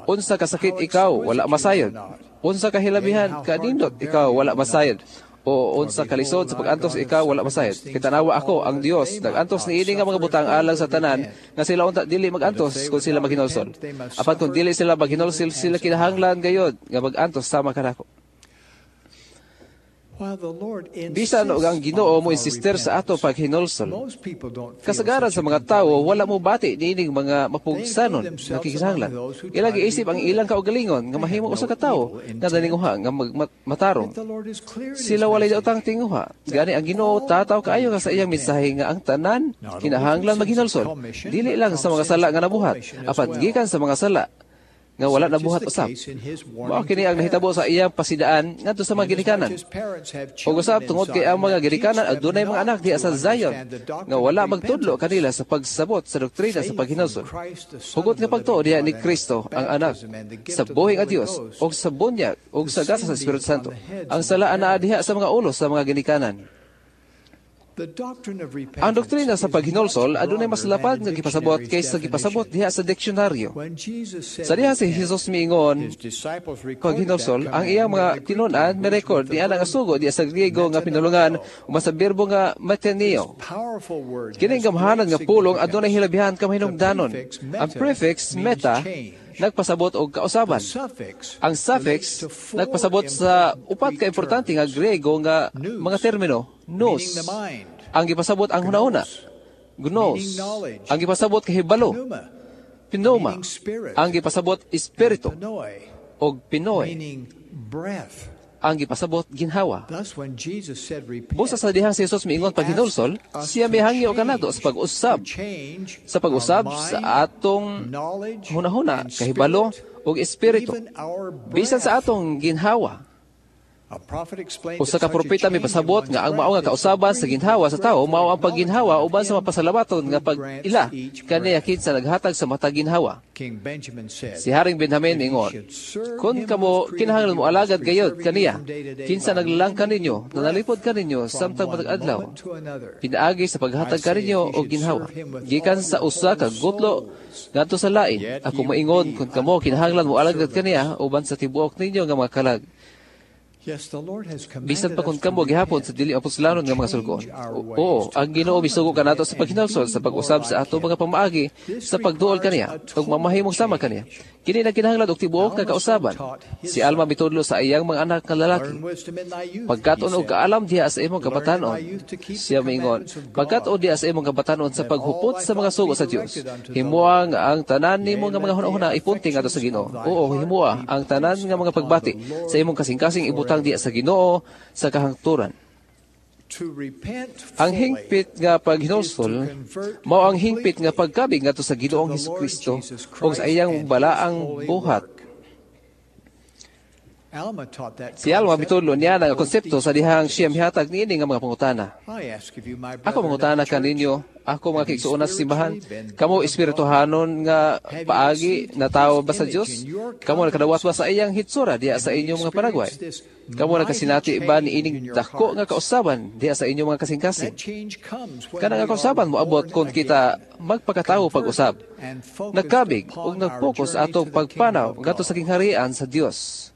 Unsa kasakit ikaw, wala masayod. Unsa kahilabihan kanindot ikaw, wala masayod. O unsa kalisod sa pag-antos ikaw, wala masayod. Kitanawa ako ang Dios nag-antos niini nga mga butang alang sa tanan nga sila unta dili mag-antos kung sila maghinulsol. Apan kung dili sila maghinulsol, sila kinahanglan gayod nga mag-antos sama kanako. Bisan og ang Ginoo mo insister sa ato paghinulsol, kasagaran sa mga tawo wala mo bati niining mga mapugsanon nga kinahanglan. Ilang giisip ang ilang kaugalingon nga mahimo usa ka tawo nga daninguha nga matarong. Sila walay daotang tinguha. Gani ang Ginoo tataw kaayo nga sa iyang mensahe nga ang tanan kinahanglan maghinulsol, dili lang sa mga sala nga nabuhat, apan gikan sa mga sala nga wala nabuhat usab. Mao kini ang nahitabo sa iyang pasidaan ngadto sa mga ginikanan. Ug usab tungod kay ang mga ginikanan adunay mga anak diha sa Zion nga wala magtudlo kanila sa pagsabot sa doktrina sa paghinulsol. Hugot nga pagtuo diha ni Kristo ang anak sa buhi nga Dios ug sa bunyag ug sa gasa sa Espiritu Santo. Ang sala anaa diha sa mga ulo sa mga ginikanan. Ang doktrina sa paghinulsol adunay mas lapad nga gipasabot kaysa gipasabot diha sa diksyonaryo. Sa diha si Jesus miingon paghinulsol, ang iyang mga tinun-an mi-record niya nga sugo diha sa Griego nga pinulungan uman sa berbo nga metaneo. Kining gamhanan nga pulong adunay hilabihan ka mahinungdanon. Ang prefix meta nagpasabot og kausaban. Ang suffix nagpasabot sa upat ka importante nga Griego nga mga termino. Nous, ang gipasabot ang hunahuna. Gnos, ang gipasabot kahibalo. Pneuma, ang gipasabot espiritu. Og pinoy, ang gipasabot ginhawa. Busa sa dihang si Jesus miingon paghinulsol, siya mihangyo kanato sa pag-usab. Sa pag-usab sa atong hunahuna, kahibalo ug espiritu. Bisan sa atong ginhawa. Usa ka propeta mipasabot nga ang mao nga kausaban sa ginhawa sa tawo mao ang pagginhawa uban sa mapasalamaton nga pag-ila kaniya kinsa naghatag sa matag ginhawa. Si Haring Benjamin ingon, kun kamo kinahanglan mo alagad gayod kaniya kinsa naglalang kaninyo, nanalipod kaninyo samtang matag adlaw, pinaagi sa paghatag kaninyo og ginhawa gikan sa usa ka gutlo ngadto sa lain. Ako moingon kun kamo kinahanglan mo alagad kaniya uban sa tibuok ninyo nga mga kalag. Bisan pa kung kamo gihapon sa dili apostolanong nga mga sulgon. Oo, ang Ginoo misugo kanato sa paghinulsol, sa pag-usab sa ato mga pamaagi, sa pagduol kaniya, ug mamahimong sama kaniya. Kini nagkinahanglan og tibuok nga kausaban. Si Alma mitudlo sa iyang mga anak nga lalaki. Pagkat-on og kaalam diha sa imong kabatanon, siya miingon, pagkat-on diha sa imong kabatanon sa paghupot sa mga sugo sa Dios. Himoa nga ang tanan nimo nga mga hunahuna ipunting ngadto sa Ginoo. Oo, himoa ang tanan nga mga pagbati sa imong kasing-kasing ibutang diha sa Ginoo sa kahangturan. Ang hingpit nga paghinulsol mao ang hingpit nga pagkabig ngadto sa Ginoong Hesukristo ug sa iyang balaang buhat. Si Alma mitudlo niya nga konsepto sa dihang siya mihatag niini nga mga pangutana. Ako mangutana kaninyo, ako mga kaigsuonan sa simbahan, kamo espirituhanon nga paagi natawo ba sa Dios? Kamo nakadawat ba sa iyang hitsura diha sa inyong mga panagway? Kamo nakasinati ba niining dako nga kausaban diha sa inyong mga kasing-kasing? Kana nga kausaban moabot kung kita magpakatawo pag-usab, nagkabig ug nagpokus atong pagpanaw ngadto sa gingharian sa Dios.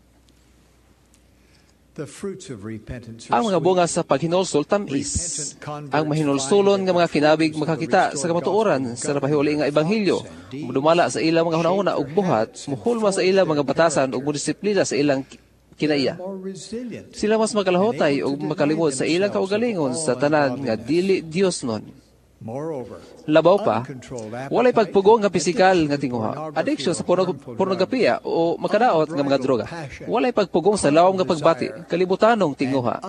Ang mga bunga sa paghinulsol tamis. Ang mahinulsulon nga mga kinabig makakita sa kamatuoran sa napahiuli nga ebanghelyo, mudumala sa ilang mga hunahuna ug buhat, muhulma sa ilang mga batasan ug mudisiplina sa ilang kinaiya. Sila mas makalahotay ug makalimod sa ilang kaugalingon sa tanan nga dili Dios nun. Labaw pa, walay pagpugong nga pisikal nga tinguha, addiction sa pornografiya o makadaot nga mga droga. Walay pagpugong sa lawom nga pagbati, kalibutanong tinguha,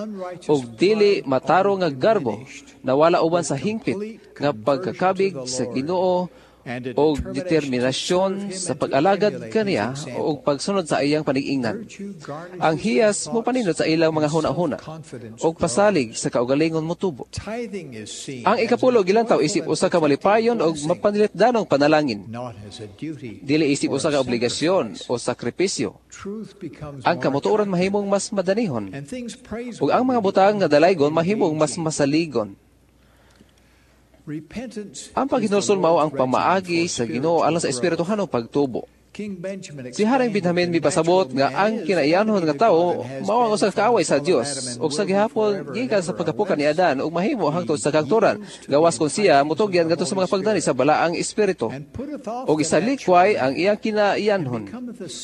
ug dili matarong nga garbo, nawala uban sa hingpit nga pagkakabig sa Ginoo og determinasyon sa pag-alagad kaniya o pagsunod sa iyang panigingnan. Ang hiyas mo paninot sa ilang mga huna-huna og pasalig sa kaugalingon motubo. Ang ikapulo gilantaw isip usa ka malipayon og mapanilitdanong panalangin. Dili isip usa ka obligasyon o sakripisyo. Ang kamutuoran mahimong mas madanihon ug ang mga butang nga dalaygon mahimong mas masaligon. Ang paghinulsol mao ang pamaagi sa Ginoo alang sa espirituhanong pagtubo. Si Haring Benjamin mipasabot nga ang kinaiyanhon nga tawo mao ang usa ka kaaway sa Dios ug sa gihapon gikan sa pagkapukan ni Adan ug mahimo hangtod sa kangturan gawas kon siya motugyan ngadto sa mga pagdani sa balaang espiritu ug isalikway ang iyang kinaiyanhon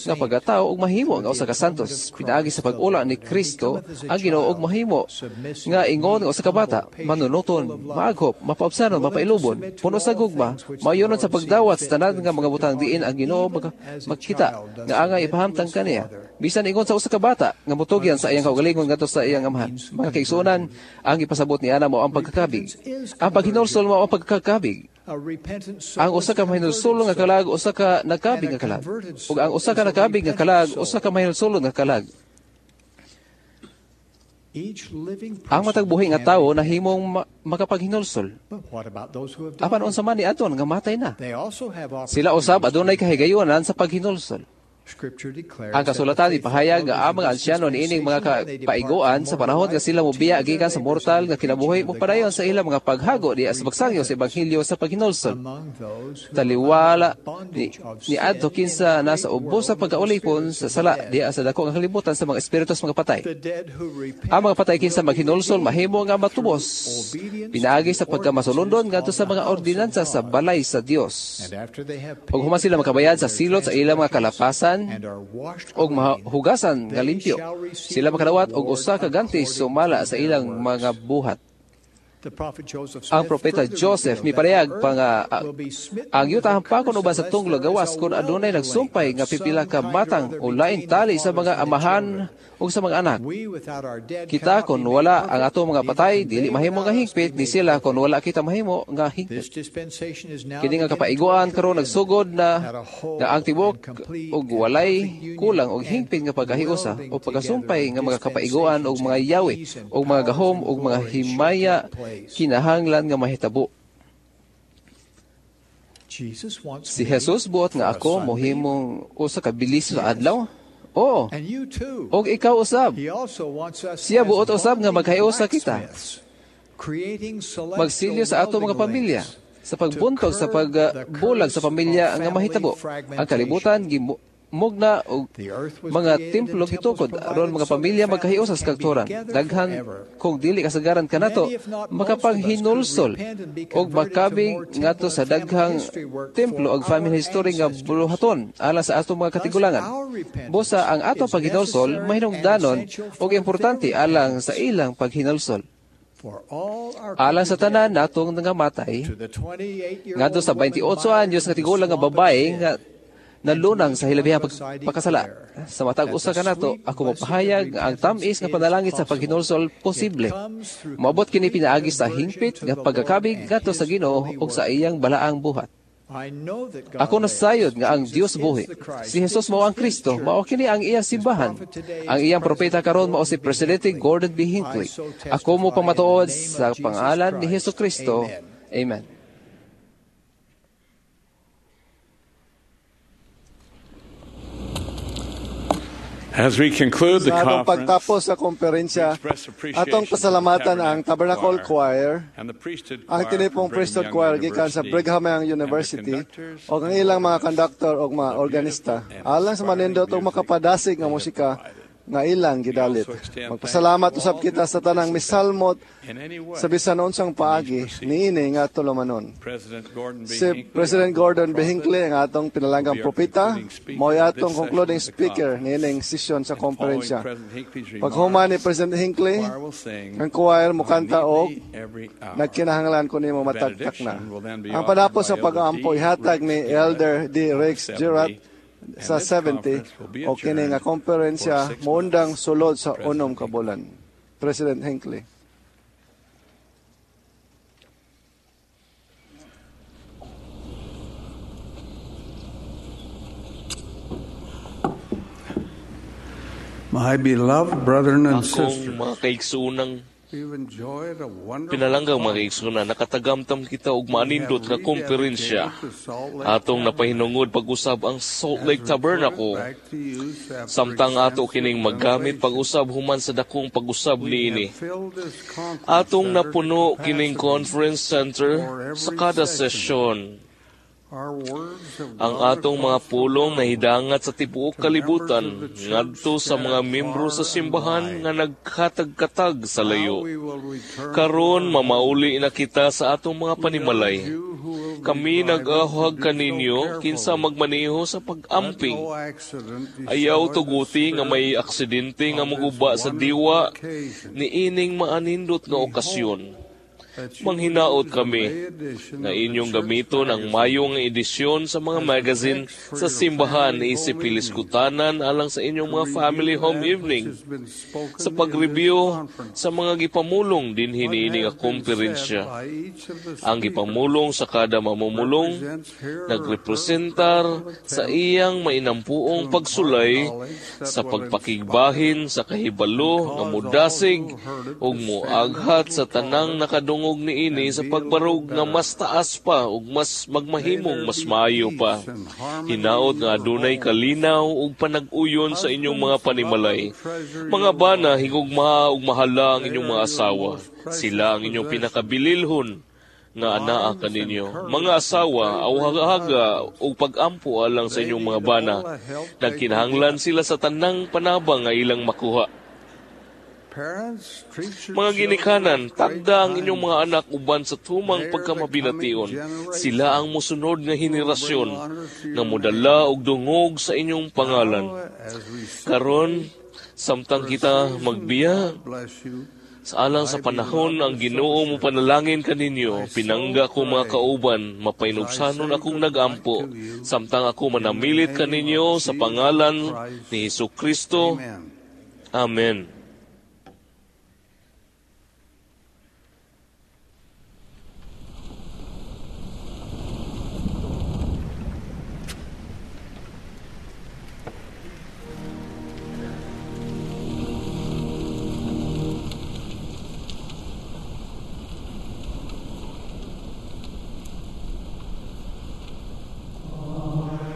nga pagkatawo ug mahimo nga usa ka santos pinaagi sa pag-ula ni Kristo ang Ginoo ug mahimo nga ingon nga usa ka bata manunuton, maaghop, mapaubsanon, mapailubon, puno sa gugma, mayonon sa pagdawat sa tanan nga mga butang diin ang Ginoo makita nga angay ipahamtang kaniya bisan ingon sa usa ka bata nga motugyan sa iyang kaugalingon ngadto sa iyang amahan. Mga kaigsuonan, ang ipasabot ni ana mao ang pagkakabig. Ang paghinulsol mao ang pagkakabig. Ang usa ka mahinulsulon nga kalag, usa ka nakabig nga kalag. Ug ang usa ka nakabig nga kalag, usa ka mahinulsulon nga kalag. Ang matag buhi nga tawo nahimong makapaghinulsol. Apan unsa man ni adton nga matay na. Sila usab adunay kahigayunan sa paghinulsol. Ang kasulatan ipahayag nga ang mga ansyano niining mga kapaiguan sa panahon nga sila mobiya gikan sa mortal nga kinabuhi mopadayon sa ilang mga paghago diha sa pagsangyo sa ebanghelyo sa paghinulsol. Taliwala ni adto kinsa nasa ubos sa pagkaulipon sa sala diha sa dako nga kalibutan sa mga espiritu sa mga patay. Ang mga patay kinsa maghinulsol mahimo nga matubos pinaagi sa pagkamasulundon ngadto sa mga ordinansa sa balay sa Dios. Ug human sila makabayad sa silot sa ilang mga kalapasan og mahugasan nga limpyo, sila makadawat og usa ka ganti sumala sa ilang mga buhat. Ang propeta Joseph miparehag pa nga ang yuta hampakon uban sa tunglo gawas kon adunay nagsumpay nga pipila ka matang o lain tali sa mga amahan ug sa mga anak. Kita kon wala ang ato mga patay, dili mahimo nga hingpit ni sila kon wala kita mahimo nga hingpit. Kini nga kapaiguan karon nagsugod na nga ang tibuok og walay kulang og hingpit nga pagkahiusa o pagkasumpay nga mga kapaiguan og mga yawi og mga gahom og mga himaya kinahanglan nga mahitabo. Si Jesus buot nga ako mohimong usa ka bilis sa adlaw. Oo. Og ikaw usab. Siya buot usab nga maghiusa kita. Magsilyo sa ato mga pamilya, sa pagbuntog sa pagbulag sa pamilya nga mahitabo. Ang kalibutan mugna og mga templo gitukod aron mga pamilya magkahiusa sa kagturan. Daghan kung dili kasagaran kanato makapaghinulsol og makabig ngadto sa daghang templo og family history nga buluhaton alang sa atong mga katigulangan. Busa ang atong paghinulsol mahinungdanon og importante alang sa ilang paghinulsol. Alang sa tanan natong nangamatay ngadto sa 28 anyos nga tigulang nga babae nga nalunang sa hilabihang pagkasala. Sa matag usa kanato, ako mapahayag nga ang tam-is nga panalangin sa paghinulsol posible. Moabot kini pinaagi sa hingpit nga pagkakabig ngadto sa Ginoo ug sa iyang balaang buhat. Ako nasayod nga ang Dios buhi. Si Jesus mao ang Kristo, mao kini ang iyang simbahan. Ang iyang propeta karon mao si Presidente Gordon B. Hinckley. Ako mo pamatuod sa pangalan ni Hesus Kristo. Amen. As we conclude the Sa atong conference, pagtapos sa komperensya, atong pasalamatan ang Tabernacle Choir, and the priesthood ang choir tinipong from Brigham Priesthood Young Choir gikan sa University, Brigham Young University ug ang ilang mga conductor ug mga organista alang sa manindot ug makapadasig nga musika nga ilang gidalit. Magpasalamat usab kita sa tanang misalmot sa bisan unsang paagi niini nga tulumanon. President Gordon B. Si Hinckley, President Gordon B. Hinckley ang atong pinalanggang propeta, mao'y atong concluding speaker niining sesyon sa komperensya. Paghuman ni President Hinckley, ang choir mukanta og every hour. nagkinahanglan ko nimo matagtak na. Ang panapos sa pag-aampo ihatag ni Elder D. Rex Gerard sa 70 o kini nga komperensya moundang sulod sa 6 ka bulan. President Hinckley. My beloved brethren and Akong sisters, mga kaigsuunang we've enjoyed a wonderful pinalanggang mga kaigsunan, nakatagamtam kita og maanindot nga komperensya. Atong napahinungod pag-usab ang Salt Lake Tabernacle. Samtang ato kining maggamit pag-usab human sa dakong pag-usab niini. Atong napuno kining conference center sa kada sesyon. Ang atong mga pulong nahidangat sa tibuok kalibutan ngadto sa mga membro sa simbahan nga nagkatag-katag sa layo. Karon mamauli na kita sa atong mga panimalay. Kami nag-ahag kaninyo kinsa magmaneho sa pag-amping. Ayaw tuguti nga may aksidente nga muguba sa diwa niining maanindot nga okasyon. Manghinaot kami na inyong gamiton ang mayong edisyon sa mga magazine sa simbahan isip piliskutanan alang sa inyong mga family home evening sa pag-review sa mga gipamulong din hiniini nga komperensya. Ang gipamulong sa kada mamumulong nagrepresentar sa iyang mainampuong pagsulay sa pagpakigbahin sa kahibalo nga mudasig ug moaghat sa tanang nakadungog niini sa pagbarog nga mas taas pa ug mas magmahimong mas maayo pa. Hinaot nga adunay kalinaw ug panag-uyon sa inyong mga panimalay. Mga bana, higugmaa ug mahala ang inyong mga asawa. Sila ang inyong pinakabililhon nga anaa kaninyo. Mga asawa, awhaga ug pag-ampo alang sa inyong mga bana. Nagkinahanglan sila sa tanang panabang nga ilang makuha. Mga ginikanan, tagda ang inyong mga anak uban sa tumang pagkamabination. Sila ang mosunod nga henerasyon nga modala og dungog sa inyong pangalan. Karon, samtang kita magbiya, sa alang sa panahon ang Ginoo mo panalangin kaninyo, pinangga ko mga kauban, mapainubsanon akong nagampo, samtang ako manamilit kaninyo sa pangalan ni Hesus Kristo. Amen.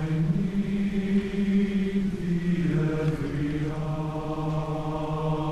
I need thee every hour.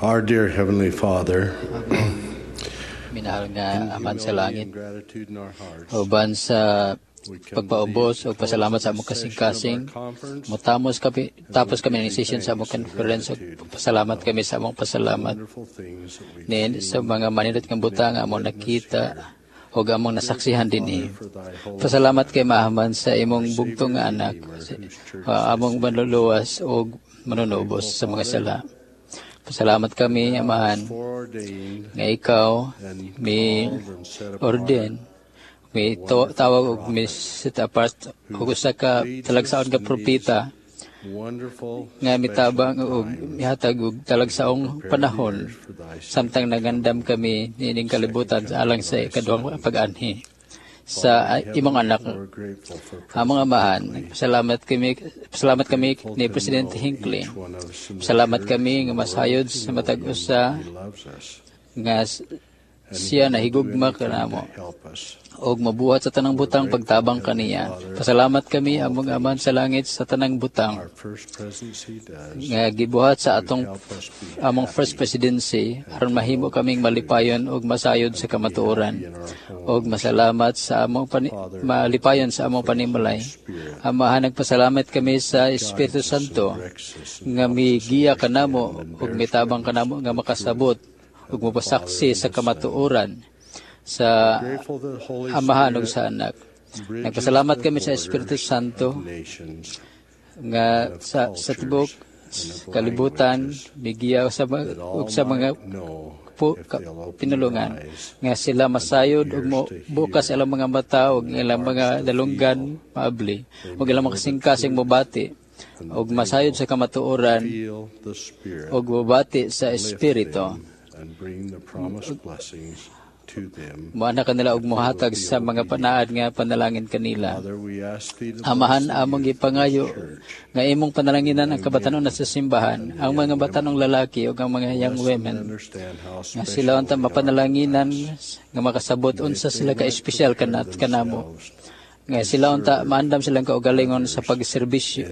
Our dear Heavenly Father, minahal nga Amahan sa langit, uban sa pagpaubos o pasalamat sa among kasing-kasing, mutamos kami, tapos kami ng session sa among conference, o pasalamat kami sa among pasalamat ni sa mga manindot nga butang among nakita o among nasaksihan dinhi. Pasalamat kay Mahaman sa imong bugtong nga anak, among manluluwas o manunubos sa mga sala. Pasalamat kami, Amahan, nga ikaw mi orden, mi tawag og mi set apart og usa ka talagsaon ka propeta nga mitabang og mihatag og talagsaong panahon samtang nagandam kami niining kalibutan sa alang sa ikaduhang pag-anhi sa imong anak. Among Amahan, pasalamat kami ni Presidente Hinckley. Pasalamat kami nga masayod sa matag usa nga siya nahigugma kanamo og mabuhat sa tanang butang pagtabang kaniya. Pasalamat kami among Amahan sa langit sa tanang butang nga gibuhat sa atong among first presidency aron mahimo kaming malipayon og masayod sa kamatuoran og masalamat sa among malipayon sa among panimalay. Amahan, nagpasalamat kami sa Espiritu Santo nga migiya kanamo og mitabang kanamo nga makasabot ug mopasaksi sa kamatuoran sa Amahan ug sa Anak. Nagpasalamat kami sa Espiritu Santo nga sa tibuok kalibutan migiya sa ug sa mga pinulungan nga sila masayod ug bukas ilang mga mata ug ilang mga dalunggan maabli ug ilang mga kasing-kasing mobati ug masayod sa kamatuoran ug mobati sa Espiritu. Moana kanila og mohatag sa mga panaad nga panalangin kanila. Amahan, among gipangayo nga imong panalanginan ang kabatanon sa simbahan, ang mga batanong lalaki ug ang mga young women, nga sila unta mapanalanginan nga makasabot unsa sila ka espesyal kanamo. Nga sila unta maandam silang kaugalingon sa pagserbisyo,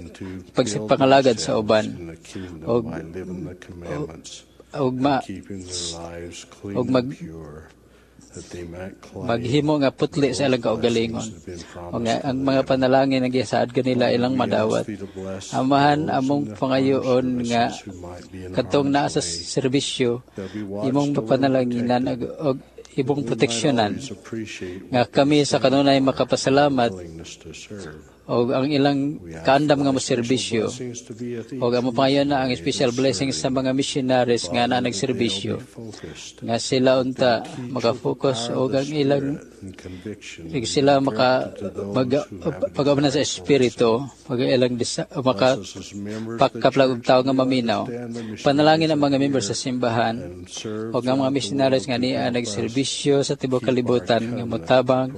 pagpangalagad sa uban og maghimo nga putli sa ilang kaugalingon. O nga ang mga panalangin nga gisaad kanila ilang madawat. Amahan, among pangayoon nga katong naa sa serbisyo imong panalanginan og imong proteksyonan nga kami sa kanunay makapasalamat og ang ilang kaandam nga moserbisyo og amo pangayon na ang special blessings sa mga missionaries nga naa nagserbisyo nga sila unta maka-focus og ang ilang sila maka pag-abna sa espiritu pag ilang maka pakaplag og tawo nga maminaw. Panalangin ang mga members sa simbahan og ang mga missionaries nga niya nagserbisyo sa tibuok kalibutan nga motabang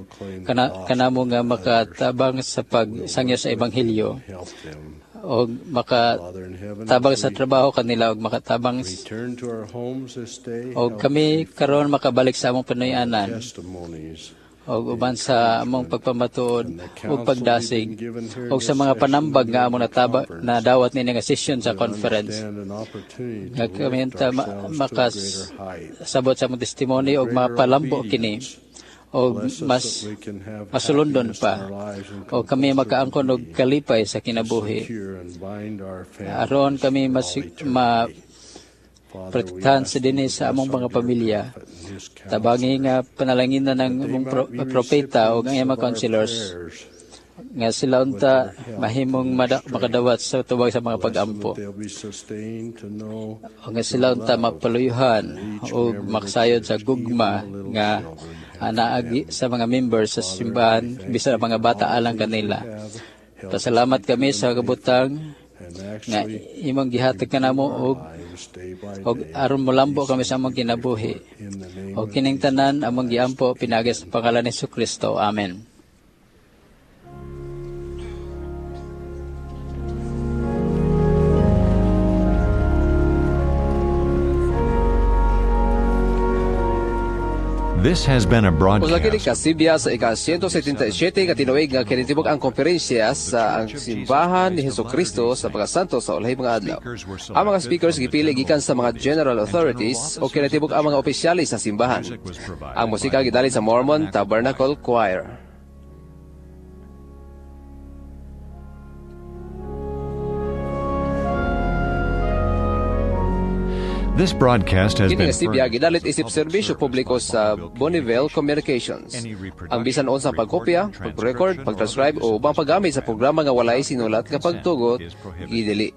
kanamo nga makatabang sa pag sangyo sa ebanghelyo og makatabang sa trabaho kanila og makatabang og kami karon makabalik sa among panuyanan og uban sa among pagpamatuod ug pagdasig og sa mga panambag nga among nadawat niini nga session sa conference nga kami unta makasabot sa among testimony og mapalambo kini og mas masulundon pa o kami makaangkon og kalipay sa kinabuhi aron kami mas protektahan sa dinhi sa among mga pamilya. Tabangi nga panalanginan ng among propeta o ang iyang mga counselors nga sila unta mahimong makadawat sa tubag sa mga pag-ampo. O nga sila unta mapaluyuhan o makasayod sa gugma nga anaagi sa mga members sa simbahan bisan ang mga bata alang kanila. Pasalamat kami sa kabutang nga imong gihatag kanamo og aron molambo kami sa among kinabuhi. Og kining tanan among giampo pinaagi sa pangalan ni Jesucristo. Amen. This has been a Usa broadcast kini kasibya sa ika-177 nga tinuig nga kinitibuk-ang konferensya sa ang Simbahan ni Hesukristo sa mga Santos sa ulahi mga adlaw. Ang mga speakers gipili gikan sa mga general authorities o kinatibuk ang mga opisyalis sa simbahan. Ang musika gidali sa Mormon Tabernacle Choir. This broadcast has Kini been nga sibya furnished gidalit isip serbisyo publiko sa Bonneville Communications. Ang bisan unsang pagkopya, pag-record, pag-transcribe o ubang paggamit sa programa nga walay sinulat nga pagtugot gidili.